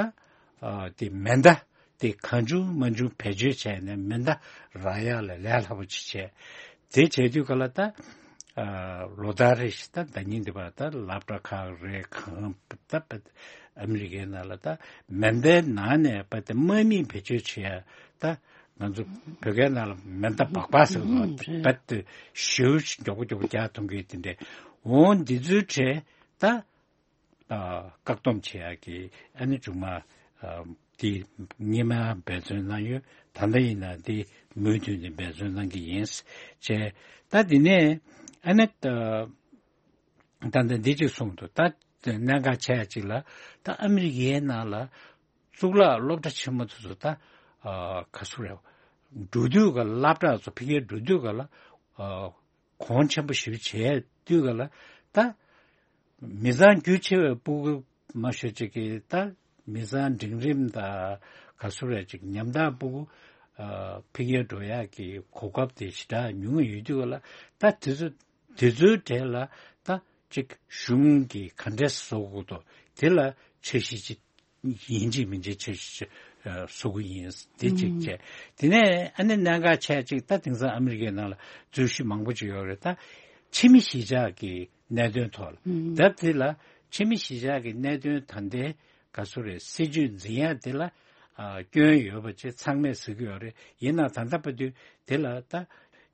ཨ་དེ་མེ་མདའ་དེ་གང་བྱུང་མང་བྱུང་བེད་སྤྱོད་བྱས་ནས་མེ་མདའ་རག་ཡག་ལ་ལས་སླ་པོ་ཅིག་བྱས། དེ་བྱས་དུས་ག་ལ་ད་ཨ་ལོ་ལྟར་རེ་བཞིན་ད་ཟླ་ཉིན་འདི་བར་ད་སློབ་གྲྭ་ཁག་རེད། གང་ད་ཨ་མི་རི་ཀའི་ནང་ལ་ད་མེ་མདའི་ནང་ནས་པ་དེ་དམག་མི་བེད་སྤྱོད་བྱེད་ཡ་ད་ང་ཚོ་བོད་སྐད་ནང་ལ་མེ་མདའ་སྦག་སྦག་ཟེར་བ་རྦད་དེ་ཞེ་པོ་ཅིག་མགྱོགས་པོ་མགྱོགས་པོ་རྒྱག་ཐུབ་མཁན་དེ་འདྲས། འོ་འདི་ཚོའི་གྲས་ད་ཨ་བཀག་སྡོམ་བྱེད་ཡག་གི་ཨ་ནི་མཇུག་མ་ཨ་དེ་སྔོན་མ་འབད་བརྩོན་གནང་ཡོད། ད་ལྟ་ཡིན་ན་དེ་མུ་མཐུད་ནས་འབད་བརྩོན་གནང་གི་ཡིན་བྱས། ད་དེ་ནས་ཨ་ནི་ད་ད་ལྟ་འདི་གཅིག་གསུངས་འདུག་ད་གནད་འགག་ཆེ་ཡ་གཅིག་ལ་ད་ཨ་མི་རི་ཀའི་ནང་ལ་གཙུག་ལག་སློབ་གྲྭ་ཆེན་མོ་དེ་ཚོ་ད་ཨ་ག་ཚོད་རེད། འགྲོ་དུས་ག་སློབ་གྲྭ་ཚོ་ཕ་གིར་འགྲོ་དུས་ག་ལ་ཨ་གོང་ཆེན་པོ་ཞེ་པོ་བྱས་དུས་ག་ལ་ད་མི་ཚང་རྒྱུ་ཆེ་བའི་སྤུ་གུ་མང་ཤོས་ཅིག་གིས་ད་མི་ཚང་འབྲིང་རིམ་དང་ག་ཚོད་རེད་ཅིག་ཉམ་ཐག་སྤུ་གུ་ཨ་ཕ་གིར་འགྲོ་ཡག་གི་གོ་སྐབས་དེ་ཞེ་དྲག་ཉུང་ངུ་ཡོད་དུས་ག་ལ་ད་དེ་ཚོ་དེ་ཚོའི་གྲས་ལ་ད་ཅིག་གཞུང་གིས་ག་འདྲས་བཟོ་དགོས་འདུག་དེ་ལ་འཆར་གཞི་ཅིག་ཡིན་གཅིག་མིན་གཅིག་འཆར་གཞི་ཅིག་ཨ་བཟོ་དགོས་ཡིན། དེ་གཅིག་བྱས། དེ་ནས་ཨ་ནི་གནད་འགག་ཆེ་ཅིག་ད་དེང་སང་ཨ་མི་རི་ཀའི་ནང་ལ་རྩོད་གཞི་མང་པོ་ཅིག་ཡོད་རེད། ད་ཕྱི་མི་གཞིས་ཆགས་ཀྱི་གནད་དོན་ཐོག་ལ་ད་དེ་ལ་ཕྱི་མི་གཞིས་ཆགས་ཀྱི་གནད་དོན་ད་ལྟའི་ག་ཚོད་རེད། སྲིད་ཇུས་འཛིན་ཡ་དེ་ལ་ཨ་སྐྱོན་ཡོད་པ་ཅིག་ཚང་མས་ཟེར་གྱི་ཡོད་རེད། ཡིན་ནའང་ད་ལྟ་བར་དུ་དེ་ལ་ད་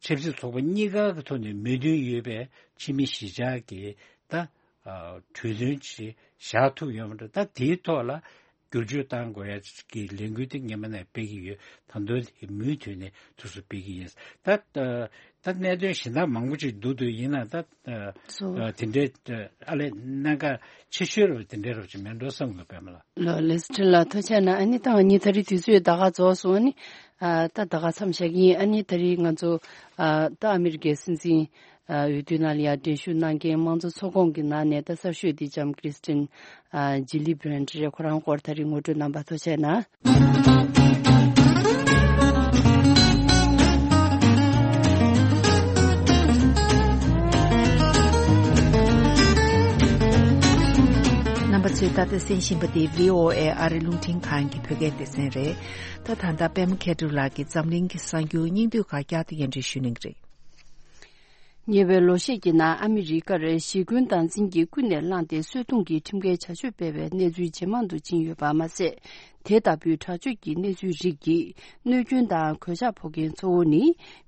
ཆབ་སྲིད་ཚོགས་པ་གཉིས་ཀ་གི་ཐོག་ནས་མོས་མཐུན་ཡོད་པའི་ཕྱི་མི་གཞིས་ཆགས་ཀྱི་ད་ཨ་གྲོས་མཐུན་ཅིག་བཞག་ཐུབ་ཡོད་མ་རེད། ད་དེའི་ཐོག་ལ་བསྒྱུར་བཅོས་བཏང་དགོས་ཡ་གི་ལས་འགུལ་དེ་སྔོན་མ་ནས་སྤེལ་གྱི་ཡོད། ད་དུང་དེ་མུ་མཐུད་ནས་དུས་སུ་སྤེལ་གྱི་ཡིན། ད་ད་གནད་དོན་གཞན་དག་མང་པོ་ཅིག་འདུག་འདུག་ཡིན་ན་ད་ཨ་སོ། ཨ་དེ་འདྲའི་ཨ་ལས་གནད་འགག་ཆེ་ཤོས་རུ་དེ་འདྲའི་རུ་ཅིག་མེད་འགྲོ་བསམ་གི་པད་མ་ལགས། ལོ་ལེ་སི་ཊི་ལ་ཐུགས་རྗེ་གནང་། ཨ་ནི་ད་ང་གཉིས་ད་རེས་དུས་ཚོད་ད་ག་རྫོགས་སོང་། ཨ་ནི་ཨ་ད་ད་ག་མཚམས་བཞག་གི་ཡིན། ཨ་ནི་ད་རེས་ང་ཚོ་ཨ་ད་ཨ་མི་རི་ཀའི་སྲིད་འཛིན་ཨ་འོས་བསྡུ་ནང་ལ་ཡ་འགྲན་ཞུགས་གནང་མཁན་དམངས་གཙོ་ཚོགས་ཁོངས་ཀྱི་ནང་ནས་ད་གསར་ཤོས་འདི་ལྕམ་ཀྲིས་ཏིན་ཨ་ཇི་ལི་བྷི་རན་ཊི་རེད། ཁོ་རང་སྐོར་ད་རེས་ངོ་སྤྲོད་གནང་བར་ཐུགས་རྗེ་གནང་། རྣམ་པ་ཚོས་ད་ལྟ་གསན་བཞིན་པ་དེ་བྷི་ཨོ་ཨེ་ཨ་རི་རླུང་འཕྲིན་ཁང་གི་བོད་སྐད་སྡེ་ཚན་རེད། ད་ད་ལྟ་པད་མ་མཁས་གྲུབ་ལགས་ཀྱིས་འཛམ་གླིང་གི་གསར་འགྱུར་སྙིང་བསྡུས་ཁག་བསྐྱར་དུ་སྙན་སྒྲོན་ཞུ་གནང་གི་རེད། ཉེ་བའི་ལོ་ཤས་ཀྱི་ནང་ཨ་མི་རི་ཀར་ཞི་རྒོལ་སྟངས་འཛིན་གྱིས་ཀུན་ནས་བསླངས་ཏེ་གསོད་རྡུང་གི་ཁྲིམས་འགལ་བྱ་སྤྱོད་སྤེལ་བའི་གནས་ཚུལ་ཇེ་མང་དུ་ཕྱིན་ཡོད་པ་མ་ཟད། དེ་ལྟ་བུའི་དྲག་སྤྱོད་ཀྱི་གནས་ཚུལ་རིགས་ཀྱིས་གནོད་སྐྱོན་དང་གོད་ཆག་ཕོག་མཁན་གཙོ་བོ་ནི་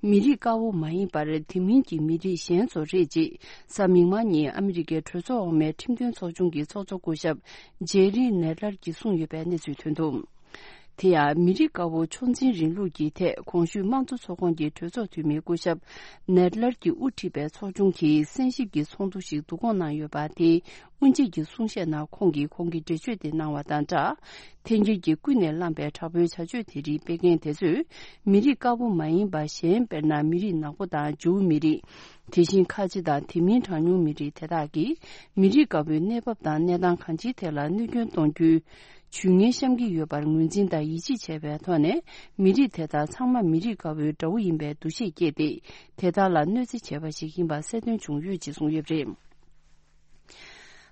མི་རིགས་དཀར་པོ་མ་ཡིན་པར་དེ་མིན་གྱི་མི་རིགས་གཞན་ཚོ་རེད་ཅེས་གཟའ་མིག་དམར་ཉིན་ཨ་མི་རི་ཀའི་གྲོས་ཚོགས་འོག་མའི་ཁྲིམས་དོན་ཚོགས་ཆུང་གི་ཚོགས་གཙོ་སྐུ་ཞབས་ཇེ་རི་ནེ་ལར་གྱིས་གསུངས་ཡོད་པའི་གནས་ཚུལ་ཐོན་འདུག་དེ་ཡང་མི་རིགས་དཀར་པོ་ཕྱོགས་འཛིན་རིང་ལུགས་ཀྱི་ཐད་གོང་ཞུས་དམངས་གཙོ་ཚོགས་ཁོངས་ཀྱི་གྲོས་ཚོགས་འཐུས་མི་སྐུ་ཞབས་ནེད་ལར་གྱིས་དབུ་ཁྲིད་པའི་ཚོགས་ཆུང་གིས་གསན་ཞིབ་ཀྱི་ཚོགས་འདུ་ཞིག་བསྡུ་སྐོང་གནང་ཡོད་པ་དེ་དབུ་འབྱེད་ཀྱི་གསུང་བཤད་ནང་ཁོང་གིས་ཁོང་གི་འགྲེལ་བརྗོད་དེ་གནང་བ་དང་སྦྲགས། འཐེན་འཁྱེར་གྱིས་ཀུན་ནས་བསླངས་པའི་དྲག་པོའི་བྱ་སྤྱོད་དེ་རིགས་སྤེལ་མཁན་དེ་ཚོས་མི་རིགས་དཀར་པོ་མ་ཡིན་པ་གཞན་དཔེར་ན་མི་རིགས་ནག་པོ་དང་ཇུའུ་མི་རིགས། དེ་བཞིན་ཁ་ཆེ་དང་དེ་མིན་གྲངས་ཉུང་མི་རིགས་དེ་དག་གིས་མི་རིགས་དཀར་པོའི་གནས་བབ་དང་གནས་སྟངས་གང་ཅིའི་ཐད་ལ་གནོད་སྐྱོན་གཏོང་རྒྱུའི་ཇུས་ངན་བཤམས་ཀྱི་ཡོད་པར་ངོས་འཛིན་དང་ཡིད་ཆེས་བྱས་པའི་ཐོག་ནས་མི་རིགས་དེ་དག་ཚང་མ་མི་རིགས་དཀར་པོའི་དགྲ་བོ་ཡིན་པའི་འདུ་ཤེས་སྐྱེས་ཏེ་དེ་དག་ལ་གནོད་འཚེ་བྱས་པ་ཞིག་ཡིན་པ་གསལ་སྟོན་བྱུང་ཡོད་ཅེས་གསུངས་ཡོད་པ་རེད།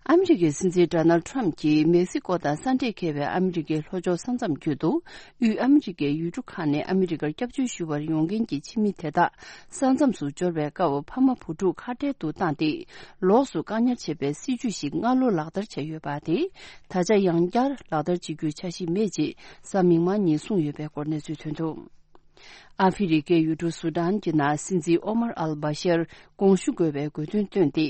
ཨ་མི་རི་ཀའི་སྲིད་འཛིན་ཌོ་ནལ་ཌི་ཊརམ་གྱིས་མེག་སི་ཀོ་དང་ས་འབྲེལ་འཁེལ་བའི་ཨ་མི་རི་ཀའི་ལྷོ་ཕྱོགས་ས་མཚམས་བརྒྱུད་དུ་དབུས་ཨ་མི་རི་ཀའི་ཡུལ་གྲུ་ཁག་ནས་ཨ་མི་རི་ཀར་སྐྱབས་བཅོལ་ཞུ་བར་ཡོང་མཁན་གྱི་ཕྱི་མི་དེ་དག་ས་མཚམས་སུ་འབྱོར་བའི་སྐབས་ཕ་མ་བུ་ཕྲུག་ཁ་བྲལ་དུ་བཏང་སྟེ་ལོགས་སུ་བཀག་ཉར་བྱེད་པའི་སྲིད་ཇུས་ཤིག་སྔ་ལོ་ལག་བསྟར་བྱས་ཡོད་པ་དེ་ད་ཆ་ཡང་བསྐྱར་ལག་བསྟར་བྱེད་རྒྱུའི་འཆར་གཞི་མེད་ཅེས་གཟའ་མིག་དམར་ཉིན་གསུངས་ཡོད་པའི་སྐོར་གནས་ཚུལ་ཐོན་འདུག་ཨ་ཧྥེ་རི་ཁའི་ཡུལ་གྲུ་སུ་ཌན་གྱི་ནང་སྲིད་འཛིན་ཨོ་མར་ཨལ་བྷ་ཤར་དགོངས་ཞུ་དགོས་པའི་དགོས་འདུན་བཏོན་ཏེ།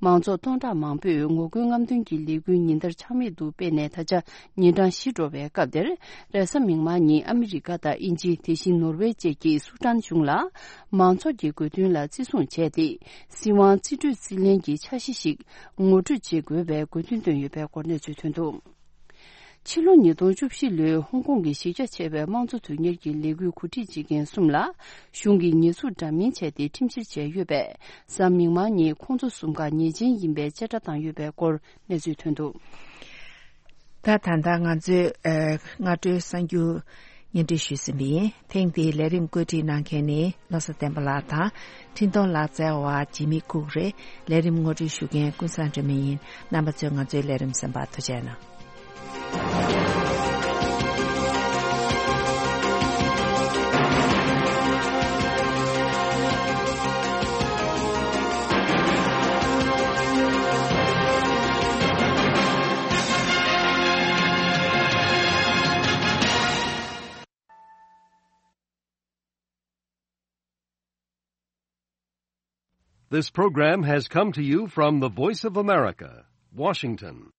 མང་ཚོགས་སྟོང་ཕྲག་མང་པོས་ངོ་རྒོལ་རྔམ་སྟོན་གྱི་ལས་འགུལ་ཉིན་ལྟར་ཆག་མེད་དུ་སྤེལ་ནས་ད་ཆ་ཉིན་གྲངས་བཞི་འགྲོ་བའི་སྐབས་དེར། རེས་གཟའ་མིག་དམར་ཉིན་ཨ་མི་རི་ཀ་དང་དབྱིན་ཇི། དེ་བཞིན་ནོར་ཝེ་བཅས་ཀྱིས་སུ་ཌན་གཞུང་ལ་མང་ཚོགས་ཀྱི་དགོས་འདུན་ལ་བརྩི་སྲུང་བྱས་ཏེ། སྲིད་དབང་རྩིས་སྤྲོད་རྩིས་ལེན་གྱི་འཆར་གཞི་ཞིག་ངོ་སྤྲོད་བྱེད་དགོས་པའི་དགོས་འདུན་བཏོན་ཡོད་པའི་སྐོར་གནས་ཚུལ་ཐོན་འདུག་ཕྱི་ལོ་ཉིས་སྟོང་བཅུ་བཞི་ལོའི་ཧོང་ཀོང་གི་གཞི་རྒྱ་ཆེ་བའི་དམངས་གཙོ་དོན་གཉེར་གྱི་ལས་འགུལ་གོ་སྒྲིག་བྱེད་མཁན་གསུམ་ལ་གཞུང་གིས་ཉེས་འཛུགས་འདྲ་མིན་བྱས་ཏེ་ཁྲིམས་བཤེར་བྱས་ཡོད་པས། གཟའ་མིག་དམར་ཉིན་ཁོང་ཚོ་གསུམ་ཀ་ཉེས་ཅན་ཡིན་པའི་བཅད་ཁྲ་བཏང་ཡོད་པའི་སྐོར་གནས་ཚུལ་ཐོན་འདུག་ད་ད་ལྟ་ང་ཚོས་ཨ་སྔ་དྲོའི་གསར་འགྱུར་སྙན་སྒྲོན་ཞུས་ཟིན་པ་ཡིན། ཐེངས་འདིའི་ལས་རིམ་བཀོད་སྒྲིག་གནང་མཁན་ནི་བློ་བཟང་བསྟན་པ་ལགས་དང་། འཕྲིན་གཏོང་ལག་རྩལ་བ་འཇིགས་མེད་ཁུག་རེད། ལས་རིམ་ངོ་སྤྲོད་ཞུ་མཁན་ཀུན་བཟང་སྒྲོལ་མ་ཡིན། རྣམ་པ་ཚོས་ང་ཚོའི་ལས་རིམ་གསན་པར་ཐུགས་རྗེ་གནང་། This program has come to you from the Voice of America, Washington.